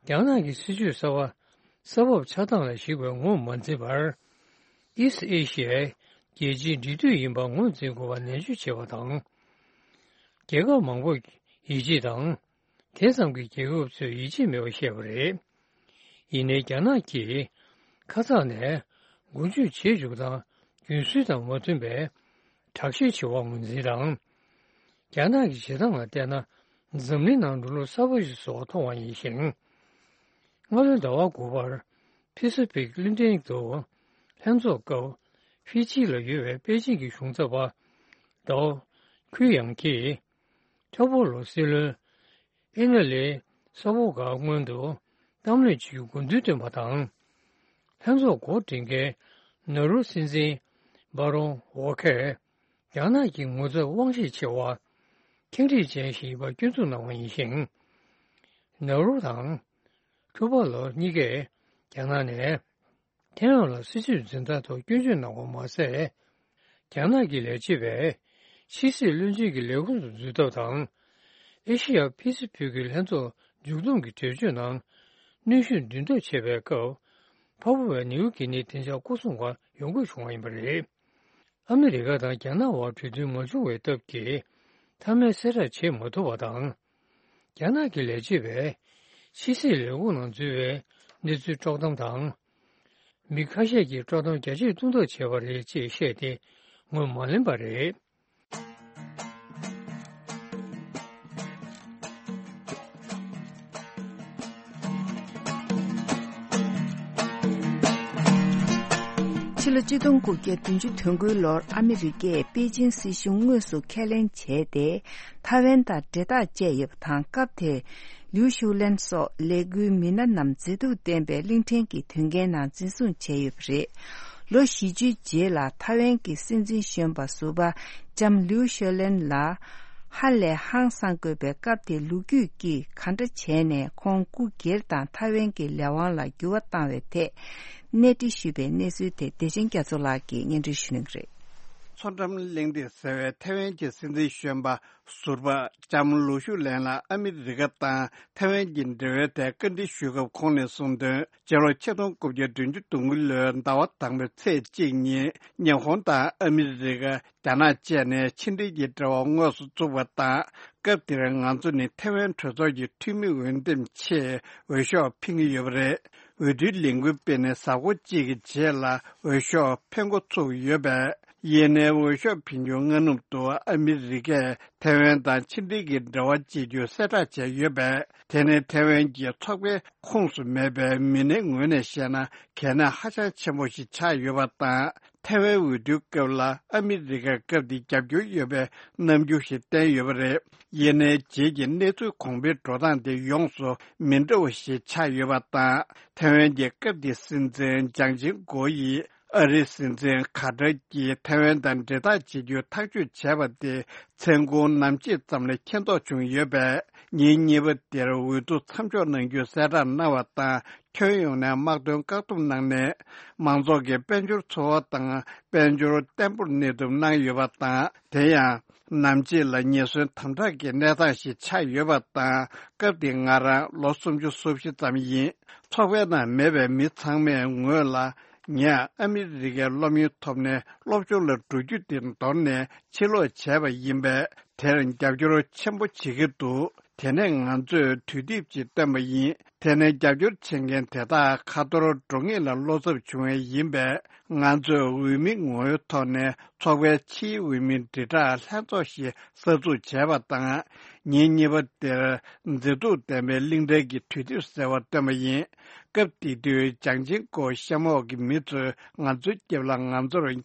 རྒྱ་ནག་གི་སྲིད་ཇུས་གསར་པ་ས་བབ་ཆགས་སྟངས་ལ་གཞིགས་པའི་ངོས་མ་འཛིན་པར། ཨི་སི་ཨེ་ཤི་ཡའི་རྒྱལ་སྤྱིའི་འབྲེལ་མཐུད་ཡིན་པ་ངོས་འཛིན་དགོས་པ་ནན་བརྗོད་བྱས་པ་དང་། རྒྱལ་ཁབ་མང་པོས་ཡིད་ཆེས་དང་། དེ་ཙམ་གྱི་རྒྱལ་ཁབ་ཚོས་ཡིད་ཆེས་མེད་པ་བཤད་པ་རེད། ཡིན་ནའི་རྒྱ་ནག་གིས་ཁ་ཚ་ནས་འགུལ་སྐྱོད་བྱེད་འཇུག་སྟངས་རྒྱུན་སྲོལ་དང་མ་མཐུན་པའི་དྲག་ཤེད་ཆེ་བ་ངོས་འཛིན་དང་། རྒྱ་ནག་གི་བྱེད་སྟངས་ལ་བལྟས་ན་འཛམ་གླིང་ནང་འགྲོ་ལུགས་གསར་པ་ཞིག་བཟོ་བར་མཐོང་བ་ཡིན་ཞིང་། སྔ་ལོའི་ཟླ་བ་དགུ་པར་ཕི་སི་ཕིག་གླིང་ཕྲན་དུ་ལྷན་ཚོགས་སྐབས་ཧྥི་ཇི་ལ་ཡོད་པའི་པེ་ཅིང་གི་གཞུང་ཚབ་པ་ཏའོ་ཁུའི་ཡང་གིས་ཁྲའོ་པོ་ལོ་སྲིད་བློན་ཨེ་ན་ལི་ས་བོ་ག་སྔོན་དུ་གཏམ་གླེང་བྱེད་རྒྱུ་དགོས་འདུན་བཏོན་པ་དང་། ལྷན་ཚོགས་འགོ་འདྲེན་མཁན་ནོ་རུ་སྲིད་འཛིན་བྷ་རོན་ཝོ་ཁེར་རྒྱ་ནག་གི་ངོ་ཚབ་དབང་ཤེད་ཆེ་བ། ཁེངས་དྲེགས་ཅན་ཞིག་ཡིན་པར་སྐྱོན་འཛུགས་གནང་བ་ཡིན་ཞིང་། ནོ་རུ་དང་ཁྲུ་པ་ལོ་གཉིས་ཀས་རྒྱ་ནག་ནས་ཐའེ་ཝན་ལ་སྲིད་ཇུས་འཛིན་སྟངས་ཐོག་སྐྱོན་བརྗོད་གནང་བ་མ་ཟད། རྒྱ་ནག་གི་ལས་བྱེད་པས་ཕྱི་སྲིད་བློན་ཆེན་གྱི་ལས་ཁུངས་སུ་འཛུལ་ཐབས་དང་། ཨེ་ཤེ་ཡ་ཕི་སི་ཕིག་གི་ལྷན་ཚོགས་མཇུག་བསྡོམས་ཀྱི་གྲོས་ཆོད་ནང་གནོན་ཤུགས་འདུན་ཐབས་བྱེད་པའི་སྐབས། ཕ་ཕུ་བས་ནེའུ་གི་ནི་དེ་འཆར་སྐོར་སྲུང་བར་ཡོང་དགོས་བྱུང་བ་ཡིན་པ་རེད། ཨ་མི་རི་ཀ་དང་རྒྱ་ནག་དབར་གྲོས་མཐུན་མ་བྱུང་བའི་སྟབས་ཀྱིས། མཐའ་མའི་གསལ་བསྒྲགས་བྱེད་མ་ཐུབ་པ་དང་། རྒྱ་ནག་གི་ལས་བྱེད་པས་ཕྱི་སྲིད་ལས་ཁུངས་ནང་འཛུལ་བའི་གནས་ཚུལ་དཀྲོག་གཏམ་དང་། མི་ཁ་ཤས་ཀྱིས་དཀྲོག་གཏམ་རྒྱ་ཆེར་གཏོང་ཐབས་བྱས་པ་རེད་ཅེས་བཤད་དེ་ངོས་མ་ལེན་པ་རེད། ཕྱི་ལོ་ཆིག་སྟོང་དགུ་བརྒྱ་བདུན་ཅུ་དོན་དགུའི་ལོར་ཨ་མི་རི་ཀས་པེ་ཅིན་སྲིད་གཞུང་དངོས་སུ་ཁས་ལེན་བྱས་ཏེ། ཐའེ་ཝན་དང་འབྲེལ་ཐག་བཅད་ཡོད་པ་དང་། སྐབས་དེར་ལིའུ་ཞུའུ་ལན་སོགས་ལས་འགུལ་མི་སྣ་རྣམས་མཛེས་སྡུག་ལྡན་པའི་གླིང་ཕྲན་གྱི་དོན་རྐྱེན་ནང་འཛིན་བཟུང་བྱས་ཡོད་པ་རེད། ལོ་བཞི་བཅུའི་རྗེས་ལ་ཐའེ་ཝན་གྱི་སྲིད་འཛིན་གཞོན་པ་ཟུར་པ་ལྕམ་ལིའུ་ཤོ་ལན་ལ་ཧ་ལས་ཧང་སང་དགོས་པའི་སྐབས་དེ་ལོ་རྒྱུས་ཀྱིས་གང་འདྲ་བྱས་ནས་ཁོང་སྐུ་སྒེར་དང་ཐའེ་ཝན་གྱི་ལས་དབང་ལ་འགྱུར་བ་བཏང་བའི་ཐད་གནས་འདྲི་ཞུས་པའི་གནས་ཚུལ་དེ་བདེ་ཆེན་རྒྱ་མཚོ་ལགས་ཀྱིས་སྙན་སྒྲོན་ཞུ་གནང་གི་རེད། མཚོ་འགྲམ་གླེང་སྟེགས་ཟེར་བའི་ཐའེ་ཝན་གྱི་སྲིད་འཛིན་གཞོན་པ་ཟུར་པ་ལྕམ་ལུའུ་ཞུའུ་ལན་ལ་ཨ་མི་རི་ཀ་དང་ཐའེ་ཝན་གྱི་འབྲེལ་བའི་ཐད་བཀའ་འདྲི་ཞུས་སྐབས་ཁོང་ནས་གསུངས་དོན། སྤྱི་ལོ་ཆིག་སྟོང་དགུ་བརྒྱ་བདུན་ཅུ་དོན་དགུ་ལོའི་ཟླ་བ་དང་པོའི་ཚེས་གཅིག་ཉིན་ཉི་ཧོང་དང་ཨ་མི་རི་ཀ། རྒྱ་ནག་བཅས་ནས་ཕྱི་འབྲེལ་གྱི་འབྲེལ་བ་དངོས་སུ་བཙུགས་པ་དང་། སྐབས་དེར་ང་ཚོ་ནི་ཐའེ་ཝན་གྲོས་ཚོགས་ཀྱི་འཐུས་མི་འོས་འདེམས་ཆེད་འོས་ཤོག་འཕེན་གྱི་ཡོད་པ་རེད། འོས་བསྡུའི་ལས་འགུལ་སྤེལ་ནས་གཟའ་འཁོར་གཅིག་གི་རྗེས་ལ་འོས་ཤོག་འཕེན་འགོ་ཚུགས་ཡོད་པས། ཡིན་ནའི་འོས་ཤོག་འཕེན་རྒྱུ་སྔ་ནུབ་ཏུ་ཨ་མི་རི་ཀས་ཐའེ་ཝན་དང་ཕྱི་འབྲེལ་གྱི་འབྲེལ་བ་བཅད་རྒྱུ་གསལ་བསྒྲགས་བྱས་ཡོད་པས། དེ་ནི་ཐའེ་ཝན་གྱི་ཚོགས་པའི་ཁོངས་སུ་མེད་པའི་མི་སྣའི་ངོས་ནས་བཤད་ན་གལ་གནད་ཧ་ཅང་ཆེན་པོ་ཞིག་ཆགས་ཡོད་པ་དང་། ཐའེ་ཝན་འོས་བསྡུའི་སྐབས་ལ་ཨ་མི་རི་ཀར་སྐབས་དེ་རྒྱབ་སྐྱོར་ཡོད་པའི་རྣམ་འགྱུར་ཞིག་བསྟན་ཡོད་པ་རེད། ཡིན་ནའི་རྗེས་ཀྱི་གནས་ཚུལ་གོང་འཕེལ་འགྲོ་སྟངས་དེ་ཡོངས་སུ་མི་འདྲ་བ་ཞིག་ཆགས་ཡོད་པ་དང་། ཐའེ་ཝན་གྱི་སྐབས་དེའི་སྲིད་འཛིན་ལྗང་ཆིང་གོ་ཡིས་ཨ་རིའི་སྲིད་འཛིན་ཁ་ཏར་གྱིས་ཐའེ་ཝན་དང་འབྲེལ་ཐག་བཅད་རྒྱུའི་ཐག་གཅོད་བྱས་པ་དེ་མཚན་གུང་ནམ་ཕྱེད་ཙམ་ལ་མཁྱེན་རྟོགས་བྱུང་ཡོད་པས། ཉིན་གཉིས་པ་དེར་འོས་བསྡུ་མཚམས་འཇོག་གནང་རྒྱུའི་གསལ་བསྒྲགས་གནང་བ་དང་། ཁྱོན་ཡོངས་ནས་དམག་དོན་བཀག་སྡོམ་གནང་ནས། མང་ཚོགས་ཀྱི་དཔལ་འབྱོར་འཚོ་བ་དང་དཔལ་འབྱོར་བརྟན་པོར་གནས་ཐུབ་གནང་ཡོད་པ་དང་། དེ་ཡང་ནམ་ཕྱེད་ལ་ཉེན་ཟོན་དམ་དྲག་གི་གནས་སྟངས་ཤིག་ཆགས་ཡོད་པ་དང་། སྐབས་དེ་ང་རང་ལོ་སུམ་ཅུ་སོ་བཞི་ཙམ་ཡིན། ཚོགས་པའི་ནང་མེད་པའི་མི་ཚང་མས་ངོས་ལ། ངས་ཨ་མི་རི་ཀའི་སློབ་ཡོན་ཐོབ་ནས་སློབ་སྦྱོང་ལ་འགྲོ་རྒྱུ་དེ་འདོར་ནས་ཕྱིར་ལོག་བྱས་པ་ཡིན་པས། དེར་རྒྱབ་སྐྱོར་ཆེན་པོ་བྱེད་ཀྱི་འདུག་དེ་ནས་ང་ཚོས་དུས་དེབ་ཅིག་བཏོན་པ་ཡིན། དེ་ནས་རྒྱབ་སྐྱོར་བྱེད་མཁན་དེ་དག་ཁ་ཐོར་འགྲོ་ངེས་ལ་བློ་འཚབ་བྱུང་བ་ཡིན་པས། ང་ཚོས་འོས་མི་ངོ་བོའི་ཐོག་ནས་ཚོགས་པའི་ཕྱིའི་འོས་མི་དྲིལ་བསྒྲགས་ལྷན་ཚོགས་ཤིག་གསར་འཛུགས་བྱས་པ་དང་། ཉིན་གཉིས་པ་དེར་མཛེས་སྡུག་ལྡན་པའི་གླིང་ཕྲན་གྱི་དུས་དེབ་ཟེར་བ་བཏོན་པ་ཡིན། སྐབས་དེ་དུས་ལྗང་ཆིང་གོ་གཤམ་འོག་གི་མི་ཚོས་ང་ཚོའི་རྒྱབ་ལ་ང་ཚོར་ངན་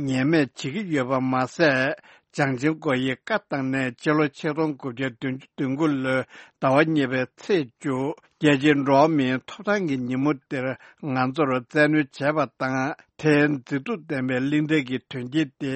སྨད་བྱེད་ཀྱི་ཡོད་པ་མ་ཟད། ལྗང་ཆིང་གོ་ཡིས་བཀའ་བཏང་ནས་ཕྱི་ལོ་ཆིག་སྟོང་དགུ་བརྒྱ་བདུན་ཅུ་དོན་དགུ་ལོའི་ཟླ་བ་གཉིས་པའི་ཚེས་བཅུ། རྒྱལ་སྤྱིའི་འགྲོ་བ་མིའི་ཐོབ་ཐང་གི་ཉིན་མོ་དེར་ང་ཚོར་བཙན་གནོན་བྱས་པ་དང་། དེའི་མཛེས་སྡུག་ལྡན་པའི་གླིང་ཕྲན་གྱི་དོན་རྐྱེན་དེ་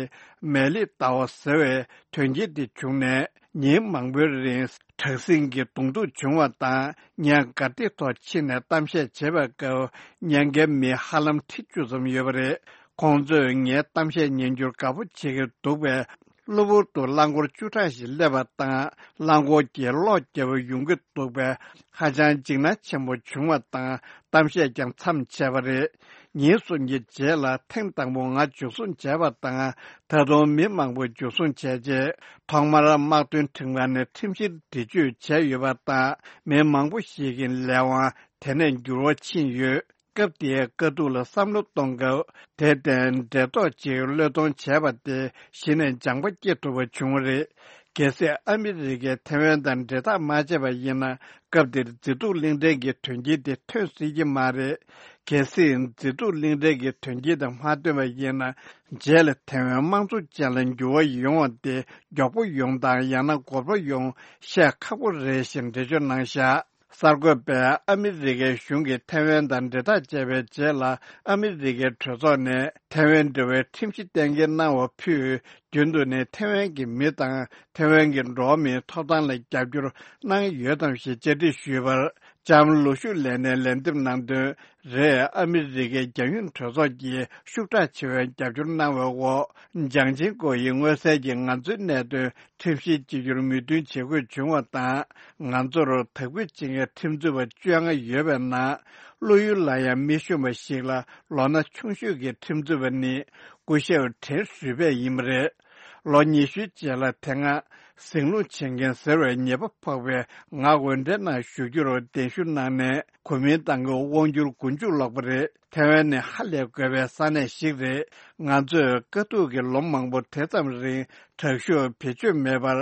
མེ་ལི་ཏའོ་ཟེར་བའི་དོན་རྐྱེན་དེ་བྱུང་ནས། ཉིན་མང་པོའི་རིང་དྲག་ཟིང་གི་གདོང་ཐུག་བྱུང་བ་དང་། ངས་གར་སྟེགས་ཐོག་ཕྱིན་ནས་གཏམ་བཤད་བྱེད་པའི་སྐབས། ཉན་མཁན་མི་ཧ་ལམ་ཁྲི་བཅུ་ཙམ་ཡོད་པ་རེད། ཁོང་ཚོས་ངའི་གཏམ་བཤད་ཉན་རྒྱུར་དགའ་པོ་བྱེད་ཀྱི་འདུག་པས། གློ་བུར་དུ་རླངས་འཁོར་བཅུ་ཕྲག་ཞིག་སླེབས་པ་དང་། རླངས་འཁོར་གྱིས་གློག་བརྒྱབ་པ་ཡོང་གི་འདུག་པས། ཧ་ཅང་འཇིགས་སྣང་ཆེན་པོ་བྱུང་བ་དང་། གཏམ་བཤད་ཀྱང་མཚམས་ཆད་པ་རེད། ཉིན་གསུམ་གྱི་རྗེས་ལ་ཐེངས་དང་པོ་ང་འཇུ་བཟུང་བྱས་པ་དང་། ད་དུང་མི་མང་པོ་འཇུ་བཟུང་བྱས་རྗེས། ཐོག་མར་དམག་དོན་ཁྲིམས་ཁང་ནས་ཁྲིམས་བཤེར་འདྲི་གཅོད་བྱས་ཡོད་པ་དང་། མི་མང་པོ་ཞིག་གི་ལས་དབང་དེ་ནས་འགྱུར་བ་ཕྱིན་ཡོད། སྐབས་དེའི་དཀའ་སྡུག་ལ་བསམ་བློ་གཏོང་སྐབས། དེར་བརྟེན་འབྲེལ་ཐོགས་ཅིག་བློས་གཏོང་བྱས་པ་དེ་གཞི་ནས་སྦྱངས་པ་སྐྱེ་ཐུབ་པ་བྱུང་བ་རེད། གལ་སྲིད་ཨ་མི་རི་ཀས་ཐེ་ཝན་དང་འབྲེལ་ཐག་མ་བཅད་པ་ཡིན་ན། སྐབས་དེར་མཛེས་སྡུག་གླིང་ཕྲན་གྱི་དོན་རྐྱེན་དེ་ཐོན་སྲིད་ཀྱི་མ་རེད། གལ་སྲིད་མཛེས་སྡུག་གླིང་ཕྲན་གྱི་དོན་རྐྱེན་དེ་མ་ཐོན་པ་ཡིན་ན། རྗེས་ལ་ཐེ་ཝན་དམངས་གཙོ་ཅན་ལ་འགྱུར་བ་ཡོང་བ་དེ་མགྱོགས་པོ་ཡོང་དང་ཡང་ན་འགོར་པོ་ཡོང་བཤད་ཁག་པོ་རེད་ཞེས་འགྲེལ་བརྗོད་གནང་བཞག་གསར་འགོད་པས་ཨ་མི་རི་ཀའི་གཞུང་གིས་ཐེ་ཝན་དང་འབྲེལ་ཐག་བཅད་པའི་རྗེས་ལ། ཨ་མི་རི་ཀའི་གྲོས་ཚོགས་ནས་ཐེ་ཝན་འབྲེལ་བའི་ཁྲིམས་གཞི་གཏན་འཁེལ་གནང་བ་ཕུད། རྒྱུན་དུ་ནས་ཐེ་ཝན་གྱི་མི་དང་ཐེ་ཝན་གྱི་འགྲོ་བ་མིའི་ཐོབ་ཐང་ལ་རྒྱབ་སྐྱོར་གནང་ཡོད་དམ་ཞེས་བཅར་འདྲི་ཞུས་པར། ལྕམ་ལུ་ཤུ་ལེན་ནས་ལན་འདེབས་གནང་དོན། རེད། ཨ་མི་རི་ཀའི་རྒྱལ་ཡོངས་གྲོས་ཚོགས་ཀྱིས་ཤུགས་དྲག་ཆེ་བའི་རྒྱབ་སྐྱོར་གནང་བའི་འོག་ཅང་ཅིན་ཀོ་ཡིས་མངོན་གསལ་གྱིས་ང་ཚོའི་གནད་དོན་ཁྲིམས་བཤེར་བྱེད་རྒྱུར་མོས་མཐུན་བྱེད་དགོས་བྱུང་བ་དང་། ང་ཚོར་དག་འབུད་བྱེད་མཁན་ཁྲིམས་རྩོད་པ་བཅོ་ལྔ་ཡོད་པའི་ནང་། བློ་ཡུལ་ལ་ཡང་མི་ཤོང་བ་ཞིག་ལ་ལོ་ན་ཆུང་ཤོས་ཀྱི་ཁྲིམས་རྩོད་པ་ནི་སྐུ་ཞབས་ཁྲེན་ཧྲུས་པེ་ཡིན་པ་རེད། ལོ་ཉི་ཤུའི་རྗེས་ལ་དེ་སྔ་ཟིང་རླུང་བྱེད་མཁན་ཟེར་བའི་ཉེས་པ་ཕོག་པའི་ང་འོས་འབྲེལ་ནང་ཞུགས་རྒྱུར་གདན་ཞུ་གནང་ནས། གོ་མིན་ཏང་གི་དབང་སྒྱུར་མགོ་མཇུག་སློག་པ་རེད། ཐེ་ཝན་ནི་ཧ་ལས་དགོས་པའི་ས་གནས་ཤིག་རེད། ང་ཚོས་དཀའ་སྡུག་གི་ལོ་མང་པོ་དེ་ཙམ་རིང་དྲག་ཤུགས་བེད་སྤྱོད་མེད་པར་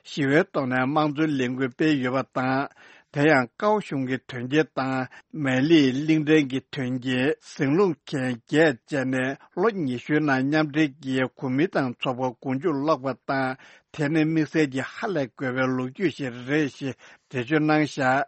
ཞི་བའི་ཐོག་ནས་དམངས་གཙོའི་ལས་འགུལ་སྤེལ་ཡོད་པ་དང་། དེ་ཡང་ཀའོ་གཞུང་གི་དོན་རྐྱེན་དང་། མེ་ལིའི་གླིང་ཕྲན་གྱི་དོན་རྐྱེན། ཟིང་རླུང་མཁན་བརྒྱད་བཅས་ནས་ལོ་ཉི་ཤུའི་ནང་མཉམ་འབྲེལ་གྱིས་གོ་མིན་ཏང་ཚོགས་པ་མགོ་མཇུག་སློག་པ་དང་། དེ་ནི་དམིགས་བསལ་གྱི་ཧ་ལས་དགོས་པའི་ལོ་རྒྱུས་ཤིག་རེད་ཞེས་འགྲེལ་བརྗོད་གནང་བཞག་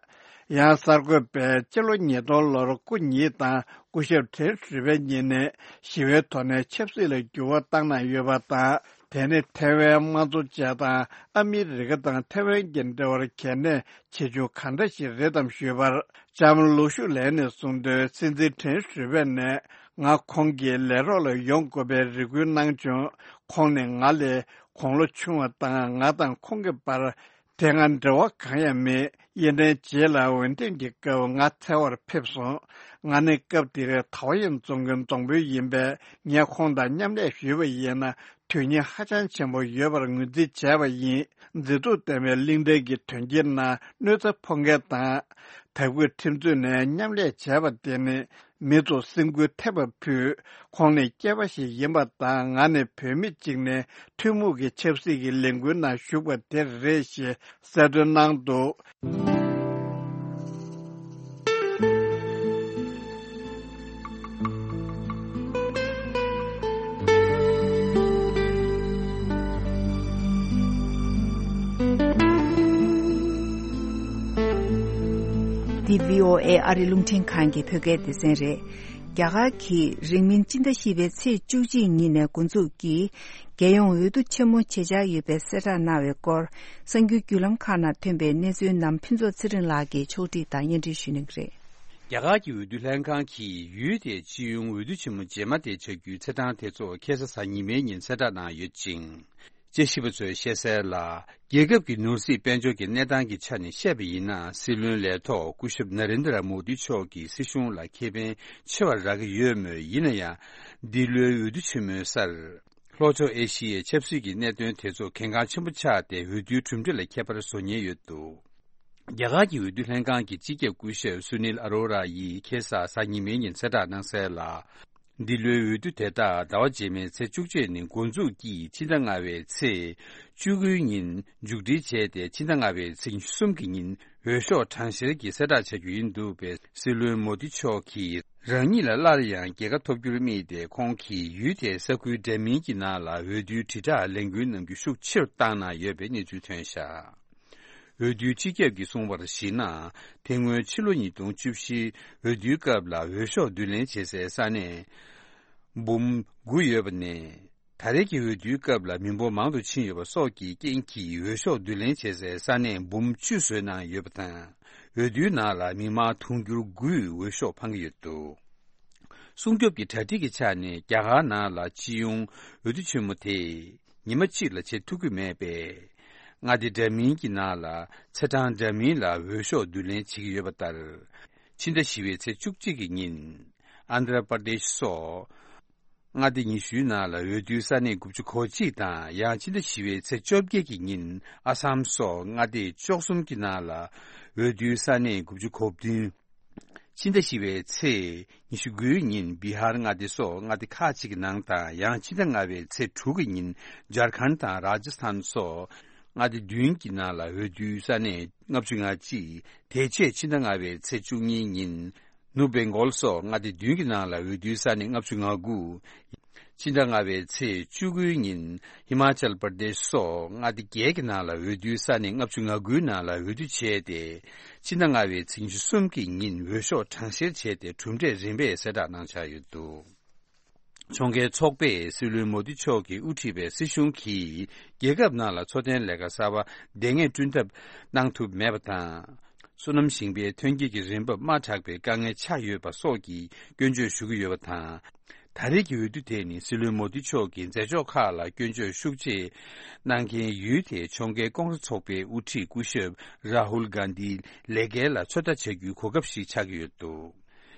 ཡང་གསར་འགོད་པས་སྤྱི་ལོ་ཉིས་སྟོང་ལོར་སྐུ་ཉིད་དང་སྐུ་ཞབས་ཁྲེན་ཧྲུས་པེ་གཉིས་ནས་ཞི་བའི་ཐོག་ནས་ཆབ་སྲིད་ལ་འགྱུར་བ་བཏང་གནང་ཡོད་པ་དང་། དེ་ནི་ཐེ་ཝན་དམངས་གཙོ་བཅས་དང་ཨ་མི་རི་ཀ་དང་ཐེ་ཝན་གྱི་འབྲེལ་བར་གལ་གནད་ཆེ་ཆུང་གང་འདྲ་ཞིག་རེད་དམ་ཞུས་པར། ལྕམ་ལུ་ཤུ་ལན་ནས་གསུངས་དོན། སྲིད་འཛིན་ཁྲེན་ཧྲུས་པེ་ནས་ང་ཁོང་གི་ལས་རོགས་ལ་ཡོང་དགོས་པའི་རེ་སྐུལ་གནང་བྱུང་། ཁོང་ནི་ང་ལས་དགུང་ལོ་ཆུང་བ་དང་། ང་དང་ཁོང་གི་བར་དེ་སྔ་འབྲེལ་བ་གང་ཡང་མེད། ཡིན་ནའི་རྗེས་ལ་འོས་འདེམས་ཀྱི་སྐབས་ང་འཚོལ་བར་ཕེབས་སོང་། ང་ནི་སྐབས་དེར་ཐའོ་ཡན་རྫོང་གི་རྫོང་དཔོན་ཡིན་པས། ངས་ཁོང་དང་མཉམ་ལས་ཞུས་པ་ཡིན་ན། དོན་སྙིང་ཧ་ཅང་ཆེན་པོ་ཡོད་པར་ངོས་འཛིན་བྱས་པ་ཡིན། མཛེས་སྡུག་ལྡན་པའི་གླིང་ཕྲན་གྱི་དོན་རྐྱེན་ནང་གནོད་འཚེ་ཕོག་མཁན་དང་། དག་འབུད་ཁྲིམས་རྩོད་ནས་མཉམ་ལས་བྱས་པ་དེ་ནི་མི་ཚོ་སེམས་འགུལ་ཐེབས་པ་ཕུད། ཁོང་ནི་སྐྱེས་པ་ཞིག་ཡིན་པ་དང་། ང་ནི་བུད་མེད་ཅིག་ནས་ཐུན་མོང་གི་ཆབ་སྲིད་ཀྱི་ལས་འགུལ་ནང་ཞུགས་པ་དེ་རེད་ཞེས་གསལ་སྟོན་གནང་འདུག་འདི་བྷི་ཨོ་ཨེ་ཨ་རི་རླུང་འཕྲིན་ཁང་གི་བོད་སྐད་སྡེ་ཚན་རེད། རྒྱ་གར་གྱིས་རིང་མིན་སྤྱི་ཟླ་བཞི་པའི་ཚེས་བཅུ་གཅིག་ཉིན་ནས་འགོ་འཛུགས་ཀྱིས། རྒྱལ་ཡོངས་འོས་བསྡུ་ཆེན་མོ་བྱེད་འཆར་ཡོད་པའི་གསལ་བསྒྲགས་གནང་བའི་སྐོར། གསར་འགྱུར་བརྒྱུད་ལམ་ཁག་ནང་ཐོན་པའི་གནས་ཚུལ་རྣམས་ཕུན་ཚོགས་ཚེ་རིང་ལགས་ཀྱིས་ཕྱོགས་སྒྲིག་དང་སྙན་སྒྲོན་ཞུ་གནང་གི་རེད། རྒྱ་གར་གྱི་འོས་བསྡུ་ལྷན་ཁང་གིས་ཡུལ་དེའི་སྤྱི་ཡོངས་འོས་བསྡུ་ཆེན་མོ་རྗེས་མ་དེ་བྱ་རྒྱུའི་ཚེས་གྲངས་དེ་ཚོ་ཁ་སང་གཟའ་ཉི་མའི་ཉིན་གསལ་བསྒྲགས་གནང་ཡོད་ཅིང་། དཔྱད་ཞིབ་པ་ཚོས་བཤད་གསལ་ལ། རྒྱལ་ཁབ་ཀྱི་ནོར་སྲིད་དཔལ་འབྱོར་གྱི་གནས་སྟངས་ཀྱི་ཆ་ནས་བཤད་པ་ཡིན་ན། སྲིད་བློན་ལས་ཐོག་སྐུ་ཞབས་ན་རེན་དྲ་མོ་དི་མཆོག་གིས་སྲིད་གཞུང་ལ་ཁེ་ཕན་ཆེ་བ་རག་གི་ཡོད་མོད། ཡིན་ན་ཡང་། འདི་ལོའི་འོས་བསྡུ་ཆེན་མོའི་སར། ལྷོ་ཕྱོགས་ཨེ་ཤི་ཡའི་ཆབ་སྲིད་ཀྱི་གནད་དོན་དེ་ཚོ་གལ་འགངས་ཆེན་པོ་ཆགས་ཏེ། འོས་བསྡུའི་གྲུབ་འབྲས་ལ་ཁྱད་པར་བཟོ་ཉེན་ཡོད་འདུག་རྒྱ་གར་གྱི་འོས་བསྡུ་ལྷན་ཁང་གི་སྤྱི་ཁྱབ་སྐུ་ཞབས་སུ་ནིལ་ཨ་རོ་ར་ཡིས་ཁ་སང་གཟའ་ཉི་མའི་ཉིན་གསལ་བསྒྲགས་གནང་གསལ་ལ། འདི་ལོའི་འོས་བསྡུ་དེ་དག་ཟླ་བ་རྗེས་མའི་ཚེས་བཅུ་གཅིག་ནས་འགོ་འཛུགས་ཀྱིས་ཕྱི་ཟླ་ལྔ་པའི་ཚེས་བཅུ་དགུའི་ཉིན་མཇུག་སྒྲིལ་བྱས་ཏེ། ཕྱི་ཟླ་ལྔ་པའི་ཚེས་ཉི་ཤུ་གསུམ་གྱི་ཉིན་འོས་ཤོག་གྲངས་བཤེར་གྱི་གསལ་བསྒྲགས་བྱ་རྒྱུ་ཡིན་འདུག་པས། སྲིད་བློན་མོ་དི་མཆོག་གིས་རང་ཉིད་ལ་སླར་ཡང་རྒྱལ་ཁ་ཐོབ་རྒྱུར་དམིགས་ཏེ། ཁོང་གིས་ཡུལ་དེའི་ས་ཁུལ་འདྲ་མིན་གྱི་ནང་ལ་འོས་བསྡུའི་དྲིལ་བསྒྲགས་ལས་འགུལ་གནང་རྒྱུ་ཤུགས་ཆེ་རུ་བཏང་གནང་ཡོད་པའི་གནས་ཚུལ་ཐོན་བཞག་འོས་བསྡུའི་སྤྱི་ཁྱབ་ཀྱིས་གསུངས་པར་གཞིགས་ན། དེ་སྔོན་ཕྱི་ལོ་ཉིས་སྟོང་བཅུ་བཞི་འོས་བསྡུའི་སྐབས་ལ་འོས་ཤོག་བསྡུ་ལེན་བྱེད་སའི་ས་གནས་འབུམ་དགུ་ཡོད་པ་ནས། ད་རེས་ཀྱི་འོས་བསྡུའི་སྐབས་ལ་མི་འབོར་མང་དུ་ཕྱིན་ཡོད་པ་སོགས་ཀྱི་རྐྱེན་གྱིས། འོས་ཤོག་བསྡུ་ལེན་བྱེད་སའི་ས་གནས་འབུམ་བཅུ་བཟོས་གནང་ཡོད་པ་དང་། འོས་བསྡུའི་ནང་ལ་མི་མང་དུང་ཕྱུར་དགུས་འོས་ཤོག་འཕང་གི་ཡོད་འདུག་སྲུང་སྐྱོབ་ཀྱི་གྲ་སྒྲིག་གི་ཆ་ནས་རྒྱ་གར་ནང་ལ་སྤྱི་ཡོངས་འོས་བསྡུ་ཆེན་མོ་དེ་ཉི་མ་གཅིག་ལ་བྱེད་ཐུབ་ཀྱི་མེད་པས། མངའ་སྡེ་འདྲ་མིན་གྱི་ནང་ལ་ཚེས་གྲངས་འདྲ་མིན་ལ་འོས་ཤོག་བསྡུ་ལེན་བྱེད་ཀྱི་ཡོད་པ་ལྟར། ཕྱི་ཟླ་བཞི་པའི་ཚེས་བཅུ་གཅིག་གི་ཉིན། ཨན་དྷྲ་པར་དེཤ་སོགས་མངའ་སྡེ་ཉི་ཤུའི་ནང་ལ་འོས་བསྡུའི་ས་གནས་དགུ་བཅུ་གོ་གཅིག་དང་། ཡང་ཕྱི་ཟླ་བཞི་པའི་ཚེས་བཅོ་བརྒྱད་ཀྱི་ཉིན་ཨ་སམ་སོགས་མངའ་སྡེ་བཅུ་གསུམ་གྱི་ནང་ལ་འོས་བསྡུའི་ས་གནས་དགུ་བཅུ་གོ་བདུན། ཕྱི་ཟླ་བཞི་པའི་ཚེས་ཉི་ཤུ་དགུའི་ཉིན་བི་ཧར་མངའ་སྡེ་སོགས་མངའ་སྡེ་ཁག་ཅིག་གི་ནང་དང་། ཡང་ཕྱི་ཟླ་ལྔ་པའི་ཚེས་དྲུག་གི་ཉིན་ཇར་ཁན་དང་ར་ཇ་སི་ཐན་སོགས་མངའ་སྡེ་བདུན་གྱི་ནང་ལ་འོས་བསྡུའི་ས་གནས་ལྔ་བཅུ་ང་གཅིག་དེ་རྗེས་ཕྱི་ཟླ་ལྔ་པའི་ཚེས་བཅུ་གཉིས་ཉིན་ནུབ་བེང་གོལ་སོགས་མངའ་སྡེ་བདུན་གྱི་ནང་ལ་འོས་བསྡུའི་ས་གནས་ལྔ་བཅུ་ང་དགུ། ཕྱི་ཟླ་ལྔ་པའི་ཚེས་བཅུ་དགུའི་ཉིན་ཧི་མ་ཅལ་པར་དེཤ་སོགས་མངའ་སྡེ་བརྒྱད་ཀྱི་ནང་ལ་འོས་བསྡུའི་ས་གནས་ལྔ་བཅུ་ང་དགུའི་ནང་ལ་འོས་བསྡུ་བྱས་ཏེ། ཕྱི་ཟླ་ལྔ་པའི་ཚེས་ཉི་ཤུ་གསུམ་གྱི་ཉིན་འོས་ཤོག་གྲངས་བཤེར་བྱས་ཏེ་གྲུབ་འབྲས་རིམ་པས་གསལ་བསྒྲགས་གནང་འཆར་ཡོད་འདུག་ཕྱོགས་འགལ་ཚོགས་པས་སྲིད་བློན་མོ་དི་མཆོག་གིས་དབུ་ཁྲིད་པའི་སྲིད་གཞུང་གིས་རྒྱལ་ཁབ་ནང་ལ་འཚོ་རྟེན་ལས་ཀ་གསར་པ་བདེ་ངེས་བསྐྲུན་ཐབས་གནང་ཐུབ་མེད་པ་དང་། སོ་ནམ་ཞིང་པའི་ཐོན་སྐྱེད་ཀྱི་རིན་འབབ་དམའ་དྲགས་པའི་དཀའ་ངལ་ཆགས་ཡོད་པ་སོགས་ཀྱི་སྐྱོན་བརྗོད་ཞུ་གི་ཡོད་པ་དང་། ད་རེས་ཀྱི་འོས་བསྡུ་དེ་ནི་སྲིད་བློན་མོ་དི་མཆོག་གི་མཛད་ཕྱོགས་ཁག་ལ་སྐྱོན་བརྗོད་ཤུགས་ཆེ་གནང་མཁན་ཡུལ་དེའི་ཕྱོགས་འགལ་ཀོང་རེ་ཚོགས་པའི་དབུ་ཁྲིད་སྐུ་ཞབས་རཱ་ཧུལ་གྷན་དྷིའི་ལས་འགན་ལ་ཚོད་ལྟ་བྱ་རྒྱུའི་གོ་སྐབས་ཤིག་ཆགས་ཀྱི་ཡོད་འདུག་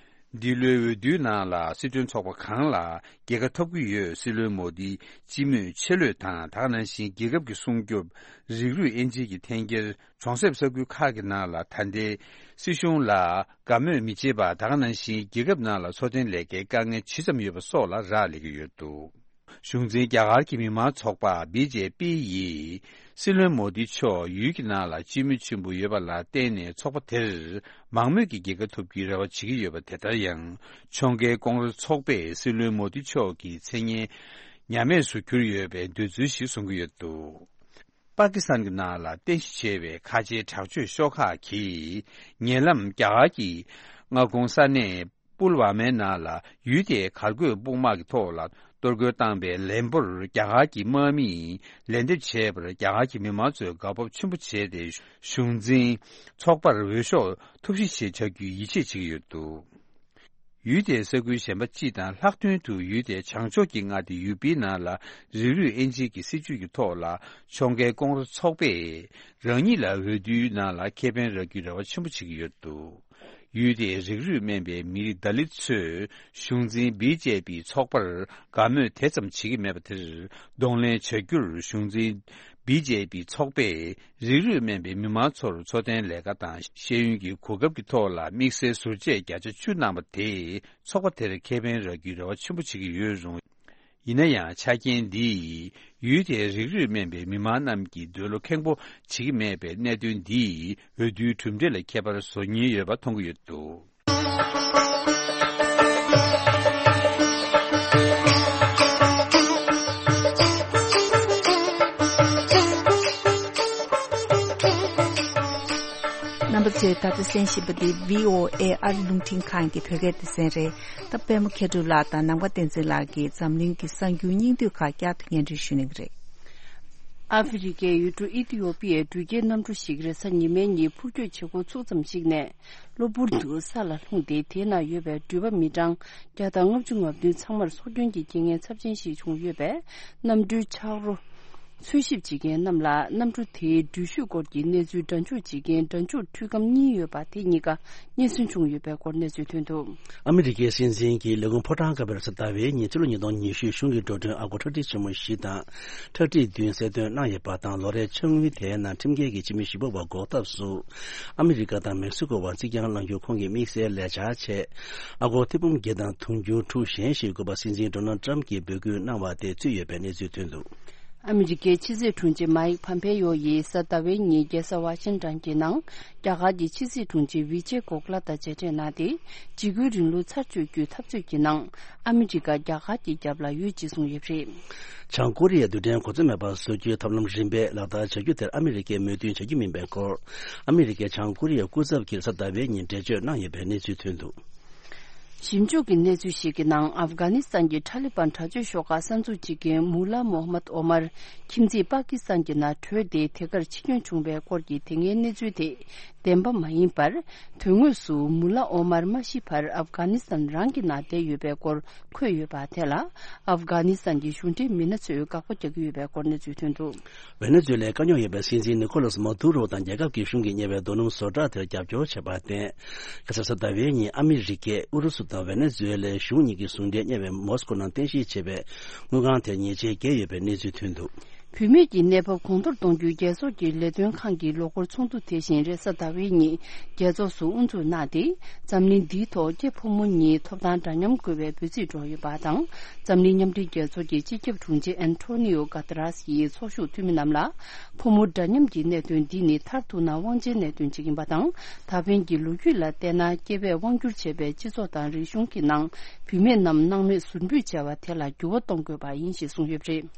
འདི་ལོའི་འོས་བསྡུའི་ནང་ལ་སྲིད་དོན་ཚོགས་པ་གང་ལ་རྒྱལ་ཁ་ཐོབ་ཀྱི་ཡོད། སྲིད་བློན་མོ་དིའི་སྤྱི་མོས་ཆེ་ལོས་དང་། ད་ག་ནང་བཞིན་རྒྱལ་ཁབ་ཀྱི་སྲུང་སྐྱོབ། རིགས་རུས་དབྱེ་འབྱེད་ཀྱི་འཐེན་འཁྱེར། གྲོང་གསེབ་ས་ཁུལ་ཁག་གི་ནང་ལ་ད་ལྟའི་སྲིད་གཞུང་ལ་དགའ་མོས་མི་བྱེད་པ། ད་ག་ནང་བཞིན་རྒྱལ་ཁབ་ནང་ལ་འཚོ་རྟེན་ལས་ཀའི་དཀའ་ངལ་ཇི་ཙམ་ཡོད་པ་སོགས་ལ་རག་ལས་ཀྱི་ཡོད་འདུག་གཞུང་འཛིན་རྒྱ་གར་གྱི་མི་དམངས་ཚོགས་པ་བི་ཇེ་པི་ཡིས་སྲིད་བློན་མོ་དི་མཆོག་ཡུལ་གྱི་ནང་ལ་སྤྱི་མོས་ཆེན་པོ་ཡོད་པ་ལ་བརྟེན་ནས་ཚོགས་པ་དེར་མང་མོས་ཀྱི་རྒྱལ་ཁ་ཐོབ་རྒྱུའི་རེ་བ་བྱེད་ཀྱི་ཡོད་པ། དེ་ལྟར་ཡང་ཕྱོགས་འགལ་ཀོང་རེ་ཚོགས་པས་སྲིད་བློན་མོ་དི་མཆོག་གི་མཚན་སྙན་ཉམས་དམས་སུ་གྱུར་ཡོད་པའི་འདོད་ཚུལ་ཞིག་གསུང་གི་ཡོད་འདུག་པ་ཀི་སི་ཐན་གྱི་ནང་ལ་རྟེན་གཞི་བྱས་པའི་ཁ་ཆེའི་དྲག་སྤྱོད་ཤོག་ཁག་གིས་ཉེ་ལམ་རྒྱ་གར་གྱི་མངའ་ཁོངས་ས་གནས་པུལ་ཝ་མའི་ནང་ལ་ཡུལ་དེའི་གར་འགོད་དཔུང་དམག་གི་ཐོག་ལ་གཏོར་རྒོལ་བཏང་པའི་ལན་པོར་རྒྱ་གར་གྱི་དམག་མིས་ལན་འདེབས་བྱས་པར་རྒྱ་གར་གྱི་མི་མང་ཚོས་དགའ་སྤོབས་ཆེན་པོ་བྱས་ཏེ་གཞུང་འཛིན་ཚོགས་པར་འོས་ཤོག་ཐོབ་བཞི་ཞིག་བྱ་རྒྱུའི་ཡིད་ཆེས་བྱེད་ཀྱི་ཡོད་འདུག་ཡུལ་དེའི་ས་ཁུལ་གཞན་པ་སྤྱི་དང་ལྷག་དོན་དུ་ཡུལ་དེའི་བྱང་ཕྱོགས་ཀྱི་མངའ་སྡེ་ཡུ་པིའི་ནང་ལ་རིགས་རུས་དབྱེ་འབྱེད་ཀྱི་སྲིད་བྱུས་ཀྱི་ཐོག་ལ་ཕྱོགས་འགལ་ཀོང་རེ་ཚོགས་པས་རང་ཉིད་ལ་འོས་བསྡུའི་ནང་ལ་ཁེ་ཕན་རག་རྒྱུའི་རེ་བ་ཆེན་པོ་བྱེད་ཀྱི་ཡོད་འདུག་ཡུལ་དེའི་རིགས་རུས་དམན་པའི་མི་རིགས་དཱ་ལིད་ཚོས་གཞུང་འཛིན་བི་ཇེ་པི་ཚོགས་པར་དགའ་མོས་དེ་ཙམ་བྱེད་ཀྱི་མེད་པ་དེར་གདོང་ལེན་བྱ་རྒྱུར་གཞུང་འཛིན་བི་ཇེ་པི་ཚོགས་པས་རིགས་རུས་དམན་པའི་མི་མང་ཚོར་འཚོ་རྟེན་ལས་ཀ་དང་ཤེས་ཡོན་གྱི་གོ་སྐབས་ཀྱི་ཐོག་ལ་དམིགས་བསལ་ཟུར་བཅད་བརྒྱ་ཆ་བཅུ་གནང་བ་དེས་ཚོགས་པ་དེར་ཁེ་ཕན་རག་རྒྱུའི་རེ་བ་ཆེན་པོ་བྱེད་ཀྱི་ཡོད་རུང་། ཡིན་ན་ཡང་ཆ་རྐྱེན་འདིས་ཡུལ་དེའི་རིགས་རུས་དམན་པའི་མི་མང་རྣམས་ཀྱི་འདོད་བློ་ཁེངས་པོ་བྱེད་ཀྱི་མེད་པའི་གནད་དོན་འདིས་འོས་བསྡུའི་གྲུབ་འབྲས་ལ་ཁྱད་པར་བཟོ་ཉེན་ཡོད་པ་མཐོང་གི་ཡོད་འདུག་རྣམ་པ་ཚོས་ད་ལྟ་གསན་བཞིན་པ་འདི་བྷི་ཨོ་ཨེ་ཨ་རི་རླུང་འཕྲིན་ཁང་གི་བོད་སྐད་སྡེ་ཚན་རེད། ད་པད་མ་མཁས་གྲུབ་ལགས་དང་ནམ་མཁའ་བསྟན་འཛིན་ལགས་ཀྱིས་འཛམ་གླིང་གི་གསར་འགྱུར་སྙིང་བསྡུས་ཁག་བསྐྱར་དུ་སྙན་སྒྲོན་ཞུ་གནང་གི་རེད། ཨ་ཧྥེ་རི་ཁའི་ཡུལ་གྲུ་ཨི་ཐི་ཡོ་པི་ཡའི་འགྲུལ་སྐྱེལ་གནམ་གྲུ་ཞིག་རེས་གཟའ་ཉི་མའི་ཉིན་འཕུར་སྐྱོད་བྱེད་འགོ་ཚུགས་ཙམ་ཞིག་ནས་གློ་བུར་དུ་ས་ལ་ལྷུང་སྟེ། དེའི་ནང་ཡོད་པའི་འགྲུལ་པ་མི་གྲངས་བརྒྱ་དང་ལྔ་བཅུ་ང་བདུན་ཚང་མར་སྲོག་སྐྱོན་གྱི་རྐྱེན་ངན་ཚབས་ཆེན་ཞིག་བྱུང་ཡོད་པས། གནམ་གྲུའི་ཆག་རོ་འཚོལ་ཞིབ་བྱེད་མཁན་རྣམས་ལ་གནམ་གྲུ་དེའི་འགྲུལ་བཞུད་སྐོར་གྱི་གནས་ཚུལ་སྒྲ་འཇུག་བྱེད་མཁན་སྒྲ་འཇུག་འཕྲུལ་ཁང་གཉིས་ཡོད་པ་དེ་གཉིས་ཀ་རྙེད་སོན་བྱུང་ཡོད་པའི་སྐོར་གནས་ཚུལ་ཐོན་འདུག་ཨ་མི་རི་ཀའི་སྲིད་འཛིན་གྱི་ལས་ཁུངས་ཕོ་བྲང་དཀར་པོར་གཟའ་ཟླ་བའི་ཉིན་ཕྱི་ལོ་ཉིས་སྟོང་ཉི་ཤུ་གཞུང་གི་འགྲོ་གྲོན་ཨ་སྒོར་ཁྲག་ཁྲིག་ཆེན་མོ་བཞི་དང་ཁྲག་ཁྲིག་བདུན་གསལ་སྟོན་གནང་ཡོད་པ་དང་། ལོ་རེའི་ཕྱག་དངུལ་དེའི་ནང་ཁྲིམས་འགལ་གྱི་ཕྱི་མི་བཞི་པ་བ་འགོག་ཐབས་སུ་ཨ་མི་རི་ཀ་དང་མེག་སི་ཀོ་བར་རྩིས་རྐྱང་གནང་རྒྱུ་ཁོང་གི་དམིགས་བསལ་ལས་འཆར་ཆེད་ཨ་སྒོར་ཐེར་འབུམ་བརྒྱད་དང་དུང་ཕྱུར་དྲུག་གཞན་ཞིག་དགོས་པ་སྲིད་འཛིན་ཌོ་ནལ་ཊམ་གྱིས་འབོད་སྐུལ་གནང་བ་དེ་ཚུད་ཡོད་པའི་གནས་ཚུལ་ཐོན་འདུག་ཨ་མི་རི་ཀའི་ཕྱི་སྲིད་དྲུང་ཆེ་མཱིག་ཕམ་ཕེ་ཡོ་ཡིས་གཟའ་ཟླ་བའི་ཉིན་རྒྱལ་ས་ཝ་ཤིང་ཊོན་གྱི་ནང་རྒྱ་གར་གྱི་ཕྱི་སྲིད་དྲུང་ཆེ་ཝི་ཇེ་གོ་ཁ་ལ་དང་མཇལ་འཕྲད་གནང་སྟེ། འཇིགས་སྐུལ་རིང་ལུགས་ཚར་གཅོད་རྒྱུའི་འཐབ་རྩོད་ཀྱི་ནང་ཨ་མི་རི་ཀ་རྒྱ་གར་གྱི་རྒྱབ་ལ་ཡོད་ཅེས་གསུངས་ཡོད་པ་རེད། བྱང་ཀོ་རི་ཡའི་རྡུལ་ཕྲན་གོ་མཚོན་མེད་པར་བཟོ་རྒྱུའི་ཐབས་ལམ་རིམ་པས་ལག་བསྟར་བྱ་རྒྱུ་དེར་ཨ་མི་རི་ཀས་མོས་མཐུན་བྱ་རྒྱུ་མིན་པའི་སྐོར། ཨ་མི་རི་ཀའི་བྱང་ཀོ་རི་ཡའི་སྐུ་ཚབ་ཀྱིས་གཟའ་ཟླ་བའི་ཉིན་འགྲེལ་བརྗོད་གནང་ཡོད་པའི་གནས་ཚུལ་ཐོན་འདུག་ཞིབ་འཇུག་གི་གནས་ཚུལ་ཞིག་གི་ནང་། ཨབ་གྷ་ནི་སི་ཐན་གྱི་ཐ་ལི་བན་དྲག་སྤྱོད་ཤོག་ཁག་གསར་འཛུགས་བྱེད་མཁན་མུ་ལ་མོ་ཧ་མད་ཨོ་མར་ཁྱིམ་མཚེས་པ་ཀི་སི་ཐན་གྱི་ནང་བྲོས་ཏེ་དེ་གར་འཆི་སྐྱོན་བྱུང་བའི་སྐོར་གྱི་དེ་སྔའི་གནས་ཚུལ་དེ་བདེན་པ་མ་ཡིན་པར། དོན་དངོས་སུ་མུ་ལ་ཨོ་མར་མ་ཤི་བར་ཨབ་གྷ་ནི་སི་ཐན་རང་གི་ནང་བསྡད་ཡོད་པའི་སྐོར་འཁོད་ཡོད་པ་དེ་ལ། ཨབ་གྷ་ནི་སི་ཐན་གྱི་གཞུང་འབྲེལ་མི་སྣ་ཚོས་དགག་པ་རྒྱག་གི་ཡོད་པའི་སྐོར་གནས་ཚུལ་ཐོན་འདུག་ཝེ་ནེ་ཛུ་ཝེ་ལའི་དཀའ་རྙོག་ཡོད་པའི་སྲིད་འཛིན་ནི་ཀོ་ལོ་སི་མ་དུ་རོ་དང་རྒྱལ་ཁབ་ཀྱི་གཞུང་གིས་གཉེར་བའི་རྡོ་སྣུམ་བཟོ་གྲྭ་དེར་རྒྱབ་སྐྱོར་བྱས་པར་བརྟེན། ཁ་སང་གཟའ་ཟླ་བའི་ཉིན་ཨ་མི་རི་ཀས་ཨུ་རུ་སུ་དང་ཝེ་ནེ་ཛུ་ཝེ་ལའི་གཞུང་གཉིས་ཀྱི་ཟུང་འབྲེལ་གཉེར་བའི་མོ་སི་ཀོ་ནང་རྟེན་གཞི་བྱས་པའི་དངུལ་ཁང་དེར་ཉེས་ཆད་བཀལ་ཡོད་པའི་གནས་ཚུལ་ཐོན་འདུག་བུད་མེད་ཀྱི་གནས་བབ་གོང་མཐོར་གཏོང་རྒྱུའི་རྒྱལ་ཚོགས་ཀྱི་ལས་དོན་ཁང་གི་ལོ་འཁོར་ཚོགས་འདུ་དེ་བཞིན་རེས་གཟའ་ཟླ་བའི་ཉིན་རྒྱལ་ཚོགས་སུ་དབུ་འཛུགས་གནང་སྟེ། འཛམ་གླིང་འདིའི་ཐོག་སྐྱེས་ཕོ་མོ་གཉིས་ཐོབ་ཐང་འདྲ་མཉམ་དགོས་པའི་འབོད་ཚིག་སྒྲོག་ཡོད་པ་དང་། འཛམ་གླིང་མཉམ་འབྲེལ་རྒྱལ་ཚོགས་ཀྱི་སྤྱི་ཁྱབ་དྲུང་ཆེ་ཨན་ཐོ་ནི་ཡོ་གྷ་ཏ་རཱས་ཡིས་ཚོགས་ཞུགས་འཐུས་མི་རྣམས་ལ། ཕོ་མོ་འདྲ་མཉམ་གྱི་གནད་དོན་འདི་ནི་མཐར་ཐུག་ན་དབང་ཆའི་གནད་དོན་ཅིག་ཡིན་པ་དང་། ད་ཕན་གྱི་ལོ་རྒྱུས་ལ་བལྟས་ན། སྐྱེ་བས་དབང་སྒྱུར་བྱས་པའི་སྤྱི་ཚོགས་དང་རིག་གཞུང་གི་ནང་བུད་མེད་རྣམས་སྣང་མེད་ཟུར་འབུད་བྱས་པ་དེ་ལ་འགྱུར་བ་གཏོང་དགོས་པ་ཡིན་ཞེས་གསུངས་ཡོད་པ་རེད།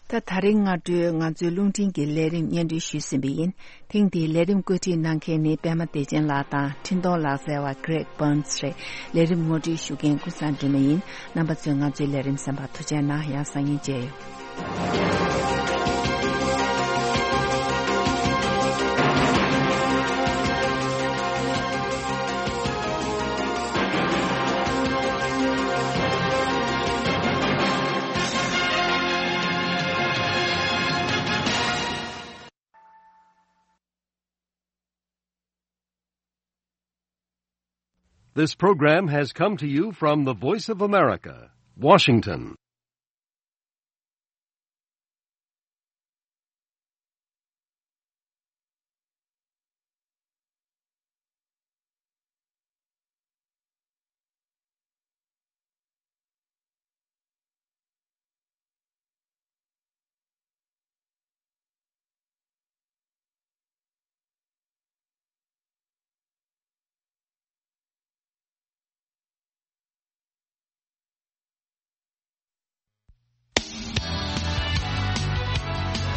ད་ད་རིང་སྔ་དྲོའི་ང་ཚོའི་རླུང་འཕྲིན་གྱི་ལས་རིམ་སྙན་སྒྲོན་ཞུས་ཟིན་པ་ཡིན། ཐེངས་འདིའི་ལས་རིམ་བཀོད་སྒྲིག་གནང་མཁན་ནི་པད་མ་བདེ་ཆེན་ལགས་དང་འཕྲིན་གཏོང་ལག་རྩལ་བ་Greg Burns་རེད། ལས་རིམ་ངོ་སྤྲོད་ཞུ་མཁན་ཀུན་བཟང་སྒྲོལ་མ་ཡིན། རྣམ་པ་ཚོས་ང་ཚོའི་ལས་རིམ་གསན་པར་ཐུགས་རྗེ་གནང་། ཡང་སང་ཉིན་མཇལ་ཡོང་། This program has come to you from the Voice of America, Washington.